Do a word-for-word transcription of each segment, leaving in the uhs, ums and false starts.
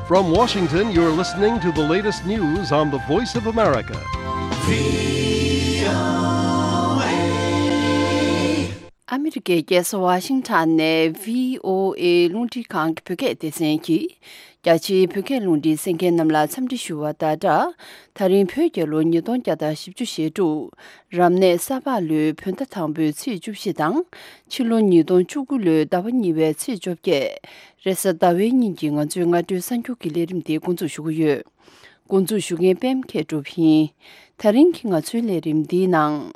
From Washington, you're listening to the latest news on the Voice of America. ཨ་མི་རི་ཀའི་རྒྱལ་ས་ཝ་ཤིང་ཊོན་ནས་བྷི་ཨོ་ཨེ་རླུང་འཕྲིན་ཁང་གི་བོད་སྐད་སྡེ་ཚན་གྱིས། རྒྱ་ཆེའི་བོད་སྐད་རླུང་འཕྲིན་གསན་མཁན་རྣམས་ལ་འཚམས་འདྲི་ཞུ་བ་དང་སྦྲགས། ད་རིང་བོད་རྒྱལ་ལོ་ཉིས་སྟོང་བརྒྱ་དང་བཞི་བཅུ་ཞེ་དྲུག་རབ་གནས་ས་ཕག་ལོའི་བོད་ཟླ་དང་པོའི་ཚེས་བཅུ་བཞི་དང་། ཕྱི་ལོ་ཉིས་སྟོང་བཅུ་དགུ་ལོའི་ཟླ་བ་གཉིས་པའི་ཚེས་བཅོ་བརྒྱད། རེས་གཟའ་ཟླ་བའི་ཉིན་གྱི་ང་ཚོའི་སྔ་དྲོའི་གསར་འགྱུར་གྱི་ལས་རིམ་དེ་འགོ་འཛུགས་ཞུ་གི་ཡོད། འགོ་འཛུགས་ཞུ་མཁན་པད་མ་མཁས་གྲུབ་ཡིན། ད་རིང་གི་ང་ཚོའི་ལས་རིམ་འདིའི་ནང་།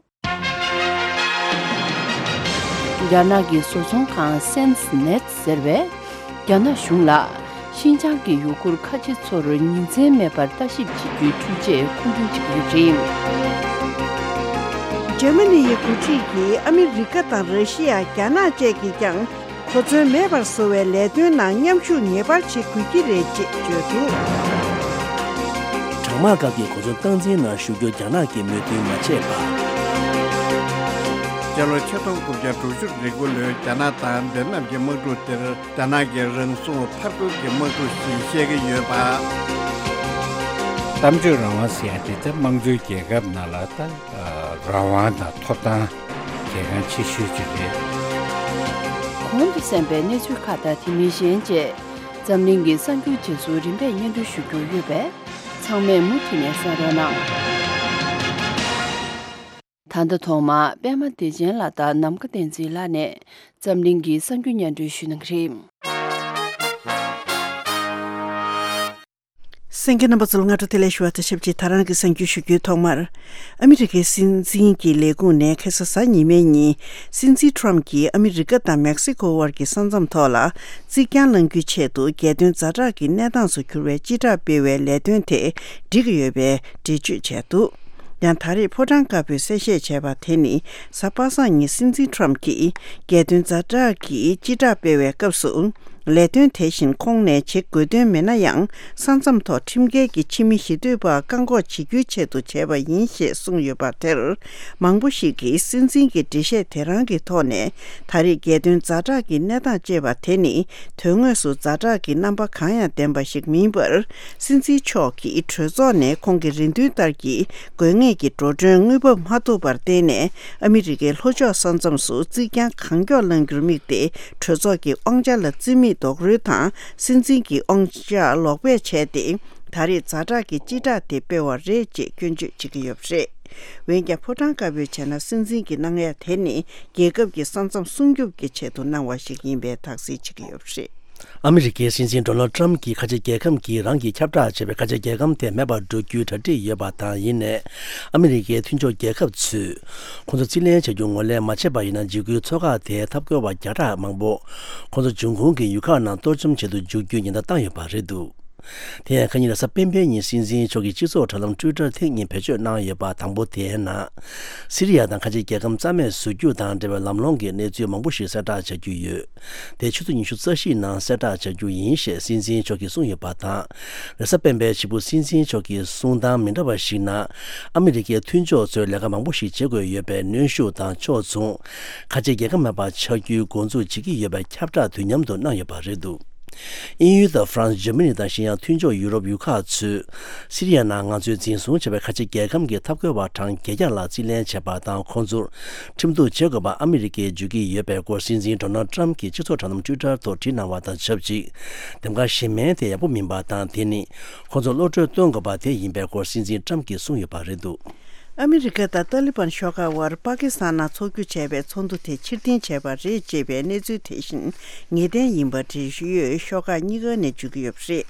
རྒྱ་ནག་གི་བཟོ་ཚོང་ཁང་སེན་སི་ནེད་ཟེར་བས། རྒྱ་ནག་གཞུང་ལ། ཤིན་ཅང་གི་ཡུ་གུར་ཁ་ཆེ་ཚོར་ཉིན་མཚན་མེད་པར་ལྟ་ཞིབ་བྱེད་རྒྱུའི་འཕྲུལ་ཆས་མཁོ་འདོན་བྱེད་ཀྱི་ཡོད་པ་རེད། འཇར་མ་ནི་ཡི་འགོ་ཁྲིད་ཀྱིས་ཨ་མི་རི་ཀ་དང་ར་ཤི་ཡ། རྒྱ་ནག་བཅས་ཀྱིས་ཀྱང་། གོ་མཚོན་མེད་པར་བཟོ་བའི་ལས་དོན་ནང་མཉམ་ཞུགས་ངེས་པར་བྱེད་དགོས་ཀྱི་རེད་ཅེས་བརྗོད་འདུག། གྲང་དམག་སྐབས་ཀྱི་གོ་མཚོན་སྟངས་འཛིན་ནང་ཞུགས་རྒྱུར་རྒྱ་ནག་གིས་མོས་མཐུན་མ་བྱས་པ། སྤྱི་ལོ་ཆིག་སྟོང་དགུ་བརྒྱ་དྲུག་ཅུ་རེ་དགུ་ལོའི་རྒྱ་ནག་དང་ཝེ་ཏི་ནམ་གྱི་དམག་འཁྲུག་དེར་རྒྱ་ནག་གི་རང་སྲུང་ཕར་རྒོལ་གྱི་དམག་འཁྲུག་ཞེས་བཤད་ཀྱི་ཡོད་པ། གཏམ་བརྗོད་རང་དབང་ཟེར་ཡ་དེ་ད་དམངས་གཙོའི་རྒྱལ་ཁབ་ནང་ལ་ད་རང་དབང་དང་ཐོབ་ཐང་གལ་འགངས་ཆེ་ཤོས་ཅིག་རེད། གོང་དུ་གསན་པའི་གནས་ཚུལ་ཁག་དང་དེ་མིན་གཞན་བཅས། འཛམ་གླིང་གི་གསར་འགྱུར་རྗེས་སུ་རིམ་པས་སྙན་སྒྲོན་ཞུ་རྒྱུ་ཡོད་པས། ཚང་མས་མུ་མཐུད་ནས་གསན་རོགས་གནང་། ད་ལྟ་ཐོག་མར་པད་མ་བདེ་ཆེན་ལགས་དང་ནམ་མཁའ་བསྟན་འཛིན་ལགས་ནས་འཛམ་གླིང་གི་གསར་འགྱུར་སྙན་སྒྲོན་ཞུ་གནང་གི་རེད། གསན་མཁན་རྣམ་པ་ཚོ་ལ་སྔ་དྲོ་བདེ་ལེགས་ཞུ་བ་དང་ཆབས་ཅིག་ད་རང་གི་གསར་འགྱུར་ཞུ་རྒྱུའི་ཐོག་མར། ཨ་མི་རི་ཀའི་སྲིད་འཛིན་གྱི་ལས་ཁུངས་ནས་ཁ་སང་གཟའ་ཉི་མའི་ཉིན། སྲིད་འཛིན་ཁྲོམ་གྱིས་ཨ་མི་རི་ཀ་དང་མེག་སི་ཀོ་དབར་གྱི་ས་མཚམས་ཐོག་ལ། རྩིག་གྱང་བསླང་རྒྱུའི་ཆེད་དུ་རྒྱལ་དོན་ཛ་དྲག་གི་གནས་སྟངས་སུ་གྱུར་བའི་སྤྱི་བསྒྲགས་སྤེལ་བའི་ལས་དོན་དེ་འགྲིག་གི་ཡོད་པའི་འགྲེལ་བརྗོད་བྱས་འདུག། ཡང་ད་རེས་ཕོ་བྲང་དཀར་པོས་གསལ་བཤད་བྱས་པ་དེ་ནི། གཟའ་པ་སངས་ཉིན་སྲིད་འཛིན་ཁྲོམ་གྱིས། རྒྱལ་དོན་ཛ་དྲག་གི་སྤྱི་བསྒྲགས་སྤེལ་བའི་སྐབས་སུ། ལས་དོན་དེ་བཞིན་ཁོང་ནས་བྱེད་དགོས་དོན་མེད་ན་ཡང་། ས་མཚམས་ཐོག་ཁྲིམས་འགལ་གྱི་ཕྱི་མི་ཞི་གཏོད་པ་བཀག་འགོག་བྱེད་རྒྱུའི་ཆེད་དུ་བྱས་པ་ཡིན་ཞེས་གསུངས་ཡོད་པ་དེར། མང་པོ་ཞིག་གིས་སྲིད་འཛིན་གྱི་འགྲེལ་བཤད་དེ་རང་གི་ཐོག་ནས། ད་རེས་རྒྱལ་དོན་ཛ་དྲག་གི་གནས་སྟངས་ཅེས་པ་དེ་ནི། དོན་དངོས་སུ་ཛ་དྲག་གི་རྣམ་པ་གང་ཡང་ལྡན་པ་ཞིག་མིན་པར། སྲིད་འཛིན་མཆོག་གིས་གྲོས་ཚོགས་ནས་ཁོང་གི་རེ་འདུན་ལྟར་གྱི་དགོས་ངེས་ཀྱི་འགྲོ་གྲོན་དངུལ་འབབ་མ་ཐུབ་པར་བརྟེན་ནས། ཨ་མི་རི་ཀའི་ལྷོ་ཕྱོགས་ས་མཚམས་སུ་རྩིག་གྱང་གང་མགྱོགས་བསླང་རྒྱུར་དམིགས་ཏེ། གྲོས་ཚོགས་ཀྱི་དབང་ཆ་ལ་རྩིས་མེད་རྡོག་རོལ་དང་། སྲིད་འཛིན་གྱི་དབང་ཆ་ལོག་སྤེལ་བྱས་ཏེ། ད་རེས་ཛ་དྲག་གི་སྤྱི་བསྒྲགས་དེ་སྤེལ་བ་རེད་ཅེས་སྐྱོན་བརྗོད་བྱེད་ཀྱི་ཡོད་པ་རེད། འོན་ཀྱང་ཕོ་བྲང་དཀར་པོས་བྱས་ན། སྲིད་འཛིན་གྱི་གནང་ཡ་དེ་ནི། རྒྱལ་ཁབ་ཀྱི་ས་མཚམས་སྲུང་སྐྱོབ་ཀྱི་ཆེད་དུ་གནང་བ་ཞིག་ཡིན་པའི་དག་སེལ་བྱེད་ཀྱི་ཡོད་པ་རེད། ཨ་མི་རི་ཀའི་སྲིད་འཛིན་ཌོ་ནལ་ཊམ་གྱིས་ཁ་ཆེ་རྒྱལ་ཁམས་ཀྱིས་རང་གིས་ཁྱབ་བསྒྲགས་བྱས་པའི་ཁ་ཆེ་རྒྱལ་ཁམས་དེ་མེད་པར་འགྲོ་རྒྱུའི་གྲ་སྒྲིག་ཡོད་པ་དང་། ཡིན་ནའི། ཨ་མི་རི་ཀའི་མཐུན་ཕྱོགས་རྒྱལ་ཁབ་ཚོས། ཁོང་ཚོ་རྩིས་ལེན་བྱ་རྒྱུ་ངོས་ལེན་མ་བྱས་པ་ཡིན་ན། འཇིགས་སྐུལ་མཚོ་འགག་དེའི་འཐབ་རྒོལ་བ་བརྒྱ་ཕྲག་མང་པོ། ཁོང་ཚོ་འབྱུང་ཁུངས་ཀྱི་ཡུལ་ཁག་ནང་གཏོར་བཅོམ་བྱེད་དུ་འཇུག་རྒྱུའི་ཉེན་བརྡ་བཏང་ཡོད་པ་རེད་འདུག། དེ་ཡང་ཁ་ཉིན་རེས་གཟའ་སྤེན་པའི་ཉིན་སྲིད་འཛིན་མཆོག་གིས་སྤྱི་ཚོགས་དྲ་ལམ་ཊུའི་ཊར་ཐེངས་གཉིས་བེད་སྤྱོད་གནང་ཡོད་པ། དང་པོ་དེའི་ནང་། སི་རི་ཡ་དང་ཁ་ཆེ་རྒྱལ་ཁམས་རྩ་མེད་བཟོ་རྒྱུ་དང་འབྲེལ་བའི་ལམ་ལྷོང་གི་གནས་ཚུལ་མང་པོ་ཞིག་གསལ་བསྒྲགས་བྱ་རྒྱུ་ཡོད། དེ་ཆུ་ཚོད་ཉི་ཤུ་རྩ་བཞིའི་ནང་གསལ་བསྒྲགས་བྱ་རྒྱུ་ཡིན་ཞེས་སྲིད་འཛིན་མཆོག་གིས་གསུངས་ཡོད་པ་དང་། རེས་གཟའ་སྤེན་པའི་ཕྱི་པོ་སྲིད་འཛིན་མཆོག་གིས་གསུངས་སྟངས་མི་འདྲ་བ་ཞིག་ནང་། ཨ་མི་རི་ཀའི་མཐུན་ཕྱོགས་ཚོས་ལས་ཀ་མང་པོ་ཞིག་བྱེད་དགོས་ཡོད་པས། གནོན་ཤུགས་དང་ཕྱོགས་མཚུངས། ཁ་ཆེ་རྒྱལ་ཁབ་མེད་པ་ཆགས་རྒྱུའི་འགོ་འཛུགས་བྱེད་ཀྱི་ཡོད་པའི་ཁྱབ་བསྒྲགས་དུས་མཉམ་དུ་གནང་ཡོད་པ་རེད་འདུག། དབྱིན་ཡུལ་དང་ཧྥ་རན་སི། འཇར་མ་ནི་དང་གཞན་ཡང་མཐུན་ཕྱོགས་ཡུ་རོབ་ཡུལ་ཁག་ཚོས། སི་རི་ཡ་ནང་ང་ཚོས་འཛིན་བཟུང་བྱས་པའི་ཁ་ཆེ་རྒྱལ་ཁམས་ཀྱི་འཐབ་རྒོལ་བ་གྲངས་བརྒྱད་བརྒྱ་ལ་རྩིས་ལེན་བྱས་པ་དང་། ཁོང་ཚོར་ཁྲིམས་གཏུག་བྱེད་དགོས་པ་ཨ་མི་རི་ཀས་བརྗོད་ཀྱི་ཡོད་པའི་སྐོར། སྲིད་འཛིན་ཌོ་ནལ་ཊམ་གྱིས་སྤྱི་ཚོགས་དྲ་ལམ་ཊུའི་ཊར་ཐོག་བྲིས་གནང་བ་དང་ཆབས་ཅིག། འདེམས་ཀ་གཞན་མིན་དེ་ཡག་པོ་མིན་པ་དང་། དེ་ནི་ཁོང་ཚོར་བློ་གྲོས་སྟོན་དགོས་པ་དེ་ཡིན་པའི་སྐོར། སྲིད་འཛིན་ཊམ་གྱིས་གསུངས་ཡོད་པ་རེད་འདུག། ཨ་མི་རི་ཀ་དང་ཏཱ་ལི་བན་ཤོག་ཁག་དབར་པ་ཀི་སི་ཐན་ནང་འཚོགས་རྒྱུ་བྱས་པའི་ཚོགས་འདུ་དེ་ཕྱིར་འཐེན་བྱས་པ་རེད་ཅེས་པའི་གནས་ཚུལ་དེ་བཞིན་ངེས་གཏན་ཡིན་པ་འབྲེལ་ཡོད་ཤོག་ཁག་གཉིས་ཀ་ནས་བརྗོད་ཀྱི་ཡོད་པ་རེད།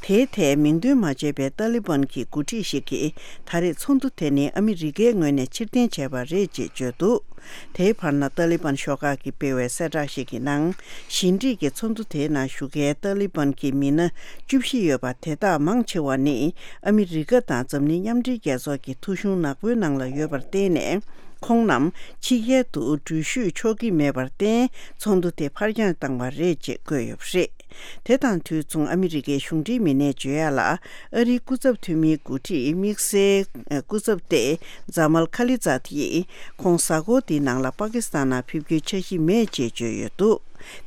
དེའི་ཐད་མིང་འདོན་མ་བྱས་པའི་ཏཱ་ལི་བན་གྱི་འགོ་ཁྲིད་ཞིག་གིས། ད་རེས་ཚོགས་འདུ་དེ་ནི་ཨ་མི་རི་ཀའི་ངོས་ནས་ཕྱིར་འཐེན་བྱས་པ་རེད་ཅེས་བརྗོད་འདུག། དེའི་བར་ན་ཏཱ་ལི་བན་ཤོག་ཁག་གིས་སྤེལ་བའི་གསལ་བསྒྲགས་ཤིག་གི་ནང་། ཞི་འགྲིག་གི་ཚོགས་འདུ་དེའི་ནང་ཞུགས་མཁན་ཏཱ་ལི་བན་གྱི་མི་སྣ་བཅུ་བཞི་ཡོད་པ་དེ་དག་མང་ཆེ་བ་ནི། ཨ་མི་རི་ཀ་དང་འཛམ་གླིང་མཉམ་འབྲེལ་རྒྱལ་ཚོགས་ཀྱི་ཐོ་གཞུང་ནག་པོའི་ནང་ལ་ཡོད་པར་བརྟེན་ནས། ཁོང་རྣམས་ཕྱི་རྒྱལ་དུ་འགྲུལ་བཞུད་ཆོག་གི་མེད་པར་བརྟེན། ཚོགས་འདུ་དེ་ཕར་འགྱངས་བཏང་བ་རེད་ཅེས་བཀོད་ཡོད་པ་རེད། དེ་དང་དུས་མཚུངས་ཨ་མི་རི་ཀའི་གཞུང་འབྲེལ་མི་སྣས་བརྗོད་ཡ་ལ། ཨ་རིའི་སྐུ་ཚབ་འཐུས་མིའི་འགོ་ཁྲིད་དམིགས་བསལ་སྐུ་ཚབ་ཏེ་ཛ་མལ་ཁ་ལི་ཛཱད་ཡིས། ཁོང་གཟའ་འཁོར་འདིའི་ནང་ལ་པ་ཀི་སི་ཐན་ནང་ཕེབས་རྒྱུའི་འཆར་གཞི་མེད་ཅེས་བརྗོད་ཡོད་འདུག།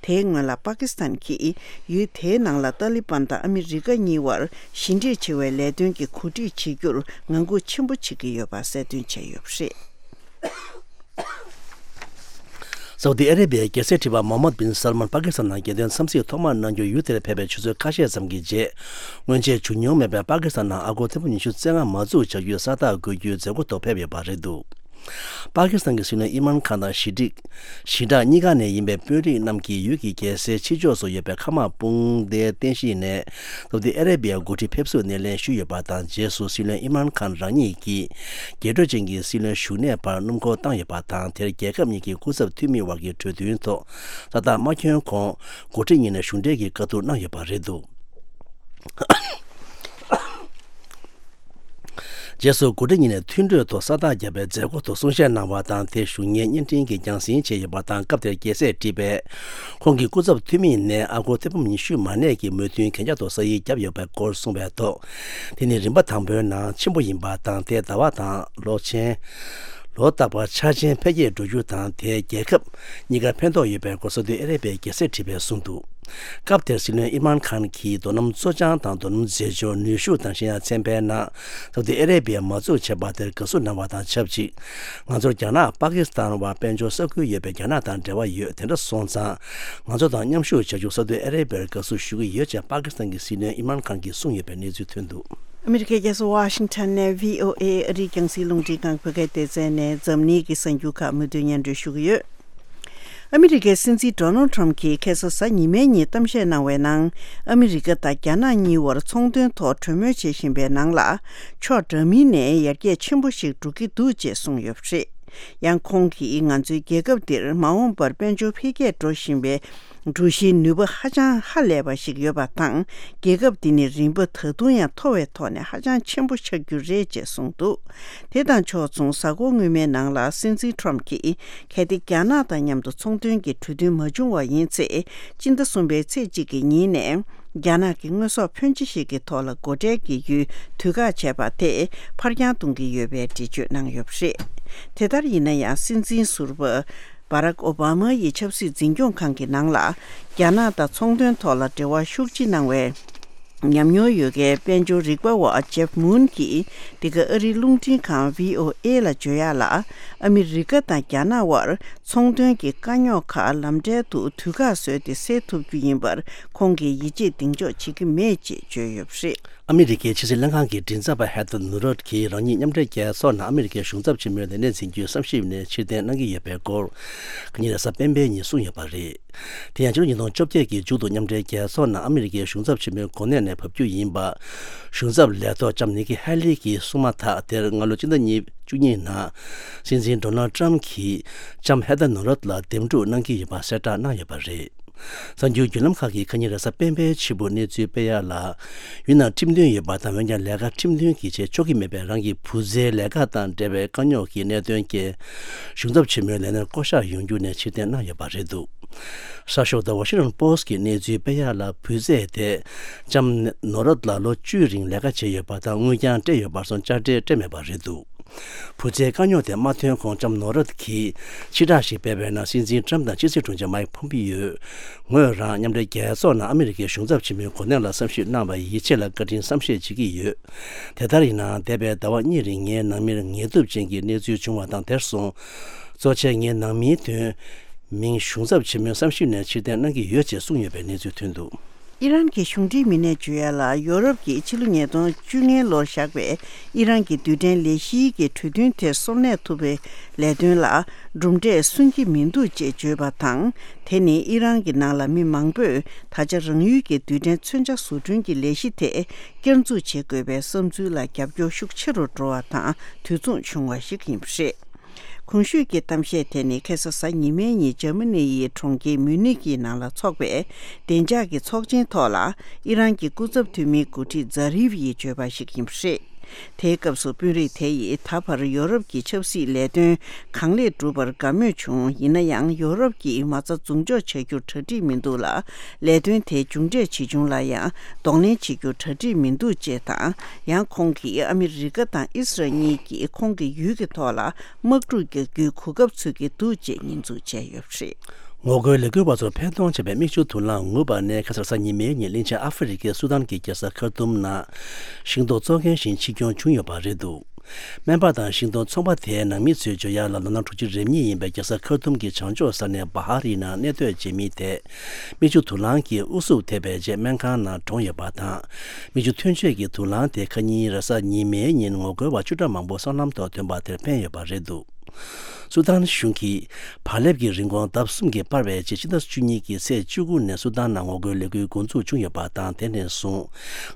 དེའི་སྔོན་ལ་པ་ཀི་སི་ཐན་གྱིས་ཡུལ་དེའི་ནང་ལ་ཏཱ་ལི་བན་དང་ཨ་མི་རི་ཀ་གཉིས་དབར་ཞི་འགྲིག་བྱེད་པའི་ལས་དོན་གྱི་གོ་སྒྲིག་བྱེད་རྒྱུར་ངང་སྒུག་ཆེན་པོ་བྱེད་ཀྱི་ཡོད་པ་གསལ་སྟོན་བྱས་ཡོད་པ་རེད། སའུ་ཏི་ཨ་རེ་བྷི་ཡའི་རྒྱལ་སྲས་ཁྲི་པ་མོ་ཧམ་མད་བིན་སལ་མཱན་པ་ཀི་སི་ཐན་ནང་རྒྱལ་དོན་འཚམས་གཟིགས་ཐོག་མར་གནང་རྒྱུར་ཡུལ་དེར་ཕེབས་པའི་ཆུ་ཚོད་ཁ་ཤས་ཙམ་གྱི་རྗེས། སྔོན་ཆད་བྱུང་མྱོང་མེད་པའི་པ་ཀི་སི་ཐན་ནང་ཨ་སྒོར་ཐེར་འབུམ་ཉི་ཤུ་རྩ་ལྔ་མ་འཛུགས་བྱ་རྒྱུའི་ས་རྟགས་འགོད་རྒྱུའི་མཛད་སྒོ་ཐོག་ཕེབས་ཡོད་པ་རེད་འདུག་པ་ཀི་སི་ཐན་གྱི་སྲིད་བློན་ཨི་མཱན་ཁཱན་དང་ཞི་འགྲིག་ཞི་དྲག་གཉིས་ཀ་ནས་ཡིན་པའི་དཔོན་རིགས་རྣམས་ཀྱིས་ཡུལ་གྱི་རྒྱལ་སའི་ཕྱི་ཕྱོགས་སུ་ཡོད་པའི་མཁའ་དམག་དཔུང་སྡེའི་རྟེན་གཞི་ནས་སའུ་ཏི་ཨ་རེ་བྷི་ཡའི་འགོ་ཁྲིད་ཕེབས་བསུར་སྣེ་ལེན་ཞུས་ཡོད་པ་དང་། རྗེས་སུ་སྲིད་བློན་ཨི་མཱན་ཁཱན་རང་ཉིད་ཀྱིས་རྒྱས་སྤྲོས་ཅན་གྱི་སྲིད་བློན་བཞུགས་གནས་པར་སྣུམ་འཁོར་བཏང་ཡོད་པ་དང་། དེར་རྒྱལ་ཁབ་གཉིས་ཀྱི་སྐུ་ཚབ་འཐུས་མི་དབར་གྱི་གྲོས་མཐུན་ཐོག་ས་རྟགས་མ་འཁྱོལ་གོང་འགོ་ཁྲིད་གཉིས་ནས་གཞུང་འབྲེལ་གྱི་བཀའ་བསྡུར་གནང་ཡོད་པ་རེད་འདུག་རྗེས་སུ་འགོ་ཁྲིད་གཉིས་ནས་མཐུན་གྲོས་ཐོག་ས་རྟགས་བརྒྱབ་པའི་མཛད་སྒོ་ཐོག་གསུང་བཤད་གནང་བ་དང་། དེ་བཞུགས་མཁན་བརྙན་འཕྲིན་གྱིས་རྒྱང་སྲིང་བྱས་ཡོད་པ་དང་། སྐབས་དེར་རྒྱལ་སྲས་ཁྲི་པས་ཁོང་གི་སྐུ་ཚབ་འཐུས་མི་ནས་ཨ་སྒོར་ཐེར་འབུམ་ཉི་ཤུ་མ་གནས་ཀྱི་མོས་མཐུན་གན་རྒྱ་ཐོག་ས་ཡིག་བརྒྱབ་ཡོད་པའི་སྐོར་གསུངས་པའི་ཐོག་དེ་ནི་རིམ་པ་དང་པོའི་ནང་ཆེན་པོ་ཡིན་པ་དང་། དེ་ཟླ་བ་དང་ལོ་ཆེན། ལོ་རྟག་པར་འཆར་ཅན་འཕེལ་རྒྱས་འགྲོ་རྒྱུ་དང་། དེས་རྒྱལ་ཁབ་གཉིས་ཀར་ཕན་ཐོགས་ཡོད་པའི་སྐོར་སོགས་དུ་ཨ་རེ་བྷི་ཡའི་རྒྱལ་སྲས་ཁྲི་པས་གསུངས་འདུག་སྐབས་དེར་སྲིད་བློན་ཨིམ་རཱན་ཁཱན་གྱིས་རྡོ་སྣུམ་བཙོ་སྦྱང་དང་རྡོ་སྣུམ་རྫས་སྦྱོར་ནུས་ཤུགས་དང་། གཞན་ཡང་ཚན་པའི་ནང་སོགས་དུ་ཨ་རེ་བྷི་ཡས་མ་འཛུགས་བྱས་པ་དེར་དགའ་བསུ་གནང་བ་དང་ཆབས་ཅིག་ང་ཚོར་རྒྱ་ནག་པ་ཀི་སི་ཐན་བར་དཔལ་འབྱོར་ས་ཁུལ་ཡོད་པའི་རྒྱ་ནག་དང་འབྲེལ་བ་ཡོད། དེ་འདྲ་སོང་ཙང་ང་ཚོ་དང་མཉམ་ཞུགས་བྱ་རྒྱུར་སོགས་དུ་ཨ་རེ་བྷི་ཡར་དགའ་བསུ་ཞུ་གི་ཡོད་ཅེས་པ་ཀི་སི་ཐན་གྱི་སྲིད་བློན་ཨིམ་རཱན་ཁཱན་གྱིས་གསུངས་ཡོད་པའི་གནས་ཚུལ་ཐོན་འདུག་ཨ་མི་རི་ཀའི་རྒྱལ་ས་ཝ་ཤིང་ཊོན་ནས་བྷི་ཨོ་ཨེ་ཨ་རིའི་རྒྱང་སྲིང་རླུང་འཕྲིན་ཁང་བོད་སྐད་སྡེ་ཚན་ནས་འཛམ་གླིང་གི་གསར་འགྱུར་ཁག་མུ་མཐུད་སྙན་སྒྲོན་ཞུ་གི་ཡོད། ཨ་མི་རི་ཀའི་སྲིད་འཛིན་ཌོ་ནལ་ཊམ་གྱིས་ཁ་སང་གཟའ་ཉི་མའི་ཉིན་གཏམ་བཤད་གནང་བའི་ནང་། ཨ་མི་རི་ཀ་དང་རྒྱ་ནག་གཉིས་བར་ཚོང་དོན་ཐོག་གྲོས་མོལ་བྱེད་བཞིན་པའི་ནང་ལ། ཕྱོགས་འདྲ་མིན་ནས་ཡར་རྒྱས་ཆེན་པོ་ཞིག་འགྲོ་གི་འདུག་ཅེས་གསུངས་ཡོད་པ་རེད། ཡང་ཁོང་གིས་ང་ཚོའི་རྒྱལ་ཁབ་འདིར་མ་འོངས་པར་དཔལ་འབྱོར་འཕེལ་རྒྱས་འགྲོ་བཞིན་པའི་གྲུ་བཞིའི་ནུས་པ་ཧ་ཅང་ཧ་ལས་པ་ཞིག་ཡོད་པ་དང་། རྒྱལ་ཁབ་འདི་ནི་རིམ་པ་ད་དུང་ཡང་མཐོ་བའི་ཐོག་ནས་ཧ་ཅང་ཆེན་པོ་ཆགས་རྒྱུ་རེད་ཅེས་གསུངས་འདུག་དེ་དང་ཕྱོགས་མཚུངས། གཟའ་འཁོར་སྔོན་མའི་ནང་ལ་སྲིད་འཛིན་ཊམ་གྱིས་གལ་ཏེ་རྒྱ་ནག་དང་མཉམ་དུ་ཚོང་དོན་གྱི་གྲོས་མཐུན་མ་བྱུང་བ་ཡིན་ཚེ། སྤྱི་ཟླ་གསུམ་པའི་ཚེས་གཅིག་གི་ཉིན་ནས་རྒྱ་ནག་གི་དངོས་ཟོག་ཕོན་ཆེ་ཞིག་གི་ཐོག་ལ་སྒོ་ཁྲལ་གྱི་ཡུལ་དུས་བཀག་བྱས་པ་དེ་ཕར་འགྱངས་གཏོང་གི་ཡོད་པའི་འགྲེལ་བརྗོད་གནང་ཡོད་པ་རེད། དེ་ལྟར་ཡིན་ན་ཡང་། སྲིད་འཛིན་ཟུར་པ་བྷ་རག་ཨོ་བྷ་མ་ཡི་ཆབ་སྲིད་འཛིན་སྐྱོང་ཁང་གི་ནང་ལ་རྒྱ་ནག་དང་ཚོང་དོན་ཐོག་ལ་འབྲེལ་བ་ཤུགས་ཆེ་གནང་བའི་ཉམས་མྱོང་ཡོད་མཁན་དཔལ་འབྱོར་རིག་པ་བ་ཇེབ་མུན་གྱིས་འདི་ག་ཨ་རིའི་རླུང་འཕྲིན་ཁང་བྷི་ཨོ་ཨེ་ལ་བརྗོད་ཡག་ལ། ཨ་མི་རི་ཀ་དང་རྒྱ་ནག་དབར་ཚོང་དོན་གྱི་དཀའ་རྙོག་ཁག་ལམ་འབྲས་དུ་དུས་བཀག་བཟོས་ཏེ་སེལ་ཐུབ་རྒྱུ་ཡིན་པར་ཁོང་གིས་ཡིད་ཆེས་གདེང་འཇོག་བྱེད་ཀྱི་མེད་ཅེས་བརྗོད་ཡོད་པ་རེད། ཨ་མི་རི་ཀའི་ཕྱི་སྲིད་ལྷན་ཁང་གི་མགྲིན་ཚབ་པ་ཧེ་ཐར་ནུ་རོད་ཀྱིས་རང་ཉིད་མཉམ་འབྲེལ་རྒྱལ་ཚོགས་ནང་ཨ་མི་རི་ཀའི་གཞུང་ཚབ་ཆེན་མོའི་ལས་གནས་འཛིན་རྒྱུའི་བསམ་ཞིབ་ནས་ཕྱིར་འཐེན་གནང་གི་ཡོད་པའི་སྐོར། ཁ་ཉིན་རེས་གཟའ་སྤེན་པའི་ཉིན་གསུངས་ཡོད་པ་རེད། དེ་ཡང་ཕྱི་ལོ་ཉིས་སྟོང་བཅོ་བརྒྱད་ཀྱི་མཇུག་ཏུ་མཉམ་འབྲེལ་རྒྱལ་ཚོགས་ནང་ཨ་མི་རི་ཀའི་གཞུང་ཚབ་ཆེན་མོའི་གོ་གནས་ནས་བབས་རྒྱུ་ཡིན་པ། གཞུང་ཚབ་ལས་ཐོག་ལྕམ་ནི་ཀི་ཧེ་ལི་གིས་གསུངས་མ་ཐག་དེར་སྔ་ལོ་སྤྱི་ཟླ་གཉིས་བཅུ་གཉིས་ནང་སྲིད་འཛིན་ཌོ་ནལ་ཊམ་གྱིས་ལྕམ་ཧེ་ཐར་ནུ་རོད་ལ་འདེམས་སྒྲུག་གནང་གི་ཡོད་པ་གསལ་བསྒྲགས་གནང་ཡོད་པ་རེད། གསར་འགྱུར་བརྒྱུད་ལམ་ཁག་གིས་ཁ་ཉིན་རེས་གཟའ་སྤེན་པའི་ཕྱི་པོ་གནས་ཚུལ་སྤེལ་ཡག་ལ། ཡུལ་ནང་ཁྲིམས་མཐུན་ཡོད་པ་དང་། འོན་ཀྱང་ལས་ཀ་ཁྲིམས་མཐུན་གྱིས་བྱེད་ཆོག་གི་མེད་པའི་རང་གི་བུ་ཚའི་ལས་ཀ་དང་འབྲེལ་བའི་དཀའ་རྙོག་གི་གནད་དོན་རྐྱེན། གཞུང་ཚབ་ཆེན་མོའི་ལས་གནས་བསྐོ་གཞག་ཡོང་རྒྱུ་ནས་ཕྱིར་འཐེན་གནང་ཡོད་པ་རེད་འདུག་གསར་ཤོག་The Washington Post་གིས་གནས་ཚུལ་སྤེལ་ཡག་ལ། བུ་ཚས་དེ་ལྕམ་ནོ་རོད་ལ་ལོ་བཅུའི་རིང་ལས་ཀ་བྱས་ཡོད་པ་དང་། དངུལ་ཀྱང་སྤྲད་ཡོད་པར་སོང་། དཔྱ་ཁྲལ་སྤྲད་མེད་པ་རེད་འདུག་བུ་ཚའི་དཀའ་རྙོག་དེ་མ་ཐོན་གོང་ལྕམ་ནོ་རོད་ཀྱིས་ཕྱིར་བསྒྲགས་ཤིག་སྤེལ་བའི་ནང་། སྲིད་འཛིན་ཊམ་དང་ཕྱི་སྲིད་དྲུང་ཆེ་མའིག་ཕོམ་པི་ཡོས། ངོས་རང་མཉམ་འབྲེལ་རྒྱལ་ཚོགས་ནང་ཨ་མི་རི་ཀའི་གཞུང་ཚབ་ཆེན་མོའི་གོ་གནས་ལ་བསམ་ཞིབ་གནང་བར་ཡིད་ཆེས་ལ་བཀའ་དྲིན་བསམ་ཤེས་བྱེད་ཀྱི་ཡོད། དེ་ལྟར་ཡིན་ནའང་། འདས་པའི་ཟླ་བ་གཉིས་རིང་ངའི་ནང་མིར་ངལ་དུབ་ཅན་གྱི་གནས་ཚུལ་བྱུང་བ་དང་། དེར་སོང་། གཙོ་ཆེ་ངའི་ནང་མིའི་དོན་མིང་གཞུང་ཚབ་ཆེན་མོའི་བསམ་ཞིབ་ནས་ཕྱིར་འཐེན་གནང་གི་ཡོད་ཅེས་གསུངས་ཡོད་པའི་གནས་ཚུལ་ཐོན་འདུག་ཨི་རན་གྱི་གཞུང་འབྲེལ་མི་སྣས་བརྗོད་ཡག་ལ། ཡོ་རོབ་ཀྱིས་ཕྱི་ལོ་ཉིས་སྟོང་བཅོ་ལྔ་ལོར་བཞག་པའི་ཨི་རན་གྱི་རྡུལ་ཕྲན་ལས་གཞིའི་གི་གྲོས་མཐུན་དེར་སོར་གནས་ཐུབ་པའི་ལས་དོན་ལ་གྲུབ་འབྲས་སོན་གྱི་མི་འདུག་ཅེས་བརྗོད་པ་དང་། དེ་ནི་ཨི་རན་གྱི་ནང་ལ་མི་མང་པོས་ད་ཆ་རང་ཡུལ་གྱི་རྡུལ་ཕྲན་མཚོན་ཆ་བཟོ་སྐྲུན་གྱི་ལས་གཞི་དེ་བསྐྱར་འཛུགས་བྱེད་དགོས་པའི་བསམ་ཚུལ་ལ་རྒྱབ་སྐྱོར་ཤུགས་ཆེ་རུ་འགྲོ་བ་དང་དུས་མཚུངས་བྱུང་བ་ཞིག་ཡིན་པ་རེད། གོང་ཞུས་ཀྱི་གཏམ་བཤད་དེ་ནི་ཁ་སང་གཟའ་ཉི་མའི་ཉིན་འཇར་མ་ནི་ཡི་གྲོང་ཁྱེར་མུ་ནིག་གི་ནང་ལ་འཚོགས་པའི་བདེ་འཇགས་ཀྱི་ཚོགས་ཆེན་ཐོག་ལ་ཨི་རན་གྱི་སྐུ་ཚབ་འཐུས་མི་འགོ་ཁྲིད་ཛ་རིབ་ཡིས་བརྗོད་པ་ཞིག་ཡིན་པ་རེད། དེའི་སྐབས་སུ་དཔོན་རིགས་དེ་ཡིས་ད་བར་ཡོ་རོབ་ཀྱི་ཆབ་སྲིད་ལས་དོན་གང་ལེགས་འགྲུབ་པར་དགའ་མོས་བྱུང་། ཡིན་ན་ཡང་ཡོ་རོབ་ཀྱིས་མ་རྩ་མཚམས་འཇོག་བྱ་རྒྱུར་གྲ་སྒྲིག་མི་འདུག་ལ། ལས་དོན་དེའི་མཇུག་འབྲས་ཇི་བྱུང་ལ་ཡང་གདོང་ལེན་བྱེད་རྒྱུར་གྲ་སྒྲིག་མི་འདུག་ཅེས་དང་། ཡང་ཁོང་གིས་ཨ་མི་རི་ཀ་དང་ཨི་སི་རལ་གཉིས་ཀྱིས་ཁོང་གི་ཡུལ་གྱི་ཐོག་ལ་དམག་འཁྲུག་རྒྱག་རྒྱུའི་གོ་སྐབས་འཚོལ་གྱི་འདུག་ཅེས་ཉེས་འཛུགས་བྱས་ཡོད་པ་རེད། ངོ་རྒོལ་ལས་འགུལ་བ་ཚོར་ཕན་ཐོགས་བྱས་པའི་མིག་ཆུ་དུག་རླངས་ངུས་པ་ནས་ཁ་སང་གཟའ་ཉི་མའི་ཉིན་གླིང་ཆེན་ཨ་ཧྥེ་རི་ཁའི་སུ་དཱན་གྱི་རྒྱལ་ས་ཁར་ཏུམ་ནང་ཤིང་ཏོག་བཙོག་མཁན་ཞིག་འཆིང་སྐྱོན་བྱུང་ཡོད་པ་རེད་འདུག་སྨན་པ་དང་ཤིང་ཏོག་ཚོང་པ་དེའི་ནང་མི་ཚོས་བརྗོད་ཡག་ལ་ལོ་ན་དྲུག་ཅུ་རེ་གཉིས་ཡིན་པའི་རྒྱལ་ས་ཁར་ཏུམ་གྱི་བྱང་ཕྱོགས་ས་གནས་བྷ་ཧ་རི་ནང་གནས་སྡོད་བྱེད་མི་དེ་མིག་ཆུ་དུག་རླངས་ཀྱིས་ཨུ་ཚུགས་ཐེབས་པའི་རྗེས་སྨན་ཁང་ནང་གྲོངས་ཡོད་པ་དང་། མིག་ཆུ་ཐོན་ཆས་ཀྱི་དུག་རླངས་དེ་ཁ་ཉིན་རེས་གཟའ་ཉི་མའི་ཉིན་ངོ་རྒོལ་བ་བཅུ་ཕྲག་མང་པོ་སྲང་ལམ་ཐོག་ཐོན་པ་དེར་ཕན་ཡོད་པ་རེད་འདུག་སུ་དཱན་གཞུང་གིས་བག་ལེབ་ཀྱི་རིན་གོང་ལྡབ་གསུམ་གྱིས་སྤར་བའི་རྗེས་ཕྱི་ཟླ་བཅུ་གཉིས་ཀྱི་ཚེས་བཅུ་དགུ་ནས་སུ་དཱན་ནང་ངོ་རྒོལ་ལས་འགུལ་འགོ་འཛུགས་བྱུང་ཡོད་པ་དང་། དེ་ནས་བཟུང་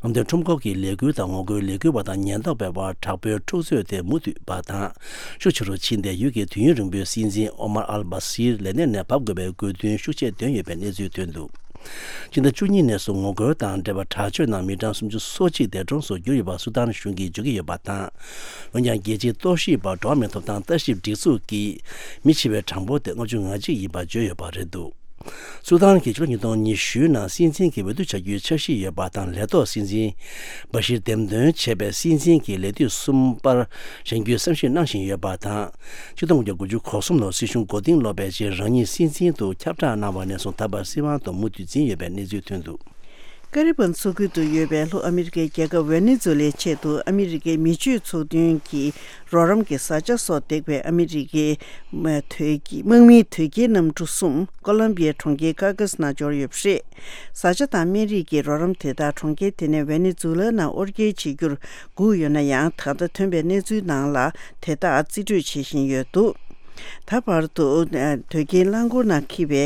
ངམ་ཐོན་ཁྲོམ་སྐོར་གྱི་ལས་འགུལ་དང་ངོ་རྒོལ་ལས་འགུལ་བ་དང་ཉེན་རྟོག་པའི་བར་དྲག་པོའི་འཁྲུག་རྩོད་དེ་མུ་མཐུད་པ་དང་། ཤུགས་ཆེ་རུ་ཕྱིན་ཏེ་ཡུལ་གྱི་དུས་ཡུན་རིང་པོའི་སྲིད་འཛིན་ཨོ་མར་ཨལ་བྷ་སིར་ལས་གནས་ནས་བབས་དགོས་པའི་དགོས་འདུན་ཤུགས་ཆེ་བཏོན་ཡོད་པའི་གནས་ཚུལ་ཐོན་འདུག་སྤྱི་ཟླ་བཅུ་གཉིས་ནས་བཟུང་ངོ་རྒོལ་དང་འབྲེལ་བ་དྲག་སྤྱོད་ནང་མི་གྲངས་སུམ་ཅུ་སོ་གཅིག་འདས་གྲོངས་སུ་གྱུར་ཡོད་པ་སུ་དཱན་གཞུང་གིས་བརྗོད་ཀྱི་ཡོད་པ་དང་། འོན་ཀྱང་རྒྱལ་སྤྱིའི་རྟོག་ཞིབ་པ་འགྲོ་བ་མིའི་ཐོབ་ཐང་ལྟ་ཞིབ་སྒྲིག་འཛུགས་ཀྱིས་མི་འཆི་བའི་གྲངས་འབོར་དེ་ལྔ་བཅུ་ང་གཅིག་ཡིན་པ་བརྗོད་ཡོད་པ་རེད་འདུག་སུ་དཱན་གྱི་ཕྱི་ལོ་ཉིས་སྟོང་ཉི་ཤུ་ནང་སྲིད་འཛིན་གྱི་འོས་བསྡུ་བྱ་རྒྱུའི་འཆར་གཞི་ཡོད་པ་དང་། ལས་ཐོག་སྲིད་འཛིན་བྷ་ཤིར་འདེམས་ཐོན་བྱས་པའི་སྲིད་འཛིན་གྱི་ལས་དུས་གསུམ་པར་བཞེངས་རྒྱུའི་བསམ་ཤེས་གནང་བཞིན་ཡོད་པ་དང་། ཆིག་སྟོང་དགུ་བརྒྱ་དགུ་བཅུ་གོ་གསུམ་ལོར་སྲིད་གཞུང་མགོ་རྟིང་སློག་པའི་རྗེས་རང་ཉིད་སྲིད་འཛིན་དུ་ཁྱབ་བསྒྲགས་གནང་བ་ནས་བཟུང་ད་བར་སྲིད་དབང་དུ་མུ་མཐུད་འཛིན་ཡོད་པའི་གནས་ཚུལ་ཐོན་འདུག་ཀ་རི་བན་མཚོ་ཁུལ་དུ་ཡོད་པའི་ལྷོ་ཨ་མི་རི་ཀའི་རྒྱལ་ཁབ་ཝེ་ནེ་ཛུ་ལའི་ཆེད་དུ་ཨ་མི་རི་ཀའི་མི་ཆོས་ཚོགས་འདུན་གྱི་རོགས་རམ་གྱི་བཟའ་བཅའ་སོགས་འདེགས་པའི་ཨ་མི་རི་ཀའི་དམག་མིའི་དོས་སྐྱེལ་གནམ་གྲུ་གསུམ་ཀོ་ལོམ་བི་ཡའི་གྲོང་ཁྱེར་ཀ་ཀ་སི་ནང་འབྱོར་ཡོད་པ་རེད། བཟའ་བཅའ་དང་སྨན་རིགས་ཀྱི་རོགས་རམ་དེ་དག་གྲོང་ཁྱེར་དེ་ནས་ཝེ་ནེ་ཛུ་ལ་ནང་དབོར་སྐྱེལ་བྱེད་རྒྱུར་སྒུག་ཡོད་ན་ཡང་། ད་ལྟ་ཐོན་པའི་གནས་ཚུལ་ནང་ལ་དེ་དག་རྩིས་སྤྲོད་བྱེད་བཞིན་ཡོད་འདུག་ད་བར་དུ་དོས་སྐྱེལ་རླངས་འཁོར་ནང་འཁྱེར་བའི་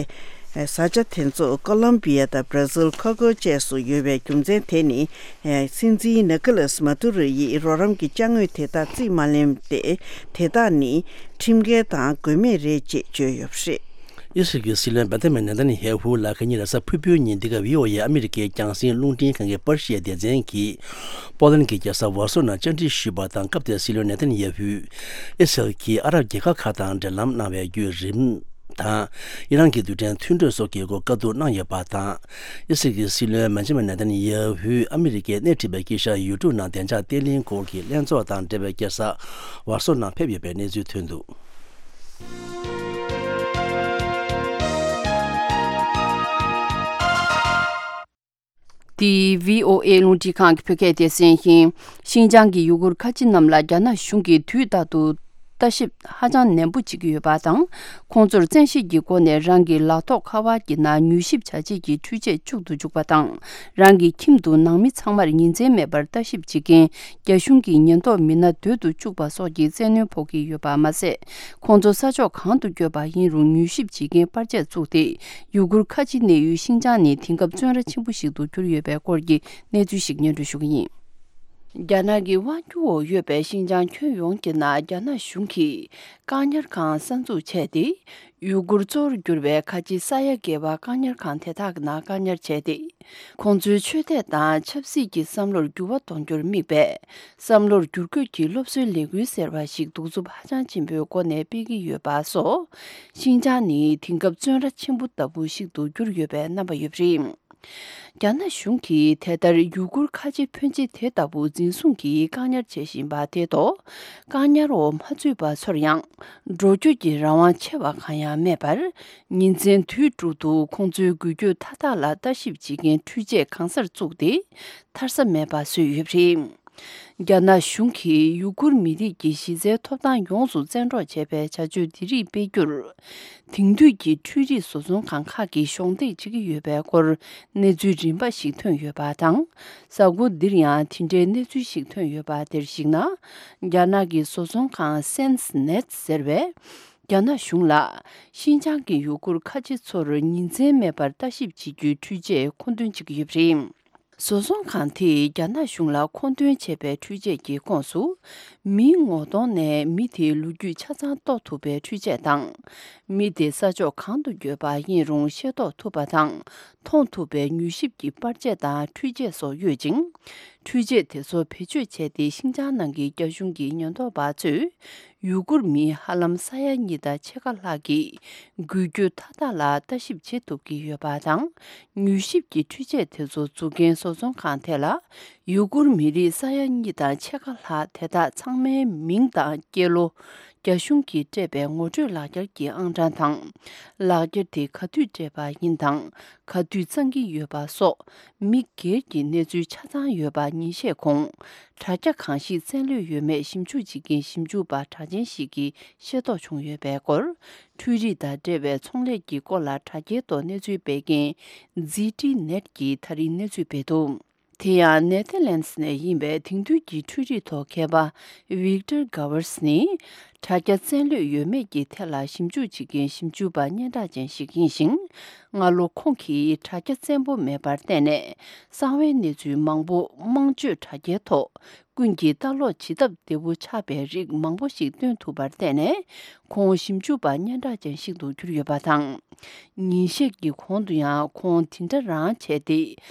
བཟའ་བཅའ་དེ་ཚོ་ཀོ་ལོམ་བི་ཡ་དང་བྷ་ར་ཟིལ་ཁོ་ཁོ་བཅས་སུ་ཡོད་པའི་རྒྱུ་མཚན་དེ་ནི། སྲིད་འཛིན་ནི་ཀོ་ལ་སི་མ་ཏུ་རོ་ཡིས་རོགས་རམ་གྱི་ཅ་དངོས་དེ་དག་རྩིས་མ་ལེན་ཏེ། དེ་དག་ནི་ཁྲིམས་འགལ་དང་དགོས་མེད་རེད་ཅེས་བརྗོད་ཡོད་པ་རེད། ཨི་སི་རལ་གྱི་སྲིད་བློན་བེན་ཇ་མིན་ནེ་ཐན་ཡ་ཧུ་ལགས་ཁ་ཉིན་རེས་གཟའ་ཕུར་བུའི་ཉིན་འདི་ག་ཝི་ཨོ་ཨེ་ཨ་མི་རི་ཀའི་རྒྱང་སྲིང་རླུང་འཕྲིན་ཁང་གི་པར་ཤིའི་སྡེ་ཚན་གྱིས་པོ་ལན་གྱི་རྒྱལ་ས་ཝར་སོ་ནང་བཅར་འདྲི་ཞུས་པ་དང་། སྐབས་དེར་སྲིད་བློན་ནེ་ཐན་ཡ་ཧུས་ཨི་སི་རལ་གྱིས་ཨ་རབ་རྒྱལ་ཁབ་ཁག་དང་འབྲེལ་ལམ་གནང་བའི་བརྒྱུད་རིམ་དང་། ཨི་རན་གྱི་རྡུལ་ཕྲན་མཐུན་གྲོས་སོགས་ཀྱི་སྐོར་བཀའ་བསྡུར་གནང་ཡོད་པ་དང་། ཨི་སི་རལ་གྱི་སྲིད་བློན་བེན་ཇ་མིན་ནེ་ཐན་ཡ་ཧུས་ཨ་མི་རི་ཀས་སྣེ་ཁྲིད་པའི་དཀྱིལ་ཤར་ཡུལ་གྲུ་ནང་བདེ་འཇགས་བརྟན་ལྷིང་སྐོར་གྱི་ལྷན་ཚོགས་དང་འབྲེལ་བའི་རྒྱལ་ས་ཝར་སོ་ནང་ཕེབས་ཡོད་པའི་གནས་ཚུལ་ཐོན་འདུག་འདི་ཝི་ཨོ་ཨེ་རླུང་འཕྲིན་ཁང་གི་བོད་སྐད་སྡེ་ཚན་ཡིན། ཤིན་ཅང་གི་ཡུ་གུར་ཁ་ཆེ་རྣམས་ལ་རྒྱ་ནག་གཞུང་གིས་དུས་རྟག་ཏུ་ལྟ་ཞིབ་ཧ་ཅང་ནན་པོ་བྱེད་ཀྱི་ཡོད་པ་དང་། ཁོང་ཚོར་བཙན་ཤེད་ཀྱི་སྒོ་ནས་རང་གི་ལག་ཐོགས་ཁ་པར་གྱི་ནང་མྱུལ་ཞིབ་བྱ་བྱེད་ཀྱི་འཕྲུལ་ཆས་བཅུག་ཏུ་འཇུག་པ་དང་། རང་གི་ཁྱིམ་དུ་ནང་མི་ཚང་མར་ཉིན་མཚན་མེད་པར་ལྟ་ཞིབ་བྱེད་མཁན་རྒྱ་གཞུང་གི་ཉེན་རྟོག་མི་སྣ་སྡོད་དུ་བཅུག་པ་སོགས་ཀྱི་བཙན་གནོན་ཕོག་གི་ཡོད་པ་མ་ཟད། ཁོང་ཚོ་ས་ཕྱོགས་གང་དུ་བསྐྱོད་པ་ཡིན་རུང་མྱུལ་ཞིབ་བྱེད་མཁན་པར་ཆས་བཙུགས་ཏེ། ཡུ་གུར་ཁ་ཆེ་གནས་ཡུལ་ཤིན་ཅང་ནི་དེང་སྐབས་བཙོན་ར་ཆེན་པོ་ཞིག་ཏུ་གྱུར་ཡོད་པའི་སྐོར་གྱི་གནས་ཚུལ་ཞིག་སྙན་སྒྲོན་ཞུ་གི་ཡིན། རྒྱ་ནག་གི་དབང་སྒྱུར་འོག་ཡོད་པའི་ཤིན་ཅང་ཁྱོན་ཡོངས་ཀྱི་ནང་རྒྱ་ནག་གཞུང་གིས་བཀག་ཉར་ཁང་གསར་འཛུགས་བྱས་ཏེ། ཡུ་གུར་གཙོ་བོར་གྱུར་པའི་ཁ་ཆེ་ས་ཡ་བརྒལ་བ་བཀག་ཉར་ཁང་དེ་དག་གི་ནང་བཀག་ཉར་བྱས་ཏེ། ཁོང་ཚོའི་ཆོས་དད་དང་ཆབ་སྲིད་ཀྱི་བསམ་བློར་འགྱུར་བ་གཏོང་རྒྱུར་དམིགས་པའི་བསམ་བློར་བསྒྱུར་བཀོད་ཀྱི་སློབ་གསོའི་ལས་འགུལ་ཟེར་བ་ཞིག་གདུག་རྩུབ་ཧ་ཅང་ཆེན་པོའི་སྒོ་ནས་སྤེལ་གྱི་ཡོད་པ་སོགས། ཤིན་ཅང་ནི་དེང་སྐབས་བཙོན་ར་ཆེན་པོ་ལྟ་བུ་ཞིག་ཏུ་གྱུར་ཡོད་པའི་རྣམ་པ་ཡོད་པ་རེད། རྒྱ་ནག་གཞུང་གིས་དེ་ལྟར་ཡུ་གུར་ཁ་ཆེ་ཕོན་ཆེ་དེ་ལྟ་བུ་འཛིན་བཟུང་གིས་བཀག་ཉར་བྱེད་བཞིན་པ་དེ་ཐོག་བཀག་ཉར་འོག་མ་ཚུད་པ་ཚོར་ཡང་འགྲོ་སྐྱོད་ཀྱི་རང་དབང་ཆེ་བ་གང་ཡང་མེད་པར། ཉིན་མཚན་དུས་དྲུག་ཏུ་ཁོང་ཚོའི་འགུལ་སྐྱོད་མཐའ་དག་ལ་ལྟ་ཞིབ་བྱེད་མཁན་འཕྲུལ་ཆས་གང་སར་བཙུགས་ཏེ། ཐར་ས་མེད་པ་བཟོས་ཡོད་པ་རེད། རྒྱ་ནག་གཞུང་གིས་ཡུ་གུར་མི་རིགས་ཀྱི་གཞི་རྩའི་ཐོབ་ཐང་ཡོངས་སུ་བཙན་འཕྲོག་བྱས་པའི་བྱ་སྤྱོད་འདི་རིགས་སྤེལ་རྒྱུར། དེང་དུས་ཀྱི་འཕྲུལ་རིག་བཟོ་ཚོང་ཁང་ཁག་གིས་གཞོགས་འདེགས་བྱེད་ཀྱི་ཡོད་པའི་སྐོར་གནས་ཚུལ་རིམ་པ་ཞིག་ཐོན་ཡོད་པ་དང་། གཟའ་འཁོར་འདིར་ཡང་དེ་འདྲའི་གནས་ཚུལ་ཞིག་ཐོན་ཡོད་པ་དེར་གཞིགས་ན། རྒྱ་ནག་གི་བཟོ་ཚོང་ཁང་སེན་སི་ནེད་ཟེར་བས། རྒྱ་ནག་གཞུང་ལ་ཤིན་ཅང་གི་ཡུ་གུར་ཁ་ཆེ་ཚོར་ཉིན་མཚན་མེད་པར་ལྟ་ཞིབ་བྱེད་རྒྱུའི་འཕྲུལ་ཆས་མཁོ་འདོན་བྱེད་ཀྱི་ཡོད་པ་རེད། བཟོ་ཚོང་ཁང་དེས་རྒྱ་ནག་གཞུང་ལ་མཁོ་འདོན་བྱས་པའི་འཕྲུལ་ཆས་ཀྱི་ཁོངས་སུ། མིའི་ངོ་གདོང་ནས་མི་དེའི་ལོ་རྒྱུས་ཆ་ཚང་རྟོགས་ཐུབ་པའི་འཕྲུལ་ཆས་དང་། མི་དེ་ས་ཕྱོགས་གང་དུ་བསྐྱོད་པ་ཡིན་རུང་ཤེས་རྟོགས་ཐུབ་པ་དང་། མཐོང་ཐུབ་པའི་མྱུལ་ཞིབ་ཀྱི་པར་ཆས་དང་འཕྲུལ་ཆས་སོགས་ཡོད་ཅིང་། འཕྲུལ་ཆས་དེ་ཚོ་བེད་སྤྱོད་བྱས་ཏེ་ཤིན་ཅང་ནང་གི་རྒྱ་གཞུང་གི་ཉེན་རྟོག་པ་ཚོས། ཡུ་གུར་མི་ཧ་ལམ་ས་ཡ་གཉིས་དང་ཕྱེད་ཀ་ལྷག་གི་འགུལ་སྐྱོད་མཐའ་དག་ལ་ལྟ་ཞིབ་བྱེད་ཐུབ་ཀྱི་ཡོད་པ་དང་། མྱུལ་ཞིབ་ཀྱི་འཕྲུལ་ཆས་དེ་ཚོ་འཛུགས་མཁན་བཟོ་ཚོང་ཁང་དེ་ལ་ཡུ་གུར་མི་རིགས་ས་ཡ་གཉིས་དང་ཕྱེད་ཀ་ལྷག་དེ་དག་ཚང་མའི་མིང་དང་སྐྱེས་ལོ། རྒྱ་གཞུང་གིས་སྤྲད་པའི་ངོ་སྤྲོད་ལག་འཁྱེར་གྱི་ཨང་གྲངས་དང་། ལག་འཁྱེར་དེ་ག་དུས་སྤྲད་པ་ཡིན་དང་། ག་དུས་གཙང་གི་ཡོད་པ་སོགས་མི་སྒེར་གྱི་གནས་ཚུལ་ཆ་ཚང་ཡོད་པ་ཉིན་ཤས་གོང་། དྲ་རྒྱ་གང་ཞིག་བཙན་ལྷོད་ཡོད་མེད་ཞིབ་འཇུག་བྱེད་མཁན་ཞིབ་འཇུག་པ་གྲགས་ཅན་ཞིག་གིས་ཤེས་རྟོགས་བྱུང་ཡོད་པའི་སྐོར། འཕྲུལ་རིག་དང་འབྲེལ་བའི་ཚོང་ལས་ཀྱི་སྐོར་ལ་དྲ་རྒྱའི་ཐོག་གནས་ཚུལ་སྤེལ་མཁན་ཛི་ཏི་ནེཊ་ཀྱིས་ད་རིང་གནས་ཚུལ་སྤེལ་འདུག་དེ་ཡང་ནེ་ཐར་ལན་སི་ནས་ཡིན་པའི་དེང་དུས་ཀྱི་འཕྲུལ་རིག་ཐོག་མཁས་པ་ཝིག་ཏར་གྷ་ཝར་སི་ནི། དྲ་རྒྱ་བཙན་ལྷོད་ཡོད་མེད་ཀྱི་ཐད་ལ་ཞིབ་འཇུག་བྱེད་མཁན་ཞིབ་འཇུག་པ་སྙན་གྲགས་ཅན་ཞིག་ཡིན་ཞིང་། སྔ་ལོ་ཁོང་གིས་དྲ་རྒྱ་བཙན་པོ་མེད་པར་བརྟེན་ནས་གསང་བའི་གནས་ཚུལ་མང་པོ་དམངས་སྤྱོད་དྲ་རྒྱའི་ཐོག་ཀུན་གྱིས་ལྟ་ཀློག་བྱེད་ཐབས་བདེ་བོ་ཆགས་པའི་རིགས་མང་པོ་ཞིག་སྟོན་ཐུབ་པར་བརྟེན་ནས། ཁོང་ཞིབ་འཇུག་པ་སྙན་གྲགས་ཅན་ཞིག་ཏུ་གྱུར་ཡོད་པ་དང་། ཉིན་ཤས་ཀྱི་གོང་དུ་ཡང་ཁོང་དེ་འདྲ་རང་བྱས་ཏེ།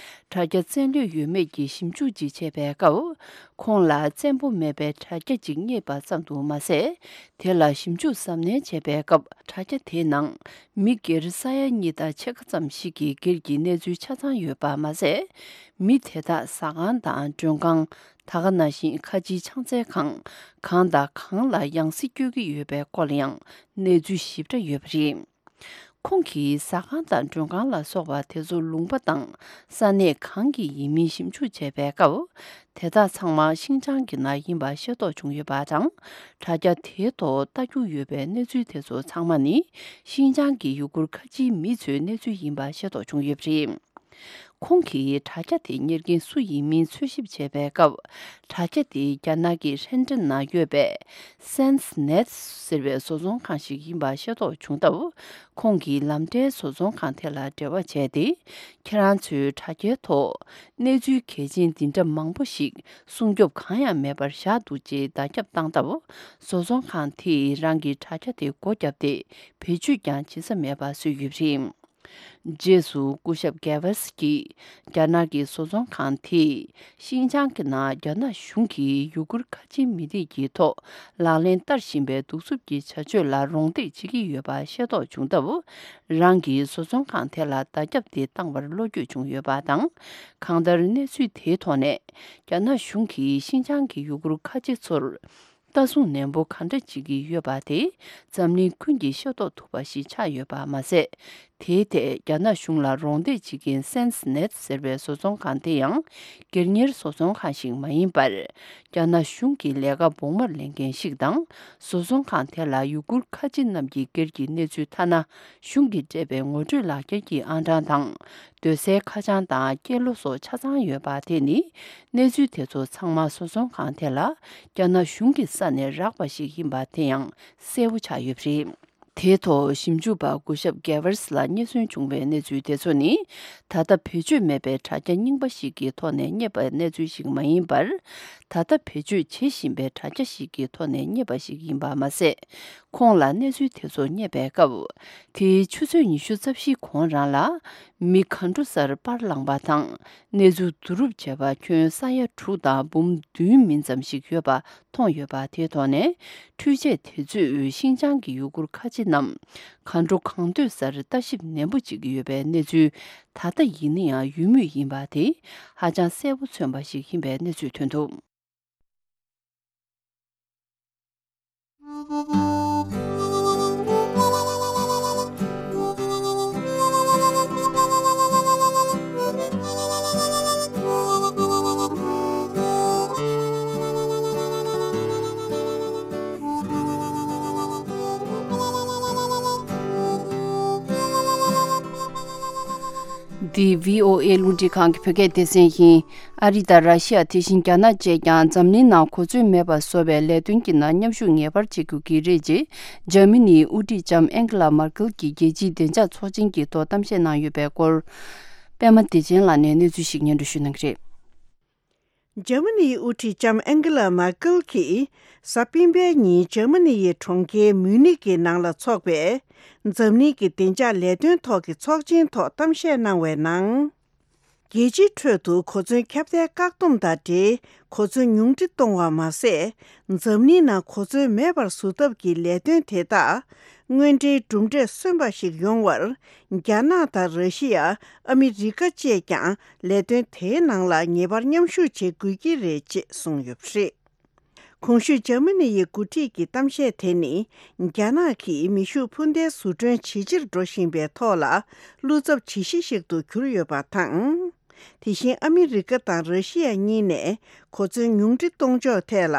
དྲ་རྒྱ་བཙན་ལྷོད་ཡོད་མེད་ཀྱི་ཞིབ་འཇུག་ཅིག་བྱས་པའི་སྐབས། ཁོང་ལ་བཙན་པོ་མེད་པའི་དྲ་རྒྱ་ཅིག་རྙེད་པ་ཙམ་དུ་མ་ཟད། དེ་ལ་ཞིབ་འཇུག་གཟབ་ནན་བྱས་པའི་སྐབས། དྲ་རྒྱ་དེའི་ནང་མི་སྒེར་ས་ཡ་གཉིས་དང་ཕྱེད་ཀ་ཙམ་ཞིག་གི་སྒེར་གྱི་གནས་ཚུལ་ཆ་ཚང་ཡོད་པ་མ་ཟད། མི་དེ་དག་ཟ་ཁང་དང་མགྲོན་ཁང་། ད་ག་ནང་བཞིན་ཁ་ཆེའི་ཕྱག་འཚལ་ཁང་། གང་དང་གང་ལ་ཡང་སྲིད་སྐྱོད་ཀྱི་ཡོད་པའི་སྐོར་ལ་ཡང་གནས་ཚུལ་ཞིབ་ཕྲ་ཡོད་པ་རེད། ཁོང་གིས་ཟ་ཁང་དང་མགྲོན་ཁང་ལ་སོགས་པ་དེ་ཚོ་ལུང་པ་དང་ས་གནས་གང་གི་ཡིན་མིན་ཞིབ་འཇུག་བྱས་པའི་སྐབས། དེ་དག་ཚང་མ་ཤིན་ཅང་གི་ནང་ཡིན་པ་ཤེས་རྟོགས་བྱུང་ཡོད་པ་དང་། དྲ་རྒྱ་དེའི་ཐོག་ལྟ་རྒྱུ་ཡོད་པའི་གནས་ཚུལ་དེ་ཚོ་ཚང་མ་ནི་ཤིན་ཅང་གི་ཡུ་གུར་ཁ་ཆེའི་མི་ཚོའི་གནས་ཚུལ་ཡིན་པ་ཤེས་རྟོགས་བྱུང་ཡོད་པ་རེད། ཁོང་གིས་དྲ་རྒྱ་དེ་གཉེར་མཁན་སུ་ཡིན་མིན་འཚོལ་ཞིབ་བྱས་པའི་སྐབས། དྲ་རྒྱ་དེ་རྒྱ་ནག་གི་ཧྲེན་ཀྲེན་ནང་ཡོད་པའི་སེན་སི་ནེད་ཟེར་བའི་བཟོ་ཚོང་ཁང་ཞིག་ཡིན་པ་ཤེས་རྟོགས་བྱུང་སྟབས། ཁོང་གིས་ལམ་འབྲས་བཟོ་ཚོང་ཁང་དེ་ལ་འབྲེལ་བ་བྱས་ཏེ། ཁྱེད་རང་ཚོའི་དྲ་རྒྱའི་ཐོག་གནས་ཚུལ་གལ་ཆེན་འདི་འདྲ་མང་པོ་ཞིག་སྲུང་སྐྱོབ་གང་ཡང་མེད་པར་བཞག་འདུག་ཅེས་བརྡ་ཁྱབ་བཏང་སྟབས། བཟོ་ཚོང་ཁང་དེས་རང་གི་དྲ་རྒྱ་དེ་སྒོ་བརྒྱབ་སྟེ། བེད་སྤྱོད་ཀྱང་བྱེད་ས་མེད་པ་བཟོས་ཡོད་པ་རེད། རྗེས་སུ་སྐུ་ཞབས་གྷེ་ཝེ་སི་ཀྱིས། རྒྱ་ནག་གི་བཟོ་ཚོང་ཁང་དེས་ཤིན་ཅང་གི་ནང་རྒྱ་ནག་གཞུང་གིས་ཡུ་གུར་ཁ་ཆེའི་མི་རིགས་ཀྱི་ཐོག་ལག་ལེན་བསྟར་བཞིན་པའི་གདུག་རྩུབ་ཀྱི་བྱ་སྤྱོད་ལ་རོགས་འདེགས་བྱེད་ཀྱི་ཡོད་པ་ཤེས་རྟོགས་བྱུང་སྟབས། རང་གིས་བཟོ་ཚོང་ཁང་དེ་ལ་བརྡ་ཁྱབ་དེ་བཏང་བར་བློ་འགྱོད་བྱུང་ཡོད་པ་དང་། གང་ལྟར་གནས་ཚུལ་དེའི་ཐོག་ནས། རྒྱ་ནག་གཞུང་གིས་ཤིན་ཅང་གི་ཡུ་གུར་ཁ་ཆེ་ཚོར། ལྟ་སྲུང་ནན་པོ་གང་འདྲ་བྱེད་ཀྱི་ཡོད་པ་དེ་འཛམ་གླིང་ཀུན་གྱིས་ཤེས་རྟོགས་ཐུབ་པ་ཞིག་ཆགས་ཡོད་པ་མ་ཟད། དེའི་ཐད་རྒྱ་ནག་གཞུང་ལ་རོགས་འདེགས་བྱེད་མཁན་སེན་སི་ནེད་ཟེར་བའི་བཟོ་ཚོང་ཁང་དེ་ཡང་སྒེར་གཉེར་བཟོ་ཚོང་ཁང་ཞིག་མ་ཡིན་པར། རྒྱ་ནག་གཞུང་གི་ལས་ཀ་བོགས་མར་ལེན་མཁན་ཞིག་དང་། བཟོ་ཚོང་ཁང་དེ་ལ་ཡུ་གུར་ཁ་ཆེ་རྣམས་ཀྱི་སྒེར་གྱི་གནས་ཚུལ་ཐ་ན་གཞུང་གིས་སྤྲད་པའི་ངོ་སྤྲོད་ལག་འཁྱེར་གྱི་ཨང་གྲངས་དང་། སྡོད་སའི་ཁ་བྱང་དང་སྐྱེས་ལོ་སོགས་ཆ་ཚང་ཡོད་པ་དེ་ནི། གནས་ཚུལ་དེ་ཚོ་ཚང་མ་བཟོ་ཚོང་ཁང་དེ་ལ་རྒྱ་ནག་གཞུང་གི་ས་ནས་རག་པ་ཞིག་ཡིན་པ་དེ་ཡང་གསལ་པོ་ཆགས་ཡོད་པ་རེད། དེའི་ཐོག་ཞིབ་འཇུག་པ་སྐུ་ཞབས་གྷེ་ཝར་སི་ལ་རྙེད་སོན་བྱུང་བའི་གནས་ཚུལ་དེ་ཚོ་ནི། ད་ལྟ་བེད་སྤྱོད་མེད་པའི་དྲ་རྒྱ་རྙིང་པ་ཞིག་གི་ཐོག་ནས་རྙེད་པའི་གནས་ཚུལ་ཞིག་མ་ཡིན་པར། ད་ལྟ་བེད་སྤྱོད་བྱེད་བཞིན་པའི་དྲ་རྒྱ་ཞིག་གི་ཐོག་ནས་རྙེད་པ་ཞིག་ཡིན་པ་མ་ཟད། ཁོང་ལ་གནས་ཚུལ་དེ་ཚོ་རྙེད་པའི་སྐབས། དེའི་ཆུ་ཚོད་ཉི་ཤུ་རྩ་བཞིའི་གོང་རང་ལ། མི་གང་འགྲོ་སར་པར་བླངས་པ་དང་། གནས་ཚུལ་བསྡུ་རུབ་བྱས་པ་ཁྱོན་ས་ཡ་དྲུག་དང་འབུམ་བདུན་མིན་ཙམ་ཞིག་ཡོད་པ་མཐོང་ཡོད་པ་དེའི་ཐོག་ནས། འཕྲུལ་ཆས་དེ་ཚོས་ཤིན་ཅང་གི་ཡུ་གུར་ཁ་ཆེ་རྣམས་གང་འགྲོ་གང་འདོད་སར་ལྟ་ཞིབ་ནན་པོ་བྱེད་ཀྱི་ཡོད་པའི་གནས་ཚུལ་ད་ལྟ་ཡིན་ན་ཡང་ཡོད་མུས་ཡིན་པ་དེ་ཧ་ཅང་གསལ་པོ་མཚོན་པ་ཞིག་ཡིན་པའི་གནས་ཚུལ་ཐོན་འདུག་འདི་བྷི་ཨོ་ཨེ་རླུང་འཕྲིན་ཁང་གི་བོད་སྐད་སྡེ་ཚན་ཡིན། ཨ་རི་དང་ར་ཤི་ཡ། དེ་བཞིན་རྒྱ་ནག་བཅས་ཀྱང་འཛམ་གླིང་ནང་གོ་མཚོན་མེད་པ་བཟོ་བའི་ལས་དོན་གྱི་ནང་མཉམ་ཞུགས་ངེས་པར་བྱེད་དགོས་ཀྱི་རེད་ཅེས། འཇར་མ་ནིའི་དབུ་ཁྲིད་ལྕམ་ཨན་ཀེ་ལ་མར་ཀེལ་གྱིས་རྒྱལ་སྤྱིའི་བདེ་འཇགས་ཚོགས་ཆེན་གྱི་ཐོག་གཏམ་བཤད་གནང་ཡོད་པའི་སྐོར། པད་མ་བདེ་ཆེན་ལགས་ནས་གནས་ཚུལ་ཞིག་སྙན་སྒྲོན་ཞུ་གནང་གི་རེད། འཇར་མ་ནིའི་དབུ་ཁྲིད་ལྕམ་ཨན་ཀེ་ལ་མར་ཀེལ་གྱིས་གཟའ་སྤེན་པའི་ཉིན་འཇར་མ་ནི་ཡི་གྲོང་ཁྱེར་མུའུ་ནིག་གི་ནང་ལ་འཚོགས་པའི་འཛམ་གླིང་གི་བདེ་འཇགས་ལས་དོན་ཐོག་གི་ཚོགས་ཆེན་ཐོག་གཏམ་བཤད་གནང་བའི་ནང་། རྒྱལ་སྤྱིའི་ཁྲོད་དུ་གོ་མཚོན་ཁྱབ་གདལ་བཀག་སྡོམ་དང་འབྲེལ་གོ་མཚོན་ཉུང་འཕྲི་གཏོང་བ་མ་ཟད། འཛམ་གླིང་ནང་གོ་མཚོན་མེད་པར་བཟོ་ཐབས་ཀྱི་ལས་དོན་དེ་དག་དངོས་འབྲེལ་གྲུབ་འབྲས་སོན་པ་ཞིག་ཡོང་བར། རྒྱ་ནག་དང་ར་ཤི་ཡ། ཨ་མི་རི་ཀ་བཅས་ཀྱང་ལས་དོན་དེའི་ནང་ལ་ངེས་པར་མཉམ་ཞུགས་བྱེད་དགོས་ཀྱི་རེད་ཅེས་གསུངས་ཡོད་པ་རེད། གོང་ཞུས་འཇར་མ་ནི་ཡི་འགོ་ཁྲིད་ཀྱི་གཏམ་བཤད་དེ་ནི། རྒྱ་ནག་གིས་མེ་ཤུགས་འཕུར་མདེལ་བཟོ་སྐྲུན་ཇེ་ཆེར་འགྲོ་བཞིན་པའི་ཐོག་ལ། བློ་འཚབ་ཇི་ཞིག་ཞིག་ཏུ་གྱུར་ཡོད་པ་དང་། དེ་བཞིན་ཨ་མི་རི་ཀ་དང་ར་ཤི་ཡ་གཉིས་ནས་གོ་མཚོན་ཉུང་འཕྲི་གཏོང་ཕྱོགས་ཐད་ལ།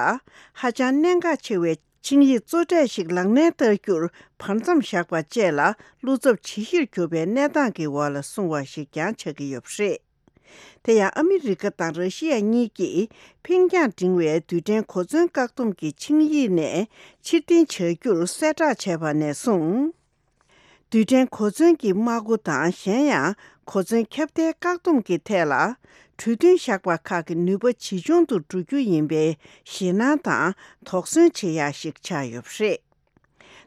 ཧ་ཅང་གནད་འགག་ཆེ་བའི་ཆིངས་ཡིག་གཙོ་གྲས་ཤིག་ལག་ལེན་བསྟར་རྒྱུར་བར་མཚམས་བཞག་པ་བཅས་ལ། བློ་འཚབ་ཇི་ཞིག་གྱུར་པའི་གནས་སྟངས་ཀྱི་འོག་ལ་སོང་བ་ཞིག་ཀྱང་ཆགས་ཀྱི་ཡོད་པ་རེད། དེ་ཡང་ཨ་མི་རི་ཀ་དང་ར་ཤི་ཡ་གཉིས་ཀྱིས་འཕེན་རྒྱང་འབྲིང་བའི་རྡུལ་ཕྲན་གོ་མཚོན་བཀག་སྡོམ་གྱི་ཆིངས་ཡིག་ནས་ཕྱིར་འཐེན་བྱ་རྒྱུར་གསལ་བསྒྲགས་བྱས་པ་ནས་བཟུང་། རྡུལ་ཕྲན་གོ་མཚོན་གྱི་དམག་འགོ་དང་། གཞན་ཡང་གོ་མཚོན་ཁྱབ་གདལ་བཀག་སྡོམ་གྱི་ཐད་ལ། གྲོས་མཐུན་བཞག་པ་ཁག་གི་ནུས་པ་ཇེ་ཆུང་དུ་འགྲོ་རྒྱུ་ཡིན་པའི་ཞེད་སྣང་དང་དོགས་ཟོན་བྱེད་ཡ་ཞིག་ཆགས་ཡོད་པ་རེད།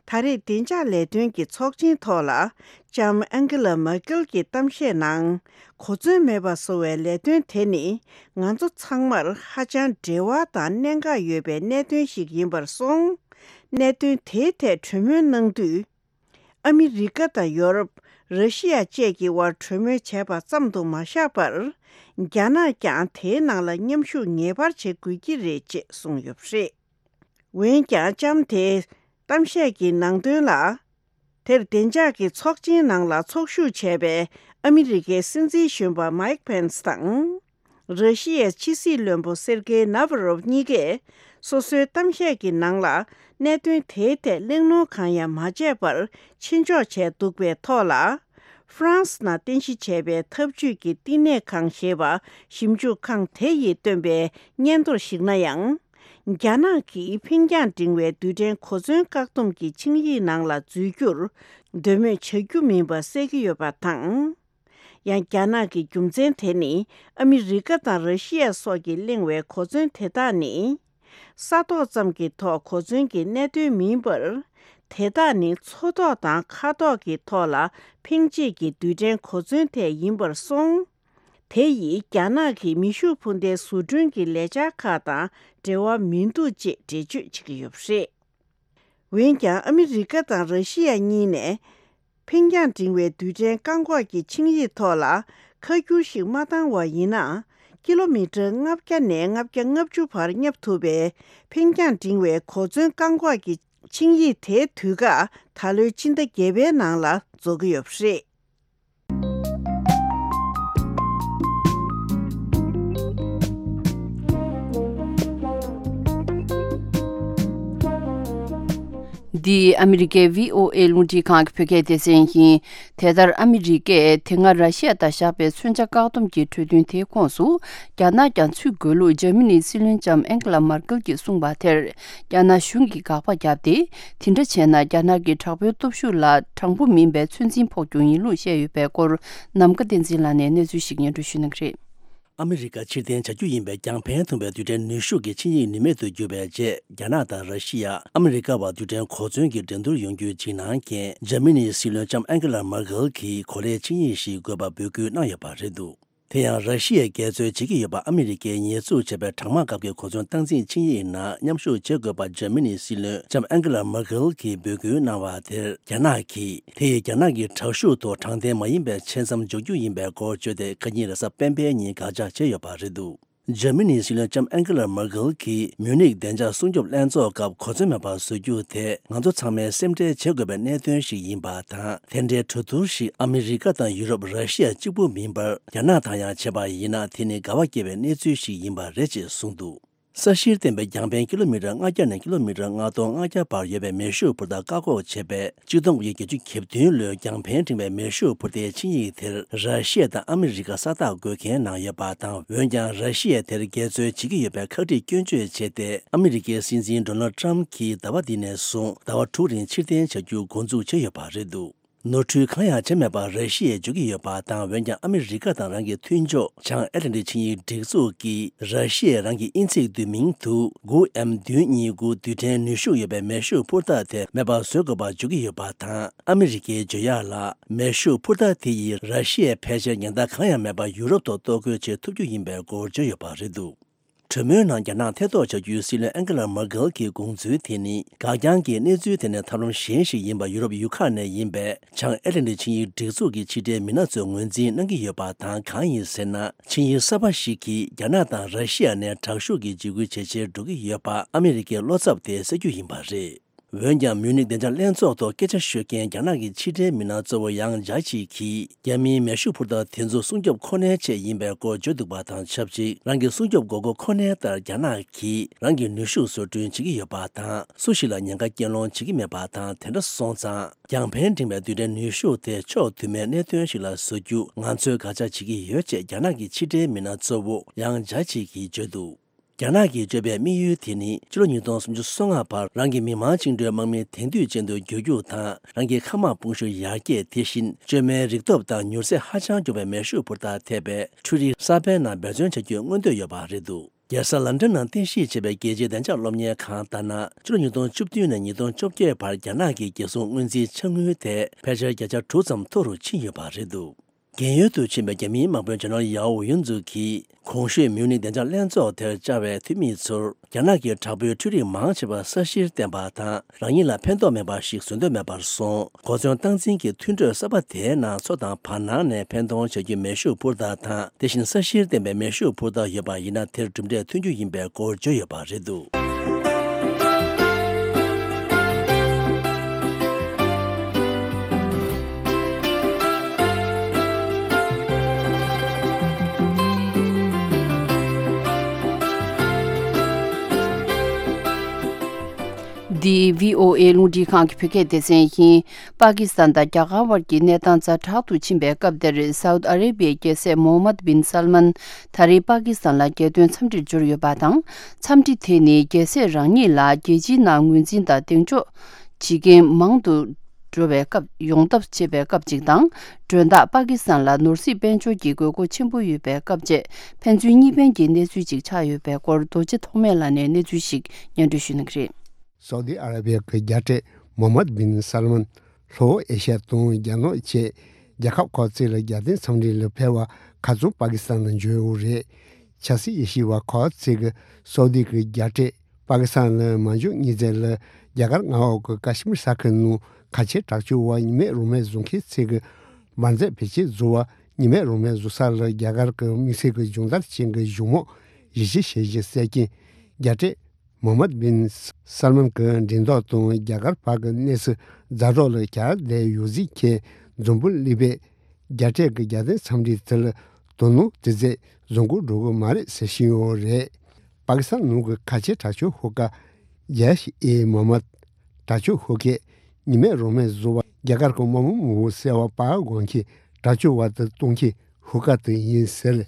ད་རེས་བདེ་འཇགས་ལས་དོན་གྱི་ཚོགས་ཆེན་ཐོག་ལ། ལྕམ་ཨན་ཀེ་ལ་མར་ཀེལ་གྱིས་གཏམ་བཤད་ནང་། གོ་མཚོན་མེད་པ་བཟོ་བའི་ལས་དོན་དེ་ནི། ང་ཚོ་ཚང་མར་ཧ་ཅང་འབྲེལ་བ་དང་གནད་འགག་ཡོད་པའི་གནད་དོན་ཞིག་ཡིན་པར་སོང་། གནད་དོན་དེའི་ཐད་གྲོས་མོལ་གནང་དུས། ཨ་མི་རི་ཀ་དང་ཡོ་རོབ། ར་ཤི་ཡ་བཅས་ཀྱི་དབར་གྲོས་མོལ་བྱས་པ་ཙམ་དུ་མ་བཞག་པར། རྒྱ་ནག་ཀྱང་དེའི་ནང་ལ་མཉམ་ཞུགས་ངེས་པར་བྱེད་དགོས་ཀྱི་རེད་ཅེས་གསུངས་ཡོད་པ་རེད། འོན་ཀྱང་ལྕམ་དེས་གཏམ་བཤད་ཀྱི་ནང་དོན་ལ། དེར་བདེ་འཇགས་ཀྱི་ཚོགས་ཆེན་ནང་ལ་ཚོགས་ཞུགས་བྱས་པའི་ཨ་མི་རི་ཀའི་སྲིད་འཛིན་གཞོན་པ་མའིག་ཕེན་སི་དང་། ར་ཤི་ཡའི་ཕྱི་སྲིད་བློན་པོ་སེར་གེ་ནཱ་ཝ་རོབ་གཉིས་ཀས། སོ་སོའི་གཏམ་བཤད་ཀྱི་ནང་ལ། གནད་དོན་དེའི་ཐད་གླེང་སློང་གང་ཡང་མ་བྱས་པར་ཕྱིར་འཇོག་བྱས་འདུག་པའི་ཐོག་ལ། ཧྥ་རན་སི་ནང་རྟེན་གཞི་བྱས་པའི་འཐབ་ཇུས་ཀྱི་བསྟི་གནས་ཁང་ཞེས་པ་ཞིབ་འཇུག་ཁང་དེ་ཡིས་བཏོན་པའི་སྙན་ཐོར་ཞིག་ན་ཡང་། རྒྱ་ནག་གིས་འཕེན་རྒྱང་འབྲིང་བའི་རྡུལ་ཕྲན་གོ་མཚོན་བཀག་སྡོམ་གྱི་ཆིངས་ཡིག་ནང་ལ་འཛུལ་རྒྱུར་འདོད་མོས་བྱ་རྒྱུ་མིན་པ་གསལ་གྱི་ཡོད་པ་དང་། ཡང་རྒྱ་ནག་གི་རྒྱུ་མཚན་དེ་ནི། ཨ་མི་རི་ཀ་དང་ར་ཤི་ཡ་སོགས་ཀྱིས་གླེང་བའི་གོ་མཚོན་དེ་དག་ནི། ས་ཐོག་ཙམ་གྱི་ཐོག་གོ་མཚོན་གྱི་གནད་དོན་མིན་པར། དེ་དག་ནི་མཚོ་ཐོག་དང་མཁའ་ཐོག་གི་ཐོག་ལ་འཕེན་བྱེད་ཀྱི་རྡུལ་ཕྲན་གོ་མཚོན་ཐད་ཡིན་པར་སོང་། དེ་ཡིས་རྒྱ་ནག་གི་མེ་ཤུགས་འཕུར་མདའི་བཟོ་སྐྲུན་གྱི་ལས་འཆར་ཁག་དང་འབྲེལ་བ་མི་འདུག་ཅེས་འགྲེལ་བརྗོད་བྱེད་ཀྱི་ཡོད་པ་རེད། འོན་ཀྱང་ཨ་མི་རི་ཀ་དང་ར་ཤི་ཡ་གཉིས་ནས། འཕེན་རྒྱང་འབྲིང་བའི་རྡུལ་ཕྲན་བཀག་འགོག་གི་ཆིངས་ཡིག་ཐོག་ལ་ཁ་བསྒྱུར་ཞིག་མ་བཏང་བ་ཡིན་ན། ཀི་ལོ་མི་ཊར་ལྔ་བརྒྱ་ནས་ལྔ་བརྒྱ་ལྔ་བཅུ་བར་བསྙབ་ཐུབ་པའི་འཕེན་རྒྱང་འབྲིང་བའི་གོ་མཚོན་བཀག་འགོག་གི་ཆིངས་ཡིག་དེའི་དུས་བཀག་ད་ལོའི་ཕྱི་ཟླ་བརྒྱད་པའི་ནང་ལ་རྫོགས་ཀྱི་ཡོད་པ་རེད། འདི་ཨ་མི་རི་ཀའི་བྷི་ཨོ་ཨེ་རླུང་འཕྲིན་ཁང་གི་བོད་སྐད་སྡེ་ཚན་ཡིན། དེ་ལྟར་ཨ་མི་རི་ཀས་དེ་སྔ་ར་ཤི་ཡ་དང་བཞག་པའི་མཚོན་ཆ་བཀག་སྡོམ་གྱི་གྲོས་མཐུན་དེའི་ཁོངས་སུ། རྒྱ་ནག་ཀྱང་ཚུད་དགོས་ལུགས་འཇར་མ་ནིའི་སྲིད་བློན་ལྕམ་ཨན་ཀེ་ལ་མར་ཀེལ་གྱིས་གསུངས་པ་དེར། རྒྱ་ནག་གཞུང་གིས་དགག་པ་བརྒྱབ་སྟེ། དེ་འདྲ་བྱས་ན་རྒྱ་ནག་གི་དྲག་པོའི་སྟོབས་ཤུགས་ལ་དྲང་པོ་མིན་པའི་ཚོད་འཛིན་ཕོག་རྒྱུ་ཡིན་ལུགས་བཤད་ཡོད་པའི་སྐོར། ནམ་མཁའ་བསྟན་འཛིན་ལགས་ནས་གནས་ཚུལ་ཞིག་སྙན་སྒྲོན་ཞུ་གནང་གི་རེད། ཨ་མི་རི་ཀ་ཕྱིར་འཐེན་བྱ་རྒྱུ་ཡིན་པའི་རྒྱང་འཕེན་ཐུང་བའི་རྡུལ་ཕྲན་ནུས་ཤུགས་ཀྱི་ཆིངས་ཡིག་ནུས་མེད་དུ་གྱུར་བའི་རྗེས། རྒྱ་ནག་དང་ར་ཤི་ཡ། ཨ་མི་རི་ཀ་བར་རྡུལ་ཕྲན་གོ་མཚོན་གྱི་འགྲན་བསྡུར་ཡོང་རྒྱུའི་འཇིགས་སྣང་རྐྱེན། འཇར་མ་ནིའི་སྲིད་བློན་ལྕམ་ཨན་ཀེ་ལ་མར་ཀེལ་གྱིས་གོ་ལའི་ཆིངས་ཡིག་ཞིག་དགོས་པ་འབོད་སྐུལ་གནང་ཡོད་པ་རེད་འདུག་དེ་ཡང་ར་ཤི་ཡས་འགལ་རྩོད་བྱེད་ཀྱི་ཡོད་པ། ཨ་མི་རི་ཀས་ཉེས་འཛུགས་བྱས་པའི་གྲང་དམག་སྐབས་ཀྱི་གོ་མཚོན་སྟངས་འཛིན་ཆིངས་ཡིག་ནང་མཉམ་ཞུགས་བྱེད་དགོས་པ་འཇར་མ་ནིའི་སྲིད་བློན་ལྕམ་ཨན་ཀེ་ལ་མར་ཀེལ་གྱིས་འབོད་སྐུལ་གནང་བ་དེར། རྒྱ་ནག་གིས་དེ་ཡིས་རྒྱ་ནག་གི་དྲག་ཤུགས་ཐོག་དྲང་བདེན་མ་ཡིན་པའི་ཆེད་མཚམས་འཇོག་རྒྱུ་ཡིན་པའི་སྐོར་བརྗོད་དེ། ཁ་ཉིན་རེས་གཟའ་སྤེན་པའི་ཉིན་དགག་བྱ་བྱས་ཡོད་པ་རེད་འདུག་འཇར་མ་ནིའི་སྲིད་བློན་ལྕམ་ཨན་ཀེ་ལ་མར་ཀེལ་གྱིས། མིའུ་ནིག་བདེ་འཇགས་སྲུང་སྐྱོབ་ལྷན་ཚོགས་སྐབས་གོ་མཚོན་མེད་པར་བཟོ་རྒྱུ་དེ། ང་ཚོ་ཚང་མས་སེམས་ཁྲལ་བྱེད་དགོས་པའི་གནད་དོན་ཞིག་ཡིན་པ་དང་། དེ་འདྲའི་གྲོས་བསྡུར་ཞིག་ཨ་མི་རི་ཀ་དང་ཡུ་རོབ། ར་ཤི་ཡ་གཅིག་པུ་མིན་པར། རྒྱ་ནག་དང་ཡང་བྱས་པ་ཡིན་ན། དེ་ནི་དགའ་བ་སྐྱེ་བའི་གནས་ཚུལ་ཞིག་ཡིན་པ་རེད་ཅེས་གསུངས་འདུག་ས་གཞིར་བརྟེན་པའི་རྒྱང་འཕེན་ཀི་ལོ་མི་ཊར་ལྔ་བརྒྱ་ནས་ཀི་ལོ་མི་ཊར་ལྔ་སྟོང་ལྔ་བརྒྱ་བར་ཡོད་པའི་མེ་ཤུགས་འཕུར་མདའ་བཀག་འགོག་བྱེད་པའི་ཆིག་སྟོང་དགུ་བརྒྱ་བརྒྱད་ཅུ་གྱ་བདུན་ལོའི་རྒྱང་འཕེན་འབྲིང་བའི་མེ་ཤུགས་འཕུར་མདའི་ཆིངས་ཡིག་དེར། ར་ཤི་ཡ་དང་ཨ་མི་རི་ཀ་ས་རྟགས་འགོད་མཁན་གནང་ཡོད་པ་དང་། འོན་ཀྱང་། ར་ཤི་ཡས་དེར་འགལ་རྩོད་བྱེད་ཀྱི་ཡོད་པའི་ཁག་དཀྲིས་སྐྱོན་བརྗོད་བྱས་ཏེ། ཨ་མི་རི་ཀའི་སྲིད་འཛིན་ཌོ་ནལ་ཊམ་གྱིས་ཟླ་བ་འདི་ནས་བཟུང་ཟླ་བ་དྲུག་རིང་ཕྱིར་འཐེན་བྱ་རྒྱུ་འགོ་འཛུགས་བྱས་ཡོད་པ་རེད་འདུག་ནོར་འཁྲུལ་གང་ཡང་བྱས་མེད་པར་ར་ཤི་ཡས་བརྗོད་ཀྱི་ཡོད་པ་དང་། འོན་ཀྱང་། ཨ་མི་རི་ཀ་དང་རང་གི་མཐུན་ཕྱོགས་བྱང་ཨེ་ཊ་ལན་ཊིག་ཆིངས་ཡིག་སྒྲིག་འཛུགས་ཀྱིས། ར་ཤི་ཡས་རང་གི་དབྱིན་ཚིག་བསྡུས་མིང་དུ་དགུ་ཨེམ་བདུན་གཉིས་དགུ་རྡུལ་ཕྲན་ནུས་ཤུགས་ཡོད་པའི་མེ་ཤུགས་འཕུར་མདའ་དེ་མེད་པར་བཟོ་དགོས་པར་བརྗོད་ཀྱི་ཡོད་པ་དང་། ཨ་མི་རི་ཀའི་བརྗོད་ཡག་ལ། མེ་ཤུགས་འཕུར་མདའ་དེ་ཡིས་ར་ཤི་ཡའི་ཕལ་ཆེར་ཉེན་བརྡ་གང་ཡང་མེད་པར་ཡུ་རོབ་ཐོག་གཏོར་རྒོལ་བྱེད་ཐུབ་རྒྱུ་ཡིན་པའི་སྐོར་བརྗོད་ཡོད་པ་རེད་འདུག་གྲོས་མོལ་ནང་རྒྱ་ནག་ཐེ་གཏོགས་བྱ་རྒྱུའི་སྲིད་བློན་ཨན་ཀེ་ལ་མར་ཀེལ་གྱི་དགོངས་ཚུལ་དེ་ནི་འགག་རྐྱང་གི་གནས་ཚུལ་དེ་ནི་ཐབས་ལམ་གཞན་ཞིག་ཡིན་པ། ཡུ་རོབ་ཡུལ་ཁག་ནས་ཡིན་པའི་བྱང་ཨེ་ཊ་ལན་ཊིག་ཆིངས་ཡིག་སྒྲིག་འཛུགས་ཀྱི་ཕྱི་འབྲེལ་མི་སྣ་ཚོས་ངོས་འཛིན་གནང་གི་ཡོད་པ་དང་། གང་ཡིན་ཟེར་ན། ཆིངས་ཡིག་གསར་པ་ཞིག་གིས་རྒྱ་ནག་དང་ར་ཤི་ཡ་ནས་དྲག་ཤུགས་ཀྱི་འཇིགས་སྐུལ་ཇེ་ཆེར་འགྲོ་གི་ཡོད་པ་ཨ་མི་རི་ཀའི་བློ་འཚབ་དེ་སེལ་རྒྱུ་ཡིན་པ་རེད། འོན་ཀྱང་། མིའུ་ནིག་བདེ་འཇགས་ལྷན་ཚོགས་ཐོག་སྐད་ཆ་ཤོད་མཁན་རྒྱ་ནག་གི་ཕྱི་འབྲེལ་མི་སྣ་གཙོ་བོ་ཡང་ཇཱ་ཆི་གིས། རྒྱ་མིའི་མེ་ཤུགས་འཕུར་མདའ་དེ་ཚོ་སྲུང་སྐྱོབ་ཁོ་ནའི་ཆེད་ཡིན་པའི་སྐོར་བརྗོད་འདུག་པ་དང་ཆབས་ཅིག་རང་གི་སྲུང་སྐྱོབ་དགོས་མཁོ་ཁོ་ནའི་ལྟར་རྒྱ་ནག་གིས་རང་གི་ནུས་ཤུགས་བཟོ་སྐྲུན་བྱེད་ཀྱི་ཡོད་པ་དང་། སུ་ཞིག་ལ་ཉེན་ཁ་སྐྱེལ་སློང་བྱེད་ཀྱི་མེད་པ་དང་། དེ་འདྲ་སོང་ཙང་། རྒྱང་འཕེན་འཕྲེང་བའི་རྡུལ་ཕྲན་ནུས་ཤུགས་དེ་ཕྱོགས་མཐུན་མའི་གནད་དོན་ཞིག་ལ་བཟོ་རྒྱུ་ང་ཚོས་དགག་བྱ་བྱེད་ཀྱི་ཡོད་ཅེས་རྒྱ་ནག་གི་ཕྱི་འབྲེལ་མི་སྣ་གཙོ་བོ་ཡང་ཇཱ་ཆི་གིས་བརྗོད་འདུག་རྒྱ་ནག་གིས་བརྗོད་པའི་དམིགས་ཡུལ་དེ་ནི། ཕྱི་ལོ་ཉིས་སྟོང་སུམ་ཅུ་སོ་ལྔ་བར་རང་གི་མི་དམངས་བཅིངས་འགྲོལ་དམག་མི་དེང་དུས་ཅན་དུ་འགྱུར་རྒྱུ་དང་། རང་གི་མཁའ་དམག་དཔུང་ཤུགས་ཡར་རྒྱས། དེ་བཞིན་བཅོས་མའི་རིག་སྟོབས་དང་མྱུར་ཚད་ཧ་ཅང་མགྱོགས་པའི་མེ་ཤུགས་འཕུར་མདའ་ཐེབས་པའི་འཕྲུལ་རིག་གསར་པའི་ནང་འབད་བརྩོན་བྱ་རྒྱུའི་མངོན་འདོད་ཡོད་པ་རེད་འདུག་རྒྱལ་ས་ལན་ཀྲན་ནང་རྟེན་གཞི་བྱས་པའི་རྒྱལ་སྤྱིའི་བདེ་འཇགས་སློབ་གཉེར་ཁང་ལྟར་ན། ཕྱི་ལོ་ཉིས་སྟོང་བཅུ་བདུན་ནས་ཉིས་སྟོང་བཅོ་བརྒྱད་བར་རྒྱ་ནག་གི་རྒྱལ་སྲུང་སྔོན་རྩིས་ཆ་དངུལ་དེ་ཕལ་ཆེར་བརྒྱ་ཆ་དྲུག་ཙམ་མཐོ་རུ་ཕྱིན་ཡོད་པ་རེད་འདུག་རྒན་ཡོལ་དུ་ཕྱིན་པའི་རྒྱ་མིའི་དམག་དཔོན་ཇེ་ནེ་རལ་ཡའོ་ཡུན་ཙུག་གིས། གོང་ཞུས་མིའུ་ནིག་བདེ་འཇགས་ལྷན་ཚོགས་དེར་བཅར་བའི་འཐུས་མི་ཚོར། རྒྱ་ནག་གིས་དྲག་པོའི་འཕྲུལ་རིག་མང་ཆེ་བར་ས་གཞིར་བརྟེན་པ་དང་། རང་ཉིད་ལ་ཕན་ཐོགས་མེད་པ་ཞིག་བཟོ་འདོད་མེད་པར་སོང་། གོ་མཚོན་སྟངས་འཛིན་གྱི་མཐུན་གྲོས་གསར་པ་དེའི་ནང་མཚོ་དང་བར་སྣང་ནས་འཕེན་གཏོང་བྱ་རྒྱུའི་མེ་ཤུགས་འཕུར་མདའ་དང་། དེ་བཞིན་ས་གཞིར་བརྟེན་པའི་མེ་ཤུགས་འཕུར་མདའ་ཡོད་པ་ཡིན་ན། དེར་གྲུབ་འབྲས་ཐོན་རྒྱུ་ཡིན་པའི་སྐོར་བརྗོད་ཡོད་པ་རེད་འདུག་འདི་བྷི་ཨོ་ཨེ་རླུང་འཕྲིན་ཁང་གི་བོད་སྐད་སྡེ་ཚན་ཡིན། པ་ཀི་སི་ཐན་དང་རྒྱ་གར་བར་གྱི་གནས་སྟངས་ཛ་དྲག་ཏུ་ཕྱིན་པའི་སྐབས་འདིར། སའུ་ཏི་ཨ་རེ་བྷི་ཡའི་རྒྱལ་སྲས་མོ་ཧམ་མད་བིན་སལ་མན་ད་རེས་པ་ཀི་སི་ཐན་ལ་རྒྱལ་དོན་འཚམས་འདྲིར་འབྱོར་ཡོད་པ་དང་། འཚམས་འདྲི་དེ་ནི་རྒྱལ་སྲས་རང་ཉིད་ལ་རྒྱལ་སྤྱིའི་ནང་ངོས་འཛིན་དང་གདེང་འཇོག་བྱེད་མཁན་མང་དུ་འགྲོ་བའི་སྐབས། ཡོང་ཐབས་བྱེད་པའི་སྐབས་ཅིག་དང་། མགྲོན་བདག་པ་ཀི་སི་ཐན་ལ་ནོར་སྲིད་དཔལ་འབྱོར་གྱི་དགོས་མཁོ་ཆེན་པོ་ཡོད་པའི་སྐབས་བཅས། ཕན་ཚུན་གཉིས་ཕན་གྱི་གནས་ཚུལ་ཅིག་ཆགས་ཡོད་པའི་སྐོར། རྡོ་རྗེ་ཐོགས་མེད་ལགས་ནས་གནས་ཚུལ་ཞིག་སྙན་སྒྲོན་ཞུ་གནང་གི་རེད། སའུ་ཏི་ཨ་ར་བི་ཡ་གི་རྒྱལ་སྲས་མོ་ཧམ་མད་བིན་སལ་མན། ལྷོ་ཨེ་ཤ་ཡ་དང་རྒྱ་ནག་བཅས་རྒྱལ་ཁབ་ཁག་ཅིག་ལ་རྒྱལ་དོན་འཚམས་འདྲི་ལ་ཕེབས་པར་ཁ་རྩང་པ་ཀི་སི་ཐན་ལ་འབྱོར་ཡོད་རེད། ཆབ་སྲིད་དབྱེ་ཞིབ་པ་ཁག་ཅིག་གིས་སའུ་ཏི་གི་རྒྱལ་སྲས་པ་ཀི་སི་ཐན་ལ་མ་འབྱོར་གཉིས་ཚེས་ལ། རྒྱ་གར་མངའ་འོག་གི་ཀ་ཤི་མིར་ས་ཁུལ་ནང་ཁ་ཆེ་དྲག་སྤྱོད་པ་གཉིས་མེད་རང་མེད་བཟོ་མཁན་ཚོས་ཀྱི་འབར་རྫས་བེད་སྤྱོད་བཟོ་བ་གཉིས་མེད་རང་མེད་བཟོ་ས་ལ། རྒྱ་གར་གྱི་དམིགས་བསལ་གྱི་སྦྱོང་བརྡར་ཅན་གྱི་གཞུང་མང་གཞི་བྱས་ཤིང་གསལ་རྐྱེན། རྒྱལ་སྲས་མོ་ཧམ་མད་བིན་སལ་མན་གྱི་འགྲེམས་སྟོན་དང་། རྒྱ་གར་བར་གྱི་གནས་ཚུལ་ཛ་དྲག་ལ་གྱར་བསྡད་ཡོད་ཟེར་མཁན་འཛམ་བུ་གླིང་པས་རྒྱལ་སྲས་ཀྱི་རྒྱལ་དོན་འཚམས་འདྲི་དེ་ལ་དོ་སྣང་དེ་ཙམ་བཟོ་འགོ་འགྲོ་གི་མ་རེད་ཟེར་བཞིན་ཡོད་རེད། པ་ཀི་སི་ཐན་ནང་གི་ཁ་ཆེ་དྲག་སྤྱོད་ཤོག་ཁག་ཇེ་ཤི་ཨེ་མོ་ཧམ་མད། དྲག་སྤྱོད་ཤོག་ཁག་གཉིས་མེད་རང་མེད་བཟོ་བ། རྒྱ་གར་གྱི་དམག་མི་མང་པོ་བསད་པ་སྤར་དགོས་མཁན་དྲག་སྤྱོད་པ་དེ་གཏོང་མཁན་ཤོག་ཁག་དེ་ཡིན་ཟེར།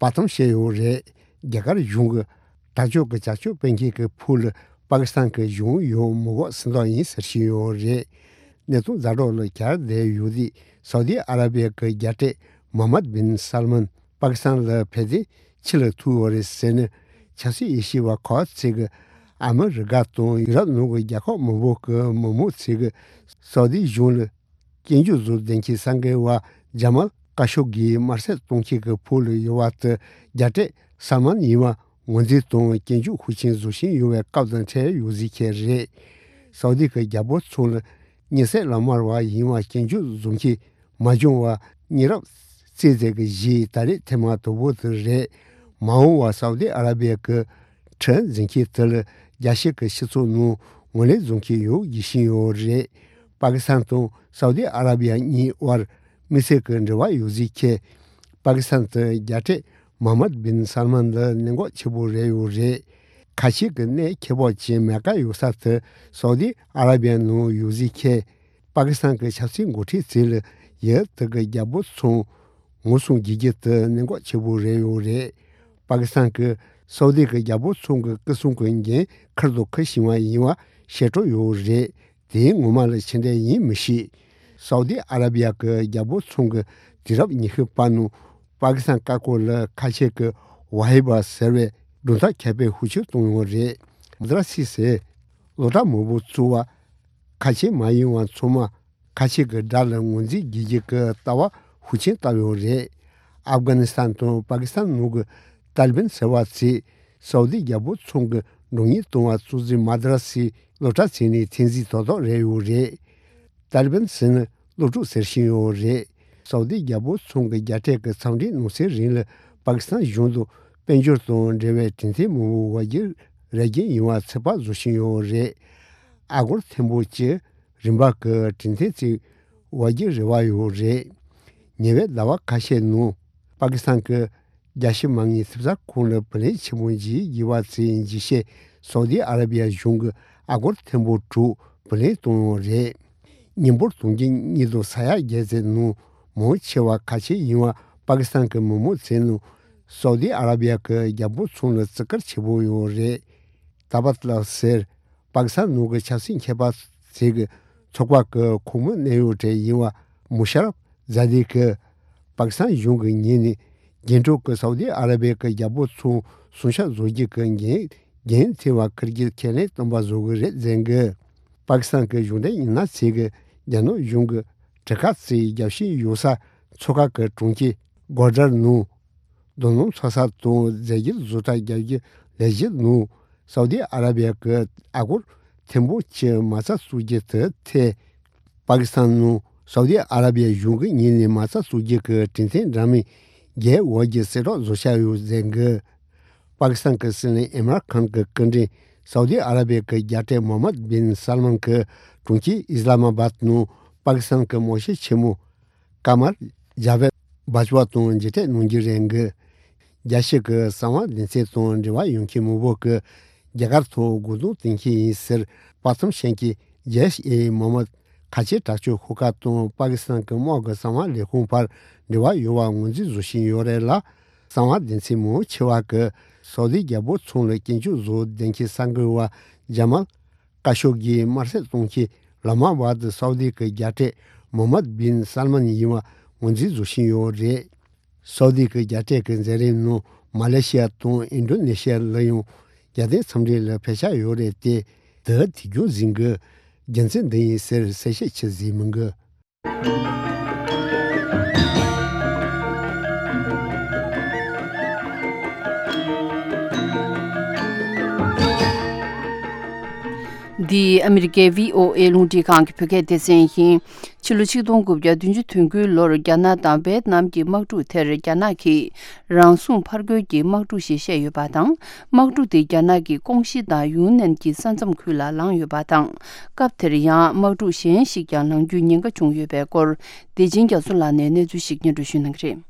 པར་མཚམས་བཅད་ཡོད་རེད། རྒྱ་གར་གཞུང་གིས་དྲག་སྤྱོད་ཀྱི་བྱ་སྤྱོད་སྤེལ་མཁན་གྱི་ཕུག་ལ་པ་ཀི་སི་ཐན་གྱི་གཞུང་ཡོད་མི་དགོས་ཟེར་མདོག་ཡིན་ཟེར་བཞིན་ཡོད་རེད། གནས་སྟངས་ཛ་དྲག་ལ་གྱར་བསྡད་ཡོད་དུས། སའུ་ཏི་ཨ་ར་བི་ཡ་གི་རྒྱལ་སྲས་མོ་ཧམ་མད་བིན་སལ་མན་པ་ཀི་སི་ཐན་ལ་ཕེབས་ཏེ་ཕྱི་ལ་ཐུག་ཡོད་རེད་ཟེར་ནས། ཆབ་སྲིད་དབྱེ་ཞིབ་པ་ཁག་ཅིག་གིས། ཨ་མི་རི་ཀ་དང་ཡུ་རོབ་ནང་གི་རྒྱལ་ཁབ་མང་པོ་གི་མི་མང་ཚོས་ཀྱི་སའུ་ཏི་གཞུང་ལ་སྐྱོན་བརྗོད་བཟོ་བསྡད་མཁན་གསར་འགོད་པ་ཇ་མལ་ཀ་ཤོ་གིས་དམར་གསོད་གཏོང་མཁན་གྱི་ཕུག་ལ་ཡོད་པ་དེ། རྒྱལ་སྲས་སལ་མན་ཡིན་པ་ངོས་འཛིན་དང་སྐྱོན་བརྗོད་ཤུགས་ཆེན་བཟོ་བཞིན་ཡོད་པའི་སྐབས་དང་འཕྲད་ཡོད་ཟེར་མཁན་རེད། སའུ་ཏི་གི་རྒྱལ་པོ་ཚང་ལ་མྱི་བསད་ལག་དམར་བ་ཡིན་པ་སྐྱོན་བརྗོད་བཟོ་མཁན་མ་བྱུང་བར་ཉེ་རབས་བཙས་ཚད་ཀྱི་གཞི་ད་རེས་ཐེངས་མ་དང་པོ་དེ་རེད། མ་འོངས་པར་སའུ་ཏི་ཨ་ར་བི་ཡ་གི་ཁྲིམས་འཛིན་མཁན་དེ་ལ་རྒྱལ་སྤྱི་གི་སྤྱི་ཚོགས་ནང་ངོས་ལེན་བཟོ་མཁན་ཡོད་ཅེས་བཤད་ཡོད་རེད། པ་ཀི་སི་ཐན་དང་སའུ་ཏི་ཨ་ར་བི་ཡ་གཉིས་དབར་དམིགས་བསལ་གྱི་འབྲེལ་བ་ཡོད་ཟེར་མཁན། པ་ཀི་སི་ཐན་དུ་རྒྱལ་སྲས་མོ་ཧམ་མད་བིན་སལ་མན་ལ་གནད་འགག་ཆེ་པོ་རེད་ཡོད་རེད། ཁ་ཆེ་གི་གནས་ཁེ་སྤོགས་ཅན་མེ་ཀ་ཡོད་ས་དེ་སའུ་ཏི་ཨ་ར་བི་ཡ་ནང་ཡོད་ཟེར་མཁན། པ་ཀི་སི་ཐན་གྱི་ཆབ་སྲིད་འགོ་ཁྲིད་ཚོས་ལ་ཡུལ་དེ་གི་རྒྱལ་པོ་ཚང་ངོ་སྲུང་བྱེད་རྒྱུ་དེ་གནད་འགག་ཆེ་པོ་རེད་ཡོད་རེད། པ་ཀི་སི་ཐན་གྱིས་སའུ་ཏི་གི་རྒྱལ་པོ་ཚང་གི་སྐུ་སྲུང་གི་འགན་ཁུར་དང་འཁུར་བཞིན་པ་ཡིན་པ་ཤེས་རྟོགས་ཡོད་རེད། དེ་ངོ་མ་ལ་ཇི་འདྲ་ཡིན་མི་ཤེས། སའུ་ཏི་ཨ་ར་བི་ཡ་གི་རྒྱལ་པོ་ཚང་གི་དུས་རབས་ཉི་ཤུ་པ་ནང་པ་ཀི་སི་ཐན་བཀའ་བཀོད་ལ་ཁ་ཆེ་གི་ཝ་ཧི་བ་ཟེར་བའི་སྒྲུང་གཏམ་ཁྱབ་སྤེལ་ཤུགས་ཆེ་བཏང་ཡོད་རེད། མ་དྲ་སི་ཟེར་ལོ་གྲངས་མང་པོ་བཙུགས་པ། ཁ་ཆེ་མ་ཡིན་པ་ཚང་མ་ཁ་ཆེ་གི་དགྲ་ལ་ངོས་འཛིན་བགྱིད་ཀྱི་ལྟ་བ་ཤུགས་ཆེན་བཏབ་ཡོད་རེད། ཨབ་གྷ་ནི་སི་ཐན་དང་པ་ཀི་སི་ཐན་ནང་གི་ཏཱ་ལི་བན་ཟེར་བ་ཚོས་ སའུ་ཏི་རྒྱལ་པོ་ཚང་གི་མགྲོན་གཉེར་གཏོང་བ་གཙོ་འཛིན་མ་དྲ་སི་སློབ་གྲྭ་ཚིག་ནས་ཐེངས་གཟིགས་ཐོག་ཐོག་རེད་ཡོད་རེད། ཏཱ་ལི་བན་ཟེར་ན་སློབ་ཕྲུག་ཟེར་བཞིན་ཡོད་རེད། སའུ་ཏི་རྒྱལ་པོ་ཚང་གི་རྒྱལ་སྲས་ཀྱི་འཚམས་འདྲིའི་ནང་གསེས་རིང་ལ་པ་ཀི་སི་ཐན་གཞུང་དང་དཔལ་འབྱོར་དང་འབྲེལ་བའི་གྲོས་མཐུན་མང་པོ་བར་བརྒྱུད་རེ་སྐུལ་ཡོང་བ་ཚོད་དཔག་བཟོ་བཞིན་ཡོད་རེད། ཨ་སྒོར་ཐེར་འབུམ་གཅིག་རིན་པ་གི་གྲོས་མཐུན་ཞིག་བར་བརྒྱུད་རེ་བ་ཡོད་རེད། ཉེ་བའི་ཟླ་བ་ཁ་ཤས་ནང་པ་ཀི་སི་ཐན་གྱི་རྒྱལ་སྤྱི་མ་དངུལ་ཐེབས་རྩ་ཁང་ལ་བུ་ལོན་ཆེན་པོ་འཇལ་དགོས་པ་དེའི་འཇིགས་བྱེད་སའུ་ཏི་ཨ་ར་བི་ཡ་གཞུང་གིས་ཨ་སྒོར་ཐེར་འབུམ་དྲུག་བུ་ལོན་བཏང་ཡོད་རེད། མི་འབོར་དུང་ཕྱུར་གཉིས་དང་ས་ཡ་བརྒྱད་ཙམ་ནང་མང་ཆེ་བ་ཁ་ཆེ་ཡིན་པ་པ་ཀི་སི་ཐན་གྱི་མི་མང་ཚོའི་ནང་སའུ་ཏི་ཨ་ར་བི་ཡ་གི་རྒྱལ་པོ་ཚང་ལ་བརྩི་བཀུར་ཆེ་པོ་ཡོད་རེད། ཏཱ་བཏཱ་ཟེར། པ་ཀི་སི་ཐན་ནང་གི་ཆབ་སྲིད་མཁས་པ་ཞིག་གི་ཚོགས་པ་གི་ཁོངས་མི་གནད་ཡོད་གྲས་ཡིན་པ་མུ་ཤ་རབ་ཛ་དི་གིས། པ་ཀི་སི་ཐན་གཞུང་གི་ངོས་ནས་རྒྱན་དྲུག་གི་སའུ་ཏི་ཨ་ར་བི་ཡ་གི་རྒྱལ་པོ་ཚང་སྲུང་སྐྱོབ་བཟོ་རྒྱུ་གི་འགན་འགན་འཁྱེར་བ་ཁུར་གྱི་ཁས་ལེན་བཏོན་པ་བཟོ་གི་རེད་ཟེར་གི། པ་ཀི་སི་ཐན་གྱི་གཞུང་འབྲེལ་མི་སྣ་ཚོས་གི་རྒྱ་ནག་གཞུང་གི་གྲུ་ཁ་ཚོའི་རྒྱབ་ཤིང་ཡོད་ས་མཚོ་ཁ་གི་གྲོང་ཁྱེར་སྒོ་ཌར་ནང་། རྡོ་སྣུམ་འཚོ་ས་དང་རྫས་འགྱུར་བཟོ་གྲྭ་རྒྱག་རྒྱུ་ལས་གཞི་ནང་སའུ་ཏི་ཨ་ར་བི་ཡ་གི་ཨ་སྒོར་ཐེར་འབུམ་གཅིག་མ་རྩ་བཙུགས་རྒྱུ་དེ་ཐད། པ་ཀི་སི་ཐན་ནང་སའུ་ཏི་ཨ་ར་བི་ཡ་གཞུང་གི་ངོས་ནས་མ་རྩ་བཙུགས་རྒྱུ་གི་གྲོས་མཐུན་འདྲ་མིན་བརྒྱད་བར་གྱི་གསལ་བསྒྲགས་བཟོ་འཆར་ཡོད་ཟེར་གི། པ་ཀི་སི་ཐན་གྱི་སྲིད་བློན་ཨིམ་རཱན་ཁཱན་གྱི་སྐུ་མགྲོན་སའུ་ཏི་ཨ་ར་བི་ཡ་གི་རྒྱལ་སྲས་མོ་ཧམ་མད་བིན་སལ་མན་གྱིས་གྲོང་ཁྱེར་ཨི་སི་ལ་མ་བཱད་ནང་པ་ཀི་སི་ཐན་གྱི་དམག་སྤྱི་ཆེན་མོ་ཀ་མར་ཇ་བེད་བྷ་ཇ་ཝ་དང་མཇལ་འཕྲད་གནང་རྒྱུ་རེད་འདུག་རྒྱལ་སྤྱི་གི་གསང་བ་སྡེ་ཚན་དང་འབྲེལ་བ་ཡོད་མཁན་མང་པོ་གིས་རྒྱ་གར་ཐོག་རྒོལ་རྡུང་གཏོང་གི་ཡིན་ཟེར་པ་ཐམ་ཤན་གྱི་ཇེ་ཨེ་མོ་མད་ཁ་ཆེ་དྲག་སྤྱོད་ཤོག་ཁག་དང་པ་ཀི་སི་ཐན་གྱི་དམག་གི་གསང་བ་ལས་ཁུངས་བར་འབྲེལ་བ་ཡོད་པ་ངོས་འཛིན་བཟོ་བཞིན་ཡོད་རེད་ལ། གསང་བ་སྡེ་ཚན་མང་ཆེ་བ་གིས་སའུ་ཏི་རྒྱལ་པོ་ཚང་ལ་སྐྱོན་བརྗོད་བཟོ་བསྡད་མཁན་གསར་འགོད་པ་ཇ་མལ་ཀ་ཤོ་གིས་དམར་གསོད་གཏོང་མཁན་ལ་མ་བར་དུ་སའུ་ཏི་གི་རྒྱལ་སྲས་མོ་ཧམ་མད་བིན་སལ་མན་ཡིན་པ་ངོས་འཛིན་བཟོ་བཞིན་ཡོད་རེད། སའུ་ཏི་གི་རྒྱལ་སྲས་ཀྱི་མཛད་རིམ་ནང་མ་ལེ་ཤི་ཡ་དང་ཨིན་ཌོ་ནེ་ཤི་ཡ་ལ་ཡང་རྒྱལ་བསྟན་འཚམས་འདྲི་ལ་ཕེབས་འཆར་ཡོད་རེད་དེ། དེ་དུས་རྒྱུན་འཛིན་གྱི་རྒྱུ་མཚན་འདི་ཡིན་ཟེར་གསལ་བཤད་བྱེད་ཟིན་མི་འདུག་འདི་ཨ་མི་རི་ཀའི་བྷི་ཨོ་ཨེ་རླུང་འཕྲིན་ཁང་གི་བོད་སྐད་སྡེ་ཚན་ཡིན། ཕྱི་ལོ་ཆིག་སྟོང་དགུ་བརྒྱ་བདུན་ཅུ་དོན་དགུའི་ལོར་རྒྱ་ནག་དང་ཝེད་ནམ་གྱི་དམག་འཁྲུག་དེར་རྒྱ་ནག་གིས་རང་སྲུང་ཕར་རྒོལ་གྱི་དམག་འཁྲུག་ཞེས་བཤད་ཡོད་པ་དང་། དམག་འཁྲུག་དེ་རྒྱ་ནག་གི་ཀོང་ཞི་དང་ཡུན་ནན་གྱི་ས་མཚམས་ཁུལ་ལ་ལངས་ཡོད་པ་དང་། སྐབས་དེར་ཡང་དམག་འཁྲུག་གཞན་ཞིག་ཀྱང་ལངས་རྒྱུའི་ཉེན་ཁ་བྱུང་ཡོད་པའི་སྐོར། བདེ་ཆེན་རྒྱ་མཚོ་ལགས་ནས་གནས་ཚུལ་ཞིག་སྙན་སྒྲོན་ཞུ་གནང་གི་རེད།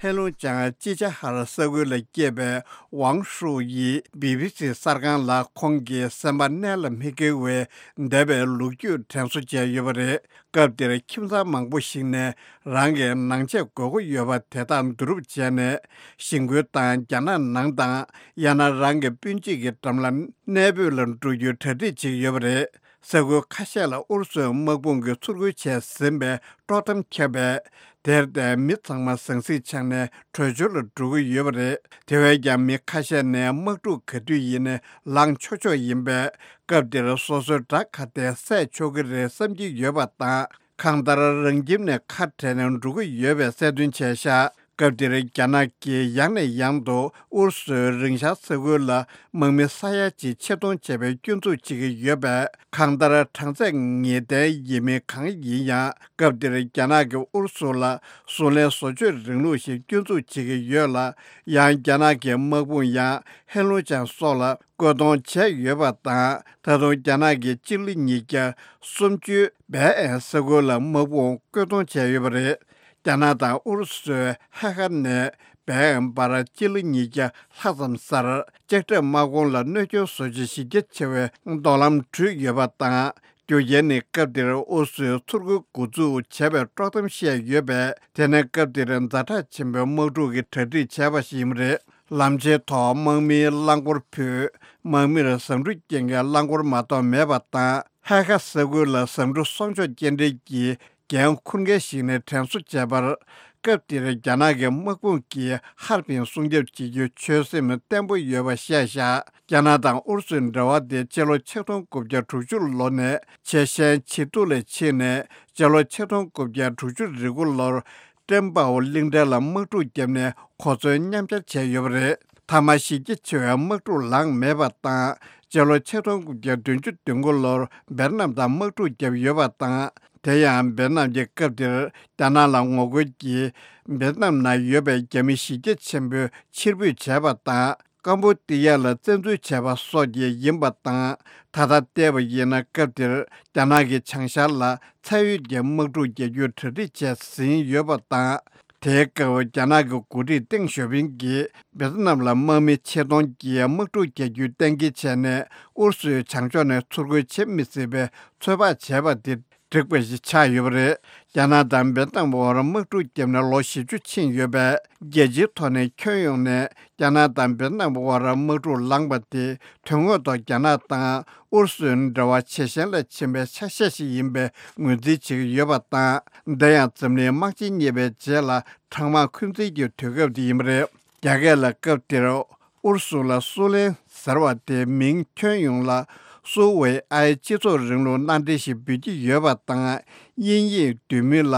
ཧེ་ལུང་ཅང་ཅི་ཅ་ཧར་ས་ཁུལ་ལ་སྐྱེས་པའི་ཝང་ཧྲུའུ་ཡིས་བི་བི་སི་གསར་ཁང་ལ་ཁོང་གི་སེམས་པ་གནད་ལ་མི་འཁེལ་བའི་འདས་པའི་ལོ་རྒྱུས་དྲན་གསོ་བྱས་ཡོད་པ་རེད། སྐབས་དེར་ཁྱིམ་ཚང་མང་པོ་ཞིག་ནས་རང་གི་ནང་ཆས་དགོས་མཁོ་ཡོད་པ་དེ་དག་བསྡུ་རུབ་བྱས་ནས་གཞིས་ཁུལ་དང་རྒྱ་ནག་ནང་དང་ཡང་ན་རང་གི་སྤུན་མཆེད་ཀྱི་འགྲམ་ལ་གནས་སྤོས་ལ་འགྲོ་རྒྱུའི་གྲ་སྒྲིག་བྱེད་ཀྱི་ཡོད་པ་རེད། ས་ཁུལ་ཁ་ཤས་ལ་ཨུ་རུ་སུའི་དམག་དཔུང་གིས་ཚུར་རྒོལ་བྱས་ཟིན་པའི་དཀྲོག་གཏམ་ཁྱབ་པས། དེར་བརྟེན་མི་ཚང་མ་ཟང་ཟིང་ཆགས་ནས་བྲོས་བྱོལ་ལ་འགྲོ་གི་ཡོད་པ་རེད། དེ་བས་ཀྱང་མི་ཁ་ཤས་ནས་དམག་འཁྲུག་ག་དུས་ཡིན་ནའི་ལངས་ཆོག་ཆོག་ཡིན་པས། སྐབས་འདིར་སོ་སོའི་དགྲ་ག་དེ་བསད་ཆོག་གི་རེད་བསམ་གྱི་ཡོད་པ་དང་། གང་ལྟར་རང་ཁྱིམ་ནས་ཁ་བྲལ་ནས་འགྲོ་གི་ཡོད་པའི་གསལ་སྟོན་བྱས་ཤག་སྐབས་འདིར་རྒྱ་ནག་གིས་ཡང་ནས་ཡང་དུ་ཨུ་རུ་སུའི་རིང་ཤར་ས་ཁུལ་ལ་དམག་མི་ས་ཡ་གཅིག་ཆེད་གཏོང་བྱས་པའི་སྐྱོན་འཛུགས་བྱེད་ཀྱི་ཡོད་པས། གང་ལྟར་གྲངས་ཚད་ངེས་གཏན་ཡིན་མིན་གང་ཡིན་ཡང་། སྐབས་འདིར་རྒྱ་ནག་གིས་ཨུ་རུ་སུ་ལ་བཟུང་ལེན་བཟོ་བཅོས་རིང་ལུགས་ཤིག་སྐྱོན་འཛུགས་བྱེད་ཀྱི་ཡོད་ལ། ཡང་རྒྱ་ནག་གི་དམག་དཔུང་ཡང་ཧེ་ལུང་ཅང་སོགས་ལ་བཀོད་གཏོང་བྱས་ཡོད་པ་དང་། ད་དུང་རྒྱ་ནག་གིས་སྤྱི་ལེ་ཉིས་བརྒྱ་སུམ་ཅུ་བལ་ཨན་ས་ཁུལ་ལ་དམག་དཔུང་བཀོད་གཏོང་བྱས་ཡོད་པ་རེད། རྒྱ་ནག་དང་ཨུ་རུ་སུའི་ཧེ་ཁ་ནས་བལ་ཨན་བར་སྤྱི་ལེ་ཉིས་བརྒྱ་ལྷག་ཙམ་སར་ལྕགས་ཁྲབ་དམག་དཔུང་ལ་གནོད་སྐྱོན་བཟོ་བྱེད་གཞི་རྒྱ་ཆེ་བའི་མདོང་ལམ་བྲུས་ཡོད་པ་དང་། རྒྱུ་རྐྱེན་ནི་སྐབས་དེར་ཨུ་རུ་སུའི་ཚུར་རྒོལ་འགོ་འཛུགས་བྱས་པའི་དཀྲོག་གཏམ་བཤད་ཡོད་པས། དེ་ནི་སྐབས་དེར་ཛ་དྲག་ཆེན་པོའི་དམག་འཁྲུག་གི་གྲ་སྒྲིག་བྱས་པ་ཞིག་ཡིན་པ་རེད། ལམ་ཆེན་ཐོག་དམག་མིའི་རླངས་འཁོར་ཕུད། དམག་མིར་ཟ་འབྲུ་སྐྱེལ་མཁན་རླངས་འཁོར་མ་གཏོགས་མེད་པ་དང་། ཧེ་ཁ་ས་ཁུལ་ལ་ཟ་འབྲུ་སྲུང་སྐྱོབ་སྐྱེལ་འདྲེན་གྱི་འགན་འཁུར་མཁན་ཞིག་ནས་དྲན་གསོ་བྱས་པར། སྐབས་དེར་རྒྱ་ནག་གི་དམག་དཔུང་གིས་ཧར་པིན་སྲུང་སྐྱོབ་བྱེད་རྒྱུའི་ཆོད་སེམས་བརྟན་པོ་ཡོད་པ་བཤད་བཞག་རྒྱ་ནག་དང་ཨུ་རུ་སུའི་འབྲེལ་བ་དེ་སྤྱི་ལོ་ཆིག་སྟོང་དགུ་བརྒྱ་དྲུག་ཅུ་ལོ་ནས་ཆེས་ཞན་ཇེ་སྡུག་ལ་ཕྱིན་ནས། སྤྱི་ལོ་ཆིག་སྟོང་དགུ་བརྒྱ་དྲུག་ཅུ་རེ་དགུ་ལོར་ཀྲེན་པའོ་གླིང་ཕྲན་ལ་དམག་འཁྲུག་བརྒྱབ་ནས་གོ་མཚོན་མཉམ་སྦྱར་བྱས་ཡོད་པ་རེད། མཐའ་མ་གཞི་རྒྱ་ཆེ་བའི་དམག་འཁྲུག་ལངས་མེད་པ་དང་། སྤྱི་ལོ་ཆིག་སྟོང་དགུ་བརྒྱ་བདུན་ཅུ་དོན་དགུ་ལོར་ཝེ་ཏི་ནམ་དང་དམག་འཁྲུག་བརྒྱབ་ཡོད་པ་དང་། དེ་ཡང་ཝེ་ཏི་ནམ་གྱི་སྐབས་དེར་རྒྱ་ནག་ལ་ངོ་རྒོལ་གྱིས་ཝེ་ཏི་ནམ་ནང་ཡོད་པའི་རྒྱ་མི་གཞི་རྒྱ་ཆེན་པོ་ཕྱིར་འབུད་བྱས་པ་དང་། ཀམ་པུ་ཏི་ཡ་ལ་བཙན་འཛུལ་བྱས་པ་སོགས་ཀྱིས་ཡིན་པ་དང་། ད་ལྟ་བལྟས་པ་ཡིན་ན། སྐབས་དེར་རྒྱ་ནག་གིས་བྱང་ཤར་ལ་མཚན་ཡོད་ཀྱི་དམག་འཁྲུག་རྒྱག་རྒྱུའི་གྲ་སྒྲིག་བྱས་ཟིན་ཡོད་པ་དང་། དེའི་སྐབས་རྒྱ་ནག་གི་འགོ་ཁྲིད་ཏེང་ཞའོ་ཕིང་གིས་ཝེ་ཏི་ནམ་ལ་དམག་མི་ཆེད་གཏོང་གིས་དམག་འཁྲུག་རྒྱག་རྒྱུའི་གཏན་འཁེལ་བྱས་ནས། ཨུ་རུ་སུས་བྱང་ཕྱོགས་ནས་ཚུར་རྒོལ་བྱེད་མི་སྲིད་པའི་ཚོད་དཔག་བྱས་པ་དེ་འགྲིག་པ་ཞིག་ཆགས་ཡོད་པ་རེད། རྒྱ་ནག་དང་ཝེ་ཏི་ནམ་དབར་དམག་འཁྲུག་བརྒྱབ་ནས་ལོ་བཞི་བཅུ་ཕྱིན་ཡོད་པས། རྒྱལ་སྤྱིའི་ཐོག་ནས་ཁྱོན་ཡོངས་ནས་རྒྱ་ནག་དང་ཝེ་ཏི་ནམ་དབར་དམག་འཁྲུག་ལངས་པ་དེ། དོན་དངོས་ཐོག་རྒྱ་ནག་དང་ཨུ་རུ་སུའི་འབྲེལ་བ་ཇེ་ཞན་ལ་ཕྱིན་པའི་ཆ་ཤས་ཤིག་ཡིན་པའི་ངོས་འཛིན་བྱེད་ཀྱི་ཡོད་པ་དང་། འདི་ཡང་འཛམ་གླིང་དམག་ཆེན་གཉིས་པའི་རྗེས་ལ་གྲང་དམག་འཁོན་འཛིན་གྱི་དུས་སྐབས་དེ་ཡིན་པ་རེད། རྒྱ་སྐད་ལ། སྐབས་དེར་ཨུ་རུ་སུ་ལ་སུའུ་ལེན་ཟེར་བ་དེ་མིང་ཁྱོན་ཡོངས་ལ་སུའུ་ཝེ་ཨའི་སྤྱི་ཚོགས་རིང་ལུགས་མནའ་འབྲེལ་ཞེས་འབོད་ཀྱི་ཡོད་པ་དང་། དབྱིན་ཡིག་བསྡུས་མིང་ལ་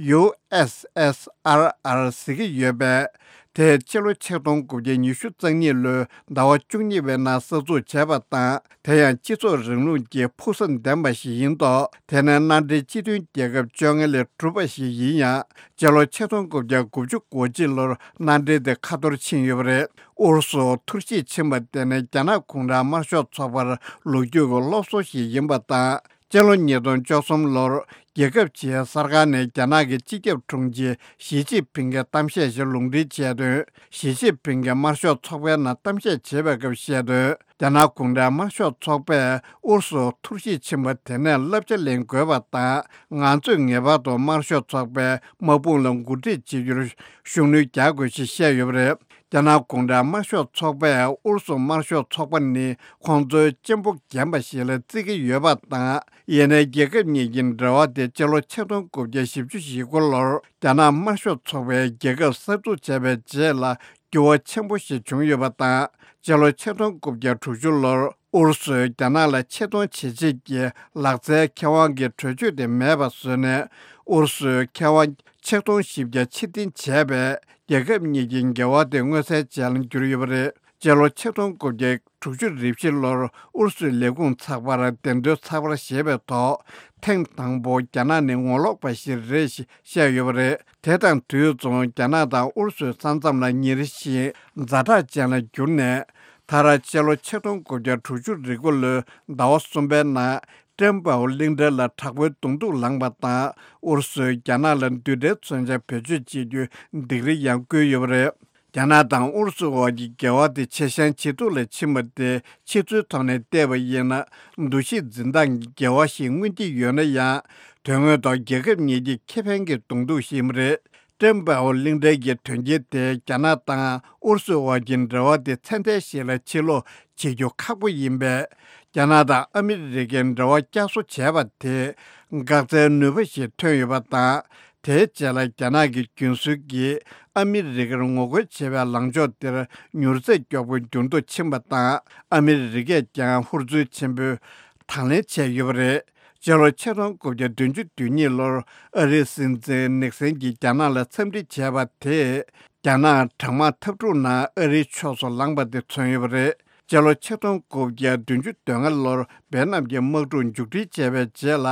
ཡུ་ཨེསི་ཨེསི་ཨར་ཨར་ཟེར་གྱི་ཡོད་པས། དེས་སྤྱི་ལོ་ཆིག་སྟོང་དགུ་བརྒྱ་ཉི་ཤུ་རྩ་གཉིས་ལོའི་ཟླ་བ་བཅུ་གཉིས་པའི་ནང་གསར་འཛུགས་བྱས་པ་དང་། དེ་ཡང་སྤྱི་ཚོགས་རིང་ལུགས་ཀྱི་ཕུགས་བསམ་ལྡན་པ་ཞིག་ཡིན་མདོག་དེ་ནི་མནའ་འབྲེལ་སྤྱི་མཐུན་རྒྱལ་ཁབ་བཅོ་ལྔ་ལས་གྲུབ་པ་ཞིག་ཡིན་ཡང་། སྤྱི་ལོ་ཆིག་སྟོང་དགུ་བརྒྱ་དགུ་བཅུ་གོ་གཅིག་ལོར་མནའ་འབྲེལ་དེ་ཁ་འཐོར་ཕྱིན་ཡོད་པ་རེད། ཨུ་རུ་སུ་འཐོར་ཞིག་ཕྱིན་པ་དེ་ནི་རྒྱ་ནག་གུང་ཁྲན་དམར་ཤོག་ཚོགས་པར་ལོ་རྒྱུས་ཀྱི་སློབ་གསོ་ཞིག་ཡིན་པ་དང་། སྤྱི་ལོ་ཉིས་སྟོང་བཅུ་གསུམ་ལོར་རྒྱལ་ཁབ་ཕྱིའི་གསར་ཁང་ནས་རྒྱ་ནག་གི་སྤྱི་ཁྱབ་དྲུང་ཆེ་ཞི་ཅིན་ཕིང་གི་གཏམ་བཤད་ཞིག་ལུང་འདྲེན་བྱས་དོན། ཞི་ཅིན་ཕིང་གིས་དམར་ཤོག་ཚོགས་པའི་ནང་གཏམ་བཤད་བྱེད་པའི་སྐབས་བཤད་དོན། རྒྱ་ནག་གུང་ཁྲན་དམར་ཤོག་ཚོགས་པས་ཨུ་རུ་སུ་འཐོར་ཞིག་ཕྱིན་པ་དེ་ནས་བསླབ་བྱ་ལེན་དགོས་པ་དང་། ང་ཚོས་ངེས་པར་དུ་དམར་ཤོག་ཚོགས་པའི་དམག་དཔུང་ལ་འགོ་ཁྲིད་བྱེད་རྒྱུར་ཤུགས་སྣོན་རྒྱག་དགོས་ཞེས་བཤད་ཡོད་པ་རེད། རྒྱ་ནག་གུང་ཁྲན་དམར་ཤོག་ཚོགས་པས་ཨུ་རུ་སུ་དམར་ཤོག་ཚོགས་པ་ནི་ཁོང་ཚོའི་གཅེན་པོ་རྒན་པ་ཞིག་ལ་བརྩི་གི་ཡོད་པ་དང་། ཡིན་ནའི་རྒྱལ་ཁབ་གཉིས་ཀྱི་འབྲེལ་བ་དེ་སྤྱི་ལོ་ཆིག་སྟོང་དགུ་བརྒྱ་བཞི་བཅུ་ཞེ་དགུ་ལོར་རྒྱ་ནག་དམར་ཤོག་ཚོགས་པའི་རྒྱལ་ཁབ་གསར་འཛུགས་བྱས་པའི་རྗེས་ལ་འགྱུར་བ་ཆེན་པོ་ཞིག་བྱུང་ཡོད་པ་དང་། སྤྱི་ལོ་ཆིག་སྟོང་དགུ་བརྒྱ་དྲུག་ཅུ་ལོར་ཨུ་རུ་སུས་རྒྱ་ནག་ལ་ཆེ་མཐོང་བྱེད་ཆེད་ཀྱི་ལག་རྩལ་ཁེ་དབང་གི་གྲོས་ཆོད་དེ་མེད་པ་བཟོས་ནས། ཨུ་རུ་སུས་ཁེ་དབང་ཆིག་སྟོང་བཞི་བརྒྱ་ཕྱིར་འཐེན་བྱས་པས། རྒྱལ་ཁབ་གཉིས་ཀྱི་འགལ་བ་དེ་མངོན་གསལ་ཅན་ལ་གྱུར་ཡོད་པ་རེད། སྤྱི་ལོ་ཆིག་སྟོང་དགུ་བརྒྱ་དྲུག་ཅུ་རེ་བཞི་ལོར་ཨུ་རུ་སུའི་ལས་ཁུངས་ཚགས་པར་བདེན་དོན་ཚགས་པར་ཞེས་པའི་ཐོག་ཐེངས་དང་པོ་རྒྱ་ནག་ནི་ངོ་ལོག་པ་ཞིག་རེད་ཞེས་བཤད་ཡོད་པ་རེད། དེ་དང་དུས་མཚུངས་རྒྱ་ནག་དང་ཨུ་རུ་སུའི་ས་མཚམས་ལ་ཉེ་རི་བཞིན་ཛ་དྲག་ཅན་ལ་གྱུར་ནས། མཐར་སྤྱི་ལོ་ཆིག་སྟོང་དགུ་བརྒྱ་དྲུག་ཅུ་རེ་དགུ་ལོའི་ཟླ་བ་གསུམ་པའི་ནང་ཀྲེན་པའོ་གླིང་ཕྲན་ལ་དྲག་པོའི་གདོང་ཐུག་ལངས་པ་དང་། ཨུ་རུ་སུས་རྒྱ་ནག་ལ་མདུན་གྲལ་མཚོན་ཆ་བེད་སྤྱོད་བྱེད་རྒྱུའི་སྡིགས་ར་ཡང་བསྐུལ་ཡོད་པ་རེད། རྒྱ་ནག་དང་ཨུ་རུ་སུ་བར་གྱི་འགལ་བ་དེ་ཇེ་ཞན་ཇེ་སྡུག་ལ་ཕྱིན་པ་དེ་ཕྱི་ཚུལ་ཐོག་ནས་བལྟས་པ་ཡིན་ན། འདུ་ཤེས་འཛིན་སྟངས་ཀྱི་འགལ་བ་ཞིག་མངོན་གྱི་ཡོད་ན་ཡང་། དོན་དངོས་ཐོག་རྒྱལ་ཁབ་གཉིས་ཀྱི་ཁེ་ཕན་གྱི་གདོང་ཐུག་ཞིག་རེད། ཀྲེན་པའོ་གླིང་ཕྲན་གྱི་དོན་རྐྱེན་དེས་རྒྱ་ནག་དང་ཨུ་རུ་སུ་བར་གྱི་འབྲེལ་བ་དེ་ཚད་ལྡན་ཞིག་ལ་ཕྱིར་ལོག་བྱེད་རྒྱུ་ཁག་པོ་ཡིན་པས། རྒྱ་ནག་དང་ཨ་མི་རི་ཀའི་འབྲེལ་བ་བསྐྱར་གསོ་བྱས་པ་དེས་འགག་རྩའི་ནུས་པ་ཞིག་ཐོན་ཡོད་པ་དང་། དེའི་རྗེས་ལ་རྒྱ་ནག་གི་རྒྱུན་སྲོལ་གྱིས་ཨ་མི་རི་ཀར་ངོ་རྒོལ་བྱེད་པའི་ལངས་ཕྱོགས་དེར་མྱུར་ཚད་མགྱོགས་པོ་འགྱུར་ལྡོག་ཕྱིན་པ་དང་། ཨ་མི་རི་ཀས་ཀྱང་ཧུར་བརྩོན་ཆེན་པོས་དང་ལེན་བྱས་ཡོད་པ་རེད། སྤྱི་ལོ་ཆིག་སྟོང་དགུ་བརྒྱ་བདུན་ཅུ་དོན་གཉིས་ལོར་ཨ་རིའི་སྲིད་འཛིན་ནིག་སན་གྱིས་རྒྱ་ནག་ལ་འཚམས་འདྲི་བྱས་པ་དེས། རྒྱ་ནག་གྲང་དམག་འཐབ་འཁྲུག་ནང་ཨ་རིའི་ཕྱོགས་སུ་ལངས་པ་དེ་མཚོན་ཡོད་པ་རེད། སྤྱི་ལོ་ཆིག་སྟོང་དགུ་བརྒྱ་བདུན་ཅུ་དོན་ལྔ་ལོར་ཝེ་ཏི་ནམ་གྱི་དམག་འཁྲུག་མཇུག་སྒྲིལ་བྱས་པའི་རྗེས་ལ།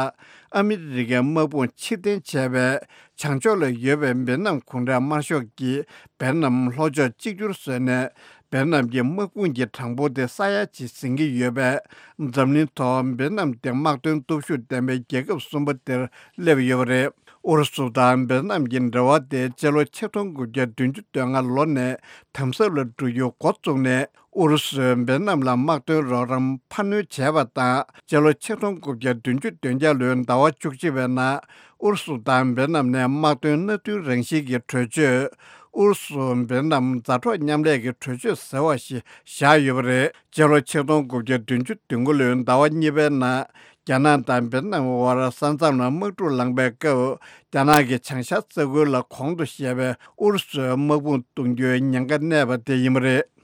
ཨ་མི་རི་ཀའི་དམག་དཔུང་ཕྱིར་འཐེན་བྱས་པས། བྱང་ཕྱོགས་ལ་ཡོད་པའི་ཝེ་ཏི་ནམ་གུང་ཁྲན་དམར་ཤོག་གིས་ཝེ་ཏི་ནམ་ལྷོ་ཕྱོགས་གཅིག་གྱུར་བཟོས་ནས། ཝེ་ཏི་ནམ་གྱི་དམག་དཔུང་གི་གྲངས་འབོར་དེ་ས་ཡ་གཅིག་ཟིན་གྱི་ཡོད་པས། འཛམ་གླིང་ཐོག་ཝེ་ཏི་ནམ་དེ་དམག་དོན་སྟོབས་ཤུགས་ལྡན་པའི་རྒྱལ་ཁབ་གསུམ་པ་དེར་སླེབས་ཡོད་པ་རེད། ཨུ་རུ་སུ་དང་ཝེ་ཏི་ནམ་གྱི་འབྲེལ་བ་དེ་སྤྱི་ལོ་ཆིག་སྟོང་དགུ་བརྒྱ་བདུན་ཅུ་དོན་ལྔ་ལོ་ནས་དམ་ཟབ་ལ་འགྲོ་རྒྱུ་འགོ་བཙུགས་ནས། ཨུ་རུ་སུས་ཝེ་ཏི་ནམ་ལ་དམག་དོན་རོགས་རམ་འཕར་སྣོན་བྱས་པ་དང་། སྤྱི་ལོ་ཆིག་སྟོང་དགུ་བརྒྱ་བདུན་ཅུ་དོན་བརྒྱད་ལོའི་ཟླ་བ་བཅུ་གཅིག་པའི་ནང་ཨུ་རུ་སུ་དང་ཝེ་ཏི་ནམ་ནས་དམག་དོན་མནའ་མཐུན་རང་བཞིན་གྱི་གྲོས་ཆོད། ཨུ་རུ་སུ་ཝེ་ཏི་ནམ་མཛའ་གྲོགས་མཉམ་ལས་ཀྱི་གྲོས་ཆོད་ཟེར་བ་ཞིག་བཞག་ཡོད་པ་རེད། སྤྱི་ལོ་ཆིག་སྟོང་དགུ་བརྒྱ་བདུན་ཅུ་དོན་དགུ་ལོའི་ཟླ་བ་གཉིས་པའི་ནང་། རྒྱ་ནག་དང་ཝེ་ཏི་ནམ་དབར་ས་མཚམས་ལ་དམག་འཁྲུག་ལངས་པའི་སྐབས། རྒྱ་ནག་གིས་བྱང་ཤར་ས་ཁུལ་ལ་གོང་དུ་བཤད་པའི་ཨུ་རུ་སུའི་དམག་དཔུང་གཏོང་རྒྱུའི་ཉེན་ཁ་གནས་པ་དེ་ཡིན་པ་རེད།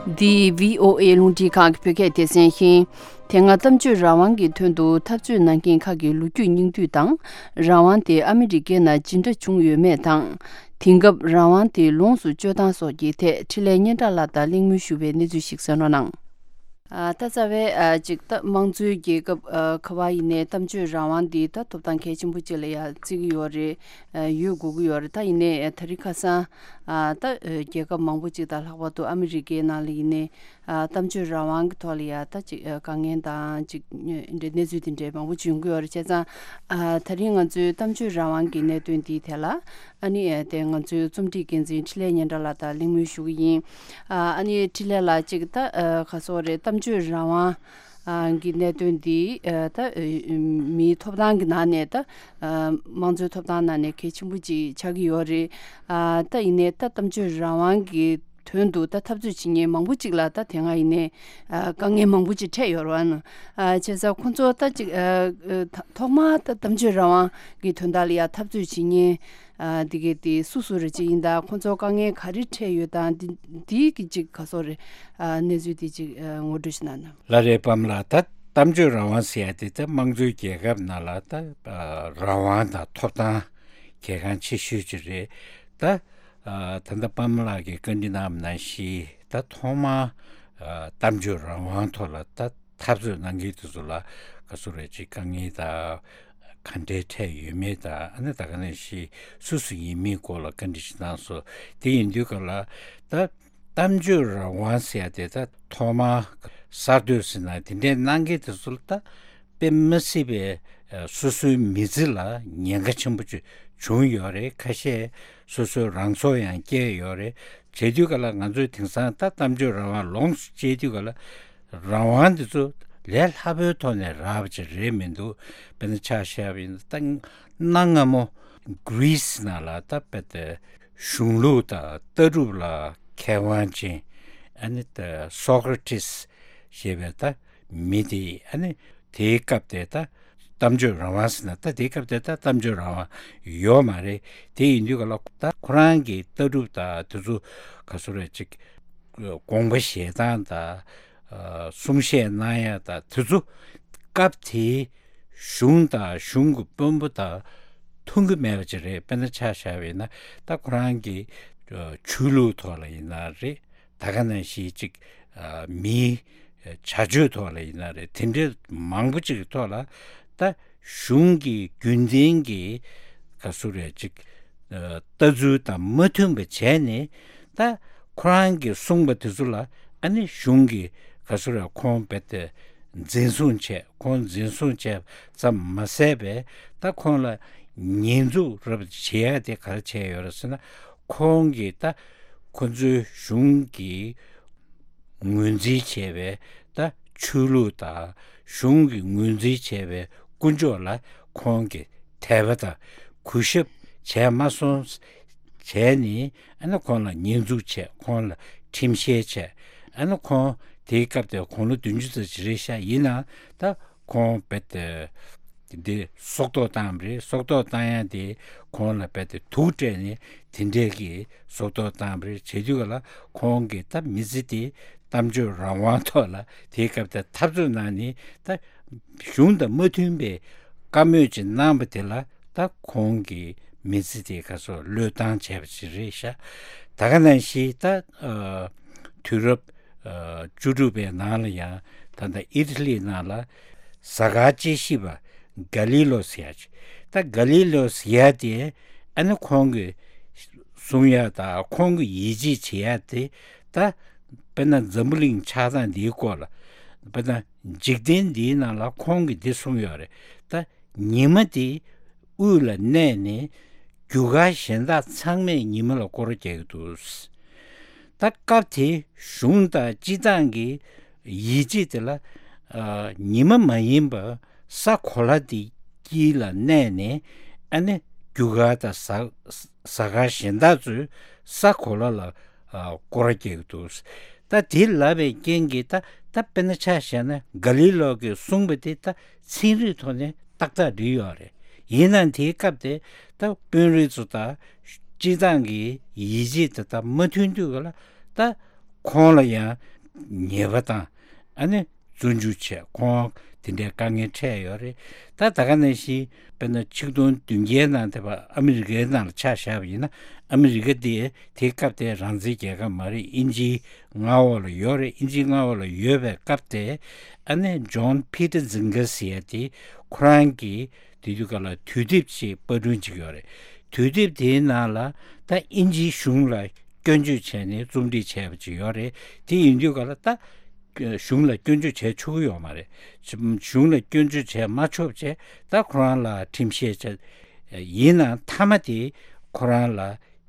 འདི་བྷི་ཨོ་ཨེ་རླུང་འཕྲིན་ཁང་གི་བོད་སྐད་སྡེ་ཚན་ཡིན། དེ་སྔ་གཏམ་བརྗོད་རང་དབང་གི་དོན་དུ་འཐབ་རྩོད་གནང་མཁན་ཁག་གི་ལོ་རྒྱུས་སྙིང་བསྡུས་དང་། རང་དབང་དེ་ཨ་མི་རི་ཀའི་ནང་ཇི་འདྲ་བྱུང་ཡོད་མེད་དང་། དེང་སྐབས་རང་དབང་དེ་ལོངས་སུ་སྤྱོད་སྟངས་སོགས་ཀྱི་ཐད་འཕྲིན་ལས་སྙན་གྲགས་ལགས་དང་གླེང་མོལ་ཞུ་བའི་གནས་ཚུལ་ཞིག་གསན་རོགས་གནང་། ཨ། ད་རྩ་བའི་ཨ་ཅིག་ད་དམངས་གཙོའི་རྒྱལ་ཁབ་ཨ་ག་བ་ཡིན་ནའི་གཏམ་བརྗོད་རང་དབང་འདི་ད་ཐོབ་ཐང་གལ་ཆེན་པོ་ཅིག་ལ་ཡ་བརྩི་གི་ཡོད་རེད། ཨ་ཡོད་དགོས་ཀྱི་ཡོད་རེད། ད་ཡིན་ནའི་ཨ་ད་རིང་ཁ་སང་ཨ་ད་ཨ་རྒྱལ་ཁབ་མང་པོ་ཅིག་དང་ལྷག་པར་དུ་ཨ་མི་རི་ཀའི་ནང་ལ་ཡིན་ནའི་ཨ་གཏམ་བརྗོད་རང་དབང་གི་ཐོག་ལ་ཡ་ད་ཅིག་ཨ་དཀའ་ངལ་དང་ཅིག་འདྲ་གནས་ཚུལ་དེ་འདྲའི་མང་པོ་ཅིག་ཡོང་གི་ཡོད་རེད། བྱས་ཙང་ཨ་ད་རིང་ང་ཚོའི་གཏམ་བརྗོད་རང་དབང་གི་གནད་དོན་འདིའི་ཐད་ལ་ཨ་ནི་ཨ་དེ་ང་ཚོའི་རྩོམ་སྒྲིག་འགན་འཛིན་འཕྲིན་ལས་སྙན་གྲགས་ལགས་དང་གླེང་མོལ་ཞུ་གི་ཡིན། ཨ་ནི་འཕྲིན་ལས་ལགས་ཅིག་ད་ཨ་ག་སོགས་རེད། གཏམ་བརྗོད་རང་དབང་ཨ་གི་གནད་དོན་འདི་ཨ་ད་ཨ་མིའི་ཐོབ་ཐང་གི་ནང་ནས་ད་ཨ་དམངས་གཙོའི་ཐོབ་ཐང་ནང་ནས་གལ་ཆེན་པོ་ཅིག་ཆགས་ཀྱི་ཡོད་རེད། ཨ་ད་ཡིན་ནའི་ད་གཏམ་བརྗོད་རང་དབང་གི་དོན་དུ་ད་འཐབ་རྩོད་བྱེད་མཁན་མང་པོ་ཅིག་ལ་ད་དེ་སྔ་ཡིན་ནའི་ཨ་དཀའ་ངལ་མང་པོ་ཅིག་འཕྲད་ཡོད་རེད་བ། ཨ་བྱས་ཙང་ཁོང་ཚོ་ད་ཅིག་ཨ་ཨ་ཐོག་མར་ད་གཏམ་བརྗོད་རང་དབང་གི་དོན་དག་ལ་ཡ་འཐབ་རྩོད་བྱེད་མཁན་ཨ་འདི་གའི་དེ་སུ་སུ་རེད་ཅིག་ཡིན་ད། ཁོང་ཚོ་དཀའ་ངལ་ག་རེ་འཕྲད་ཡོད་དང་འདི་འདི་གི་ཅིག་ག་སོགས་རེད། ཨ་གནས་ཚུལ་དེ་ཅིག་ཨ་ངོ་སྤྲོད་ཞིག་གནང་ན། ལགས་རེད། པདྨ་ལགས། ད་གཏམ་བརྗོད་རང་དབང་ཟེར་ཡ་དེ་ད་དམངས་གཙོའི་རྒྱལ་ཁབ་ནང་ལ་ད་ཨ་རང་དབང་དང་ཐོབ་ཐང་གལ་འགངས་ཆེ་ཤོས་ཅིག་རེད། ད་ཨ་ད་ལྟ་པདྨ་ལགས་ཀྱིས་བཀའ་འདྲི་གནང་བ་ནང་བཞིན་ད་ཐོག་མར་ཨ་གཏམ་བརྗོད་རང་དབང་ཐོག་ལ་ད་འཐབ་རྩོད་གནང་མཁན་དེ་ཚོ་ལ་ག་ཚོད་རེད་ཅིག་དཀའ་ངལ་དང་ག་འདྲའི་འཕྲད་ཡོད་མེད་དང་། ཨ་ནི་ད་ག་ནང་བཞིན་སུ་སུ་ཡིན་མིན་སྐོར་ལ་བཀའ་འདྲི་ཞིག་གནང་སོང་། དེ་ཡིན་དུས་ག་ལ་ད་གཏམ་བརྗོད་རང་དབང་ཟེར་ཡ་དེ་ད་ཐོག་མར་གསར་གཏོད་ཟེར་ན་དེ་འདྲའི་གནང་མཁན་དེ་ཚོ་ལ་ད་དཔེ་མི་སྲིད་པའི་ཨ་སོ་སོའི་མི་ཚེ་ལ་ཉེན་ཁ་ཆེན་པོ་ཅིག་བྱུང་ཡོད་རེད། ཁ་ཤས་སོ་སོའི་རང་སྲོག་ཡང་བསྐྱལ་ཡོད་རེད། བྱེད་དུས་ག་ལ་ང་ཚོས་དེང་སང་ད་གཏམ་བརྗོད་རང་དབང་ལོངས་སུ་སྤྱད་དུས་ག་ལ་རང་དབང་འདི་ཚོ་ལས་སླ་པོའི་ཐོག་ནས་རག་པ་ཅིག་རེད་མི་འདུག་དཔེར་ན་ཆ་བཞག་པ་ཡིན་ན་ད་གནའ་སྔ་མོ་གྷི་རི་སི་ནང་ལ་ད་དཔེ་དེ་གཞུང་ལུགས་དང་ལྟ་གྲུབ་ལ་མཁས་དབང་ཅན་ཨ་ནི་ད་སོ་ཀྲ་ཏིས་ཞེས་པའི་ད་མི་དེ་ཨ་ནི་དེའི་སྐབས་དེ་ད་གཏམ་བརྗོད་རང་དབང་ཟེར་ན་ད་དེའི་སྐབས་དེ་ད་གཏམ་བརྗོད་རང་དབང་ཡོད་མ་རེད། དེ་ཡིན་དུས་ག་ལ་ད་ཁོ་རང་གི་ལྟ་གྲུབ་དང་དེ་ཚོ་ག་ཚོད་རེད་ཅིག་དགོངས་པ་བཞེས་སྟངས་དང་གསུང་བཤད་གནང་ཡ་དང་དེ་ཚོ་སྐབས་དེའི་གཞུང་དང་གཞུང་གི་དཔོན་པོ་དང་མཐུན་གྱི་མེད་པ་ཅིག་རེད། དཔེར་ན་ཆ་བཞག་པ་ཡིན་ན་ད་ཁོ་རང་གི་ཆོས་ལུགས་ཐོག་ལ་ཡིན་ན་རེད། ད་ག་ནང་བཞིན་ཅིག་ཨ་མིའི་བྱ་སྤྱོད་ཐོག་ལ་ཡིན་ན་རེད། དེ་འདྲའི་མང་པོ་ཅིག་གི་ཐོག་ལ་ད་གཞུང་གི་རྒྱུན་ལྡན་གྱི་ག་ཚོད་རེད་ཅིག་ཨ་ལྟ་ཚུལ་དང་མ་མཐུན་པ་བྱས་ནས་ད་ཁོ་རང་གིས་གསུངས་པ་དེ་ཚོ་ལ་ཨ་ནི་གཞུང་གིས་ག་ཚོད་རེད་ཁོང་རྦད་དེ་འཛིན་བཟུང་བྱས། ཁོང་འཛིན་བཟུང་བྱས་ཙམ་མ་ཟད་པས་ད་ཁོང་ལ་ཉེས་འཛུགས་རབ་བྱེད་ཡ་དེ་ག་རེ་བྱས་ཡོད་རེད་ཟེར་ན། ཁོང་གིས་ད་ཁོ་ཚོའི་གཞུང་གི་ངོས་འཛིན་བྱས་པའི་ད་ཆོས་ལུགས་དང་གཞུང་གི་ངོས་འཛིན་བྱས་པའི་དཀོན་མཆོག་ལ་ཁོང་གིས་དད་པ་དང་གུས་ཞབས་བྱས་མ་སོང་བྱས་ནས་ཨ་ནི་ཁོང་ལ་ཉེས་འཛུགས་བྱས། ཁོང་ལ་ཁྲིམས་བཤེར་བྱས། ཨ་ནི་ཁོང་དེའི་སྐབས་དེ་དགུང་ལོ་བདུན་ཅུ་ཙམ་ཅིག་རེད་ཤག་ཡིན་ནའང་ད་ཁོང་རྦད་དེ་འདི་སྲོག་ཐོག་བཏང་བ་རེད། སྲོག་ཐོག་བཏང་ཡ་དེ་ཁོང་ལ་རྦད་དེ་དུག་སྤྲད་ནས་དེ་འདྲས་ཀྱི་སྲོག་ཐོག་བཏང་བ་རེད། བྱེད་དུས་ག་ལ་ཁོང་གི་ད་མི་ཚེ་དེ་གཏམ་བརྗོད་རང་དབང་ཐོག་ལ་དེའི་སྐབས་དེ་འཐབ་རྩོད་གནང་ནས་ད་གཞུང་དང་མ་མཐུན་པའི་བཀའ་མོལ་ཅིག་གནང་བ་དེ་ལ་ད་ཁོང་གི་མི་ཚེ་དེ་ག་ཚོད་བློས་བཏང་བྱས་པ་ཞིག་རེད་ཤག་ད་ག་ནང་བཞིན་ད་ཨ་དུས་རབས་ཨ་བཅུ་དྲུག་པའི་ནང་ལ་ཡང་ད་ལྟ་ཨི་ཊ་ལི་ནང་ལ་གཟའ་སྐར་དཔྱད་ཞིབ་པ་ག་ལི་ལོ་ཟེར་ཡ་ཅིག་ད་ག་ལི་ལོ་ཟེར་ཡ་དེ་ཨ་ནི་ཁོང་གི་གསུང་ཡ་དང་ཁོང་གི་ཡིད་ཆེས་བྱེད་ཡ་དེ་ད་དཔེར་ན་འཛམ་བུ་གླིང་ཆགས་སྟངས་འདིའི་སྐོར་ལ་དཔེར་ན་འཇིག་རྟེན་འདིའི་ནང་ལ་ཁོང་གིས་འདི་གསུངས་ཡོད་རེད། ད་ཉི་མ་དེ་དབུས་ལ་གནས་ནས་རྒྱུ་སྐར་གཞན་དག་ཚང་མས་ཉི་མ་ལ་སྐོར་ར་རྒྱག་གི་འདུག་ད་སྐབས་དེ་གཞུང་དང་སྤྱི་བཏང་གི་ཡིད་ཆེས་དེ་ལ་ཨ་ཉི་མ་མ་ཡིན་པ་ས་གོ་ལ་དེ་དཀྱིལ་ལ་གནས་ནས་ཨ་ནི་རྒྱུ་སྐར་དང་གཟའ་གཟའ་སྐར་གཞན་དག་ཚོས་ས་གོ་ལ་ལ་ཨ་སྐོར་ར་རྒྱག་གི་འདུག་ད་དེ་ལབ་པའི་རྐྱེན་གྱིས་ད་ད་དཔེར་ན་ཆ་བཞག་ན་ག་ལི་ལོ་གིས་གསུངས་པ་དེ་ད་ཚན་རིག་ཐོག་ནས་ཏག་ཏག་འགྲིག་ཡོད་རེད། ཡིན་ནའང་དེའི་སྐབས་དེ་ད་དཔོན་རིགས་ཚོ་དང་སྤྱི་བཏང་གི་ཡིད་ཆེས་དེ་དག་མ་མཐུན་དུས་ག་ལ་ད་ཁོང་ལ་ཡང་ ཉེས་པ་དང་ཨ་ནི་བཙོན་འཇུག་བྱས། ཁོང་དེ་འདྲའི་དཀའ་ངལ་འཕྲད་ཡོད་རེད། ད་ད་ག་ནང་བཞིན་དཔེར་ན་ཆིག་སྟོང་བདུན་བརྒྱའི་ནང་དེ་བ་ཨ་མི་རི་ཀའི་ནང་ལ་ཆ་བཞག་པ་ཡིན་ན། ཨ་མི་རི་ཀ་དེ་དེའི་སྐབས་དེ་རང་བཙན་རྒྱལ་ཁབ་མ་རེད། དབྱིན་ཇིའི་མངའ་འོག་ལ་ཡོད་རེད། དབྱིན་ཇིའི་མངའ་འོག་ལ་ཡོད་པའི་སྐབས་དེ་ཨ་ནི་ཇོན་ཕི་ཊར་ཛིང་ག་ཟེར་ཡ་དེ་ཁོ་རང་གི་དེ་དུས་སྐབས་ལ་དུས་དེབ་ཅིག་པར་སྐྲུན་བྱེད་ཀྱི་ཡོད་རེད། དུས་དེབ་དེའི་ནང་ལ་ད་དབྱིན་ཇིའི་གཞུང་ལ་སྐྱོན་བརྗོད་བྱས་ནས་རྩོམ་སྒྲིག་བྱས་པ་ཅིག་ཡོད་རེད། དེ་ཡིན་དུས་སྐབས་ལ་ད་གཞུང་ལ་སྐྱོན་བརྗོད་བྱས་ཆོག་གི་ཡོད་མ་རེད། གཞུང་ལ་སྐྱོན་བརྗོད་བྱས་མ་ཆོག་བྱས། ད་ཁོ་རང་ལ་ཁྲིམས་བཤེར་བྱས། ཡིན་ནའང་མཐའ་མ་དེ་ཁོ་རང་ལ་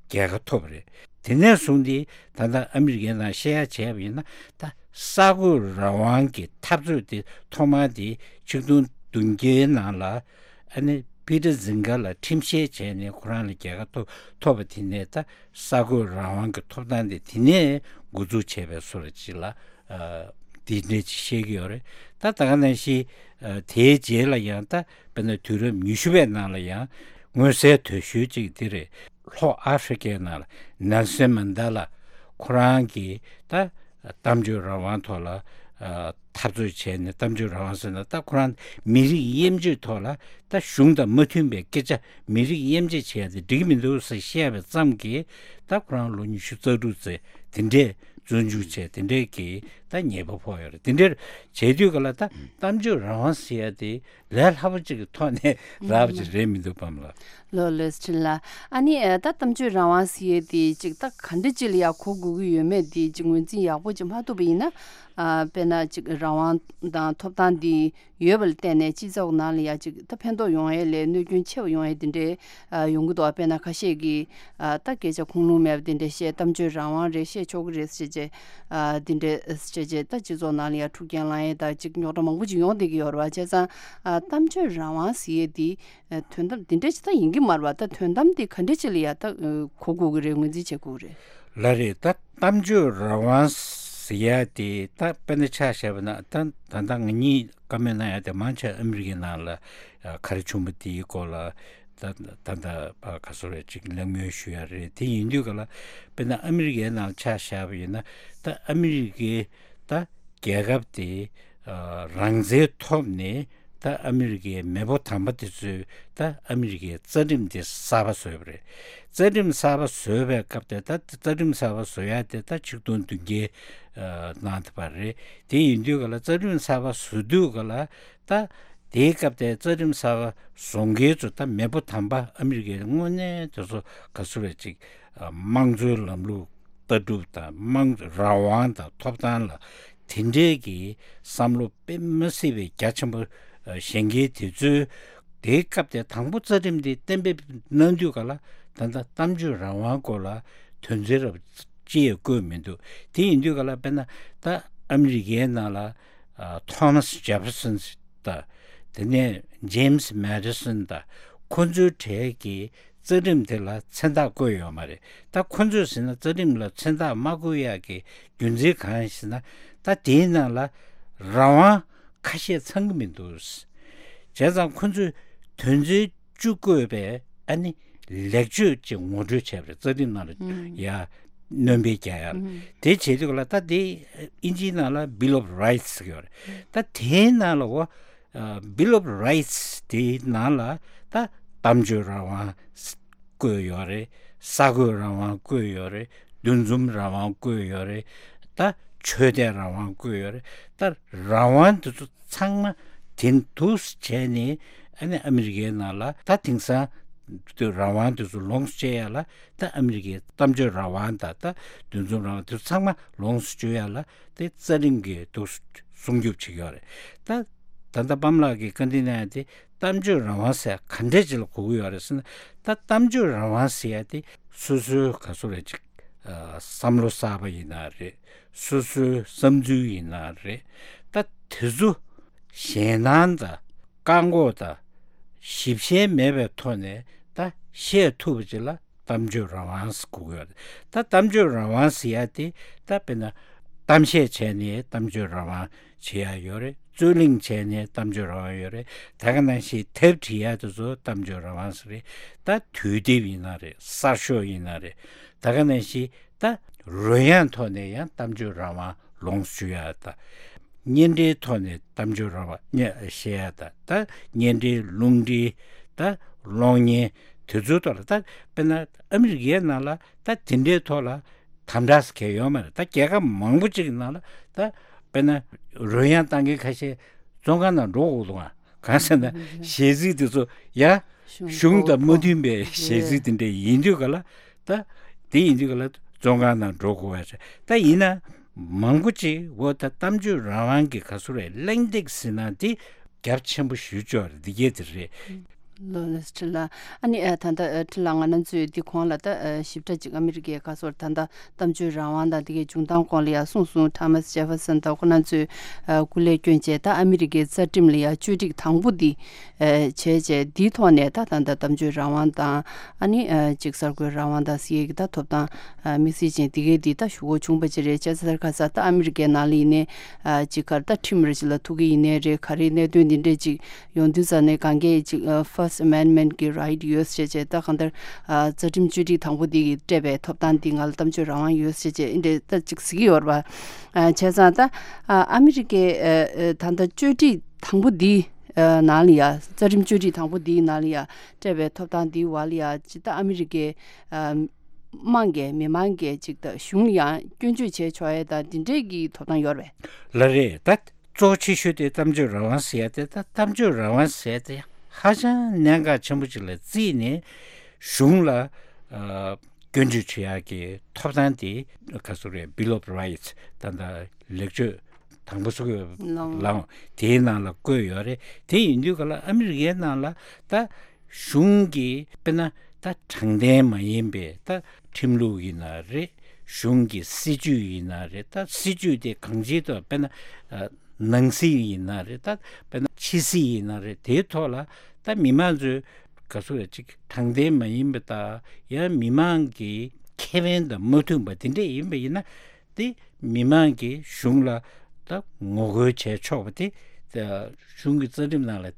རྒྱལ་ཁ་ཐོབ་རེད། དེ་ནས་བཟུང་སྟེ་ད་ལྟ་ཨ་མི་རི་ཀའི་ནང་བཤད་ཡ་བྱས་པ་ཡིན་ན། ད་གསར་འགོད་རང་དབང་གི་འཐབ་རྩོད་དེ་ཐོག་མ་དེ་ཆིག་སྟོང་བདུན་བརྒྱའི་ནང་ལ་ཨ་ནི་ཕི་ཊར་ཛིང་ག་ལ་ཁྲིམས་བཤེར་བྱས་ནས་ཁོ་རང་ལ་རྒྱལ་ཁ་ཐོབ་ཐོབ་པ་དེ་ནས། ད་གསར་འགོད་རང་དབང་གི་ཐོབ་ཐང་དེ་དེ་ནས་འགོ་འཛུགས་བྱས་པའི་བཟོ་འདྲ་ཅིག་ལ། ཨ། དེ་འདྲ་ཅིག་བཤད་ཀྱི་ཡོད་རེད། ད་ད་ག་ནང་བཞིན། ཨ། དེའི་རྗེས་ལ་ཡང་ད་དཔེར་ན་དུས་རབས་ཉི་ཤུ་པའི་ནང་ལ་ཡང་མངོན་གསལ་དོད་ཤོས་ཅིག་དེ་རེད། ལྷོ་ཨ་ཧྥི་རི་ཀའི་ནང་ལ་ནེལ་སོན་མན་ཌེ་ལ་ཁོ་རང་གིས་ད་གཏམ་བརྗོད་རང་དབང་ཐོག་ལ། ཨ། འཐབ་རྩོད་བྱས་ནས། གཏམ་བརྗོད་རང་དབང་ཟེར་ན་ད་ཁོ་རང་མི་རིགས་དབྱེ་འབྱེད་ཐོག་ལ། ད་གཞུང་དང་མ་མཐུན་པའི་སྐད་ཆ། མི་རིགས་དབྱེ་འབྱེད་བྱས་ཏེ་འགྲིག་གི་མི་འདུག་ཟེར་བཤད་པའི་ཙམ་གྱིས། ད་ཁོ་རང་ལོ་ཉི་ཤུ་རྩ་དྲུག་ཙམ་དེ་འདྲས་བཙོན་འཇུག་བྱས། དེ་འདྲས་ཀྱི་ད་ཉེས་པ་ཕོག་ཡོད་རེད། དེ་འདྲས་བྱས་དུས་སྐབས་ལ་ད་གཏམ་བརྗོད་རང་དབང་ཟེར་ཡ་དེ་ལས་སླ་པོ་ཅིག་གི་ཐོག་ནས་རག་པ་ཅིག་རེད་མི་འདུག་པ་ལགས། ལགས་ལགས་སོ། ཕྲིན་ལས། ཨ་ནི་ཨ། ད་གཏམ་བརྗོད་རང་དབང་ཟེར་ཡ་དེ་ཅིག་ད་ག་འདྲ་ཅིག་ལ་ཡ་གོ་དགོས་ཀྱི་ཡོད་མེད་དེ་ཅིག་ངོས་འཛིན་ཡག་པོ་ཅིག་མ་ཐུབ་པ་ཡིན་ན། ཨ། དཔེར་ན་ཅིག་རང་དབང་དང་ཐོབ་ཐང་དེ་ཡོད་པ་ལ་བརྟེན་ནས་སྤྱི་ཚོགས་ནང་ལ་ཡ་ཅིག་ད་ཕན་ཐོགས་ཡོང་ཡས་ལས་གནོད་སྐྱོན་ཆེ་བ་ཡོང་ཡས་དེ་འདྲའི་ཨ་ཡོང་གི་འདུག། དཔེར་ན་ཁ་ཤས་ཀྱིས་ཨ་ད་སྐད་ཆ་ཁུངས་ལུང་མེད་པ་དེ་འདྲ་བཤད། གཏམ་བརྗོད་རང་དབང་རེད། བཤད་ཆོག་གི་རེད་ཟེར་བྱས། ཨ། དེ་འདྲ་བྱས་བྱས་ད་སྤྱི་ཚོགས་ནང་ལ་ཡ་འཁྲུག་རྐྱེན་ལངས་ཡས་དང་ཅིག་རྙོག་དྲ་མང་པོ་ཅིག་ཡོང་བསྡད་ཀྱི་ཡོད་རེད་བ། བྱས་ཙང་ཨ་གཏམ་བརྗོད་རང་དབང་ཟེར་ཡས་དེ་ཨ་དོན་དམ་དེ་འདྲ་ཅིག་ད་ཡིན་གྱི་མ་རེད་བ། ད་དོན་དམ་དེ་ག་འདྲ་ཅིག་ལ་ཡ་ད་ཨ་གོ་དགོས་ཀྱི་རེད། ངོས་འཛིན་བྱེད་དགོས་ཀྱི་རེད། ལགས་རེད། ད་གཏམ་བརྗོད་རང་དབང་ཟེར་ཡ་དེ་ད་དཔེར་ན་ཆ་བཞག་པ་ན། ད་ད་ལྟ་ང་གཉིས་བཀའ་མོལ་གནང་ཡ་དེ་མང་ཆེ་ཨ་མི་རི་ཀའི་ནང་ལ་ཨ་ག་རེ་བྱུང་བ་དེའི་སྐོར་ལ་ད་ད་ད་ཨ་ག་ཚོད་རེ་ཅིག་གླེང་མོལ་ཞུ་ཡ་རེད། དེ་ཡིན་དུས་སྐབས་ལ་དཔེར་ན་ཨ་མི་རི་ཀའི་ནང་ཆ་བཞག་པ་ཡིན་ན། ད་ཨ་མི་རི་ཀའི་ད་རྒྱལ་ཁབ་དེ་ཨ་རང་བཙན་ཐོབ་ནས། ད་ཨ་མི་རི་ཀའི་མེས་པོ་དམ་པ་དེ་ཚོས་ད་ཨ་མི་རི་ཀའི་རྩ་ཁྲིམས་དེ་གསར་པ་བཟོས་པ་རེད། རྩ་ཁྲིམས་གསར་པ་བཟོས་པའི་སྐབས་དེ། ད་རྩ་ཁྲིམས་གསར་པ་བཟོ་ཡ་དེ་ད་ཆིག་སྟོང་བདུན་བརྒྱའི་ཨ་ནང་དེ་བར་རེད། དེ་ཡིན་དུས་སྐབས་ལ་རྩ་ཁྲིམས་གསར་པ་བཟོ་དུས་སྐབས་ལ། ད་དེའི་སྐབས་དེ་རྩ་ཁྲིམས་གསར་པ་བཟོ་མཁན་ཚོ་ད་མེས་པོ་དམ་པ་ཨ་མི་རི་ཀའི་དངོས་གནས་དེ་ཚོ་ག་ཚོད་རེ་ཅིག་ཨ་དམངས་གཙོའི་ལམ་ལུགས་ལྟ་གྲུབ་དང་། དམངས་རང་དབང་དང་ཐོབ་ཐང་ལ་དེ་འདྲའི་གི་བསམ་བློ་དཔེ་མི་སྲིད་པའི་རྒྱ་ཆེན་པོ་ཨ་བཞེངས་མཁན་དེ་ཚོས། དེའི་སྐབས་དེ་དང་པོ་རྩ་ཁྲིམས་དེ་གཏན་འབེབས་གནང་དུས་སྐབས་ལ། ད་ལྟ་གཏམ་བརྗོད་རང་དབང་སྐོར་ལ་དོན་ཚན་རབ་ཅི་ཡང་བཀོད་མི་འདུག། དེ་ཡིན་དུས་སྐབས་ལ་དཔེར་ན་ད་ཨ་མི་རི་ཀའི་ནང་ལ་ཨ་ཐོ་མཱས་ཇེ་ཕེར་སོན་དང་། དེ་ནས་ཇེམ་སི་མེ་ཌི་སོན་དང་། ཁོ་ཚོའི་གྲས་ཀྱིས་རྩ་ཁྲིམས་དེ་ལ་མཚན་རྟགས་བཀོད་ཡོད་མ་རེད། ད་ཁོ་ཚོས་ཟེར་ན་རྩ་ཁྲིམས་ལ་མཚན་རྟགས་མ་བཀོད་ཡག་གི་རྒྱུ་མཚན་གང་ཡིན་ཟེར་ན། ད་དེའི་ནང་ལ་རང་དབང་ཁ་ཤས་ཚང་གི་མི་འདུག། བྱས་ཙང་ཁོ་ཚོས་དོན་ཚན་བཅུ་བཀོད་པའི་ཨ་ནི་ལེགས་བཅོས་ཅིག་ངོ་སྤྲོད་བྱས་པ་རེད། རྩ་ཁྲིམས་ནང་ལ་ཡ་སྣོན་པ་རྒྱག་ཡ་ལ། དེ་བྱེད་དུས་ལ་ད་དེ་དབྱིན་ཇིའི་ནང་ལ་Bill of Rights་ཟེར་གྱི་ཡོད་རེད། ད་དེའི་ནང་ལ་འོ། Bill of Rights་དེའི་ནང་ལ་ད་གཏམ་བརྗོད་རང་དབང་བཀོད་ཡོད་རེད། གསར་འགོད་རང་དབང་བཀོད་ཡོད་རེད། འདུ་འཛོམས་རང་དབང་བཀོད་ཡོད་རེད། ད་ཆོས་དད་རང་དབང་བཀོད་ཡོད་རེད། ད་རང་དབང་དེ་ཚོ་ཚང་མ་དེ་འདུག་བྱས་ནས། ཨ་ནི་ཨ་མི་རི་ཀའི་ནང་ལ་ད་དེང་སང་དུ་རང་དབང་དེ་ཚོ་ལོངས་སུ་སྤྱད་ཡ་ལ། ད་ཨ་མི་རི་ཀའི་གཏམ་བརྗོད་རང་དབང་དང་། ད་འདུ་འཛོམས་རང་དབང་དེ་ཚོ་ཚང་མ་ལོངས་སུ་སྤྱོད་ཡ་ལ་དེ་རྩ་ཁྲིམས་ཀྱིས་འདུག་སྲུང་སྐྱོབ་བྱེད་ཀྱི་ཡོད་རེད། ད་ད་ལྟ་པཱ་མ་ལགས་ཀྱིས་བཀའ་འདྲི་གནང་ཡ་དེ། གཏམ་བརྗོད་རང་དབང་ཟེར་ག་འདྲས་ཅིག་ལ་གོ་གི་ཡོད་རེད་ཟེར་ན། ད་གཏམ་བརྗོད་རང་དབང་ཟེར་ཡ་དེ་སོ་སོའི་ག་ཚོད་རེད་ཅིག་ཨ་བསམ་བློ་གསར་པ་ཡིན་ན་རེད། སོ་སོའི་བསམ་ཚུལ་ཡིན་ན་རེད། ད་དེ་ཚོ་ཞེད་སྣང་དང་བཀག་འགོག་དང་ཞིབ་བཤེར་མེད་པའི་ཐོག་ནས་ད་བཤད་ཐུབ་པ་ཅིག་ལ་གཏམ་བརྗོད་རང་དབང་ཟེར་གོ་གི་ཡོད་རེད། ད་གཏམ་བརྗོད་རང་དབང་ཟེར་ཡ་དེ། ད་དཔེར་ན་གཏམ་བཤད་བྱས་ནས་གཏམ་བརྗོད་རང་དབང་བྱེད་ཡ་ཡོད་རེད། རྩོད་གླེང་བྱས་ནས་གཏམ་བརྗོད་རང་དབང་ཡོད་རེད། ད་ག་ནང་བཞིན་དེབ་བྲིས་ཡ་དེ་ཚོ་གཏམ་བརྗོད་རང་དབང་ཟེར་རེད། ད་དུས་དེབ་ཡིན་ན་རེད། གསར་ཤོག་ཡིན་ན་རེད། ད་ག་ནང་བཞིན་ ད་རོལ་དབྱངས་ཐོག་ནས་ཡང་གཏམ་བརྗོད་རང་དབང་ལོངས་སུ་སྤྱོད་ཡ་ད། བརྙན་འཕྲིན་ཐོག་ནས་གཏམ་བརྗོད་རང་དབང་བཤད་ཡ་ད། ད་བརྙན་འཕྲིན་རླུང་འཕྲིན་ད་གློག་བརྙན་དེ་ཚོའི་ཐོག་ལ་ད་དཔེར་ན་ཨ་མི་རི་ཀའི་ནང་ལ་ད་དེ་འདྲའི་ཐོག་ལ་དམ་དྲག་ཟེར་མཁན་ཡོད་མ་རེད། ད་རྒྱལ་ཁབ་མང་པོ་ཅིག་གི་ནང་ལ་ད་དཔེར་ན་རོལ་དབྱངས་བཏང་མཁན་ཁ་ཤས་བཙོན་ཁང་ནང་འགྲོ་དགོས་འདུག་ཨ། གང་ཟེར་ན་གཞས་ཚིག་དེ་ཚོ་ཡ་གཞུང་དང་མ་མཐུན་པའི་གཞས་ཚིག་དེ་འདྲ་ཡིན་དུས་ག་ལ་ད་དེ་ཡིན་དུས་ག་ལ་བཙོན་ཁང་ནང་འགྲོ་དགོས་པ་རེད། ད་ཡིན་ན་མང་པོ་ཅིག་འོ་ད་གཏམ་བརྗོད་རང་དབང་གི་ག་ཚོད་རེད་གླེང་སྟེགས་ཟེར་ན་དེ་རྒྱབ་ཆེན་པོ་ཞུ་ཆོག་རེད། འདི་གས་དེ་རེད། ལོ་ལེགས་ཁྲི་ལ། ཨ་ནི་ཨ་ད་ལྟ་ཨ་ཁྲི་ལ་ང་རང་ཚོས་འདི་གོང་ལ་ད་ཨ་ཞིབ་ཕྲ་ཅིག་ཨ་མི་རི་ཀའི་ག་ཚོད་ད་ལྟ་གཏམ་བརྗོད་རང་དབང་དང་དེ་གའི་བྱུང་སྟངས་སྐོར་ལ་ཡང་གསུངས་སོང་། ཐོ་མཱས་ཇེ་ཧྥར་སན་དང་ཁོ་རང་ཚོས་ཨ་སྐུ་ལས་བསྐྱོན་བྱས་ད་ཨ་མི་རི་ཀའི་རྩ་ཁྲིམས་ལ་ཡང་བཅོས་སྒྲིག་དང་པོ་འདི་ཨ་བྱས་བྱས་འདིའི་ཐོག་ནས་ད་ད་ལྟ་གཏམ་བརྗོད་རང་དབང་དང་ཨ་ནི་ཨ་ཅིག་གསར་འགོད་རང་དབང་དང་ཟེར་ཡས་ཀྱི་ད་ཐོབ་ཐང་ཨ་དམིགས་བསལ་ཅན་དེ་གའི་འདི་ད་ཞུ་དགོས་བྱུང་བ་ཅིག་རེད། བྱས་ཙང་ཁ་ས་ད་ཨ་མི་རི་ཀའི་ནང་ལ་ཡིན་ནའི་ཨ་ཅིག་གར་ད་ཁྲིམས་རེ་ཅིག་ལ་ཐུག་གི་ཡིན་ནའི་རེད། ག་རེ་གནད་དོན་འདི་འདྲས་ཅིག་ཡོང་དུས་ཙ་ནས་གང་གས་ཅིག་ཨ་First Amendment་གི་right་ཡོད་ཟེར་བྱས་ད་གང་ལྟར་ཨ་རྩ་ཁྲིམས་བཅོས་སྒྲིག་དང་པོ་འདི་གི་སྤྲད་པའི་ཐོབ་ཐང་འདི་ང་ལ་གཏམ་བརྗོད་རང་དབང་ཡོད་ཟེར་བྱས་འདི་འདྲས་ད་ཅིག་ཟེར་གྱི་ཡོད་རེད་པ། ཨ་བྱས་ཙང་ད་ཨ་ཨ་མི་རི་ཀའི་ཨ་ཨ་ད་ལྟ་བཅོས་སྒྲིག་དང་པོ་འདི་ཨ་ནང་ལ་ཡ་རྩ་ཁྲིམས་བཅོས་སྒྲིག་དང་པོ་འདིའི་ནང་ལ་ཡ་སྤྲད་པའི་ཐོབ་ཐང་འདིའི་བར་ལ་ཡ་ཅི་ད་ཨ་མི་རི་ཀའི་ཨ་དམངས་ཀྱི་མི་མང་གི་ཅིག་ད་གཞུང་ལ་ཡང་སྐྱོན་བརྗོད་བྱས་ཆོག་ཡས་ད་འདི་འདྲས་ཀྱི་ཐོབ་ཐང་ཡོད་རེད། ལ་རེད་ད། གཙོ་ཆེ་ཤོས་དེ་གཏམ་བརྗོད་རང་དབང་ཟེར་ཡ་དེ་ད་གཏམ་བརྗོད་རང་དབང་ཟེར་ཡ་དེ་ཧ་ཅང་གནད་འགག་ཆེན་པོ་ཅིག་ལ་བརྩིས་ནས་གཞུང་ལ་ཨ་སྐྱོན་བརྗོད་བྱེད་ཡག་གི་ཐོབ་ཐང་དེ་ག་ཚོད་རེད། Bill of Rights་ད་ད་ལེགས་བཅོས་དང་པོ་སུ་གི་ལའང་དེའི་ནང་ལ་བཀོད་ཡོད་རེད། དེ་ཡིན་དུས་ག་ལ་ཨ་མི་རི་ཀའི་ནང་ལ་ད་གཞུང་གི་དཔེར་ན་ད་དྲང་བདེན་མ་ཡིན་པའི་ད་ཁྲིམས་ལུགས་ཡིན་ན་རེད། གཞུང་གི་སྲིད་ཇུས་ཡིན་ན་རེད། ད་སྲིད་ཇུས་དེ་གང་ཅིའི་ཐོག་དཔེར་ན་ཨ་ནང་སྲིད་ཡིན་ན་རེད། ད་དཔེར་ན་ཕྱི་སྲིད་ཡིན་ན་རེད། དེའི་ཐོག་ལ་ད་མི་མང་ཚོས་ག་ཚོད་ཅིག་དྲང་བདེན་མ་ཡིན་པ་དང་ཡང་མི་མང་གི་ཁེ་ཕན་དང་མ་མཐུན་པ་དེ་འདྲས་ཡིན་པ་ཡིན་ན་དེ་མི་མང་གིས་གཞུང་ལ་ད་ངོ་རྒོལ་བྱས་ཆོག་པ་དེ་ད་གཞུང་གི་རྩ་ཁྲིམས་ནང་ལ་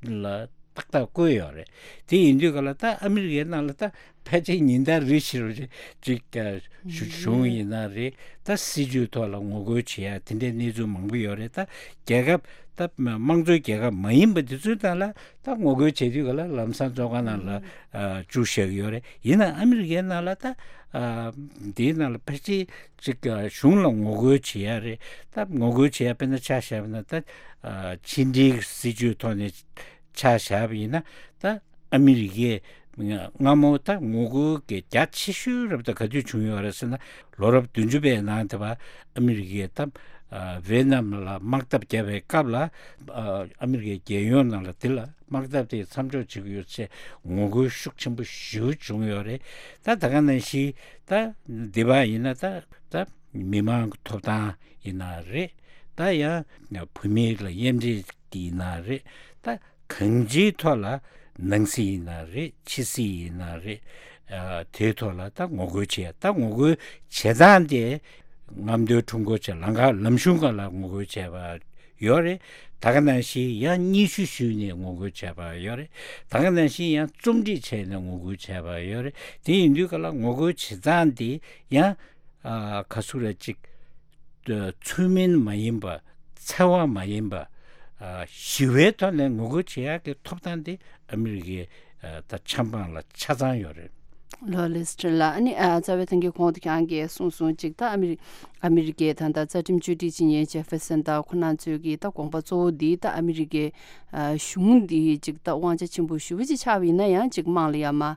ལ་ཏག་ཏག་བཀོད་ཡོད་རེད། དེ་ཡིན་དུས་ག་ལ་ད་ཨ་མི་རི་ཀའི་ནང་ལ་ད་ཕལ་ཆེར་ཉིན་ལྟར་རེ་བཞིན་རེ་ཅིག་ཨ་གཞུང་ཡིན་ན་རེད། ད་སྲིད་ཇུས་ཐོག་ལ་ངོ་རྒོལ་བྱེད་ཡ་དེ་འདྲའི་གནས་ཚུལ་མང་པོ་ཡོད་རེད། ད་རྒྱལ་ཁབ་ད་དམངས་གཙོའི་རྒྱལ་ཁབ་མ་ཡིན་པ་དེ་ཚོའི་ནང་ལ་ད་ངོ་རྒོལ་བྱེད་དུས་ག་ལ་ལམ་སང་བཙོན་ཁང་ནང་ལ་ཨ་བཅུག་བཞག་གི་ཡོད་རེད། ཡིན་ན་ཨ་མི་རི་ཀའི་ནང་ལ་ད་ཨ་འདིའི་ནང་ལ་ཕལ་ཆེར་ཅིག་ཨ་གཞུང་ལ་ངོ་རྒོལ་བྱེད་ཡ་རེད། ད་ངོ་རྒོལ་བྱེད་ཡ་དཔེར་ན་ཆ་བཞག་པ་ན་ད་ཨ་ཕྱི་འབྲེལ་སྲིད་ཇུས་ཐོག་ནས་ཆ་བཞག་པ་ཡིན་ན་ད་ཨ་མི་རི་ཀས་སྔ་མོ་ད་ངོ་རྒོལ་གྱི་རྒྱ་ཆེ་ཤོས་རབ་ད་ག་དུས་བྱུང་ཡོད་རེད་ཟེར་ན་ལོ་རབས་བདུན་ཅུ་པའི་ནང་དེ་བ་ཨ་མི་རི་ཀས་ད་ཨ་ཝེ་ནམ་ལ་དམག་འཐབ་བརྒྱབ་པའི་སྐབས་ལ་ཨ་ཨ་མི་རི་ཀའི་རྒྱལ་ཡོངས་ནང་ལ་དེ་ལ་དམག་འཐབ་དེ་མཚམས་འཇོག་བྱེད་ཀྱི་ཡོད་ཅེས་ངོ་རྒོལ་ཤུགས་ཆེན་པོ་ཞེ་པོ་བྱུང་ཡོད་རེད། ད་ད་ག་ནང་བཞིན་ད་འདི་བ་ཡིན་ན་ད་ད་མི་མང་གི་ཐོབ་ཐང་ཡིན་ན་རེད། ད་ཡང་བུད་མེད་ལ་དབྱེ་འབྱེད་ཀྱི་ཡིན་ན་རེད། ད་གང་ཅིའི་ཐོག་ལ་ནང་སྲིད་ཡིན་ན་རེད། ཕྱི་སྲིད་ཡིན་ན་རེད། ཨ་དེའི་ཐོག་ལ་ད་ངོ་རྒོལ་བྱེད་ཡ་ད་ངོ་རྒོལ་བྱེད་སྟངས་དེ་རྔམ་སྟོན་ཁྲོམ་སྐོར་བྱས་ལམ་ཁ་ལམ་གཞུང་སྒང་ལ་ངོ་རྒོལ་བྱས་པ་ཡོད་རེད། ད་ག་ནང་བཞིན་ཡང་སྙན་ཞུ་ཞུས་ནས་ངོ་རྒོལ་བྱས་པ་ཡོད་རེད། ད་ག་ནང་བཞིན་ཡང་རྩོམ་སྒྲིག་བྱས་ནས་ངོ་རྒོལ་བྱས་པ་ཡོད་རེད། དེ་ཡིན་དུས་ག་ལ་ངོ་རྒོལ་བྱེད་སྟངས་དེ་ཡང་ཨ་ག་ཚོད་རེ་ཅིག་ཚུལ་མིན་མ་ཡིན་པ་འཚེ་བ་མ་ཡིན་པ་ཨ་ཞི་བའི་ཐོག་ནས་ངོ་རྒོལ་བྱེད་ཡག་གི་ཐོབ་ཐང་དེ་ཨ་མི་རི་ཀའི་ཨ་ད་ཆབ་འབངས་ལ་ཆ་ཚང་ཡོད་རེད། ལོ་ལེགས་ཁྲི་ལ། ཨ་ནི་ཨ་རྩ་བའི་ཐང་གི་གོང་དུ་ཁྱེད་རང་གིས་གསུངས་སོང་ཅིག་ད་ཨ་མི་རི་ཨ་མི་རི་ཀའི་ད་ལྟ་རྩ་ཁྲིམས་བཅོས་སྒྲིག་བྱེད་མཁན་ཇེ་ཧྥེར་སན་དང་ཁོ་རང་ཚོའི་གི་ད་དགོངས་པ་གཙོ་བོ་འདི་ད་ཨ་མི་རི་ཀའི་ཨ་གཞུང་འདི་ཅིག་ད་དབང་ཆ་ཆེན་པོ་ཞེ་པོ་ཅིག་ཆགས་པ་ཡིན་ན་ཡང་ཅིག་དམངས་ལ་ཡ་མ་ཨ་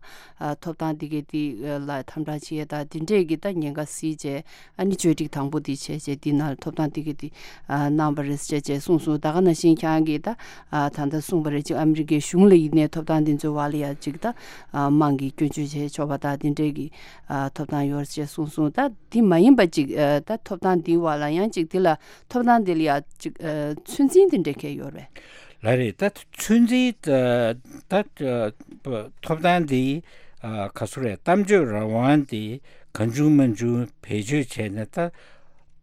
ཐོབ་ཐང་འདི་གའི་འདི་ལ་དམ་དྲག་བྱེད་ཡས་ད་འདི་འདྲས་ཀྱི་ད་ཉེན་ཁ་སྲིད་བྱས་ཨ་ནི་བཅོས་སྒྲིག་དང་པོ་འདི་བྱས་བྱས་འདི་ནང་ཐོབ་ཐང་འདི་གའི་འདི་ཨ་གནང་བ་རེད་ཅེས་བྱས་གསུངས་སོང་། ད་ག་ནང་བཞིན་ཁྱེད་རང་གིས་ད་ཨ་ད་ལྟ་གསུངས་པ་རེད་ཅིག་ཨ་མི་རི་ཀའི་གཞུང་ལ་ཡིན་ནའི་ཐོབ་ཐང་འདི་ཚོའི་བར་ལ་ཡ་ཅིག་ད་ཨ་དམངས་ཀྱིས་སྐྱོན་བརྗོད་བྱས་ཆོག་པ་ད་འདི་འདྲས་ཀྱི་ཨ་ཐོབ་ཐང་ཡོད་ཅེས་གསུངས་སོང་། ད་འདི་མ་ཡིན་པ་ཅིག་ཨ་ད་ཐོབ་ཐང་འདིའི་བར་ལ་ཡང་ཅིག་འདི་ལ་ཐོབ་ཐང་འདི་ལ་ཡ་ཅིག་ཨ་ཚོད་འཛིན་འདི་འདྲས་གས་ཡོད་རེད། ལ་རེད། ད་ཚོད་འཛིན་ད་ད་ཐོབ་ཐང་འདི་ཨ་ག་ཚོད་རེད། གཏམ་བརྗོད་རང་དབང་འདི་གང་བྱུང་མང་བྱུང་བེད་སྤྱོད་བྱས་ནས་ད་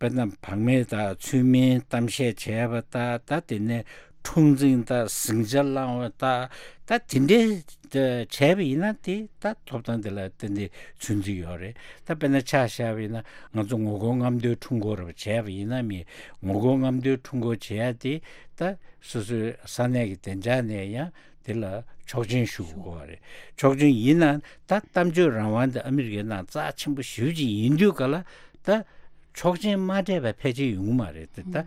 དཔེར་ན་བག་མེད་དང་ཚུལ་མིན་གཏམ་བཤད་བྱས་པ་ད་ད་དེ་ནས་ འཁྲུག་འཛིང་དང་ཟིང་ཆ་བསླང་བ་དང་ད་དེ་འདྲའི་བྱས་པ་ཡིན་ན་དེ་ད་ཐོབ་ཐང་དེ་ལ་ཏན་ཏན་ཚོད་འཛིན་ཡོད་རེད། ད་དཔེར་ན་ཆ་བཞག་པ་ཡིན་ན་ང་ཚོ་ངོ་རྒོལ་རྔམ་སྟོན་ཁྲོམ་སྐོར་བྱས་པ་ཡིན་ན་མི་ངོ་རྒོལ་རྔམ་སྟོན་ཁྲོམ་སྐོར་བྱེད་ཡ་དེ་ད་སོ་སོའི་ས་གནས་ཀྱི་བདེ་འཇགས་ནས་ཡང་དེ་ལ་ཆོག་མཆན་ཞུ་དགོས་པ་རེད། ཆོག་མཆན་ཡིན་ན་ད་གཏམ་བརྗོད་རང་དབང་དེ་ཨ་མི་རི་ཀའི་ནང་རྩ་ཆེན་པོ་ཞེ་པོ་ཅིག་ཡིན་དུས་ག་ལ་ད་ཆོག་མཆན་མ་སྤྲད་པ་ཕལ་ཆེར་ཡོང་གི་མ་རེད་དེ་ད།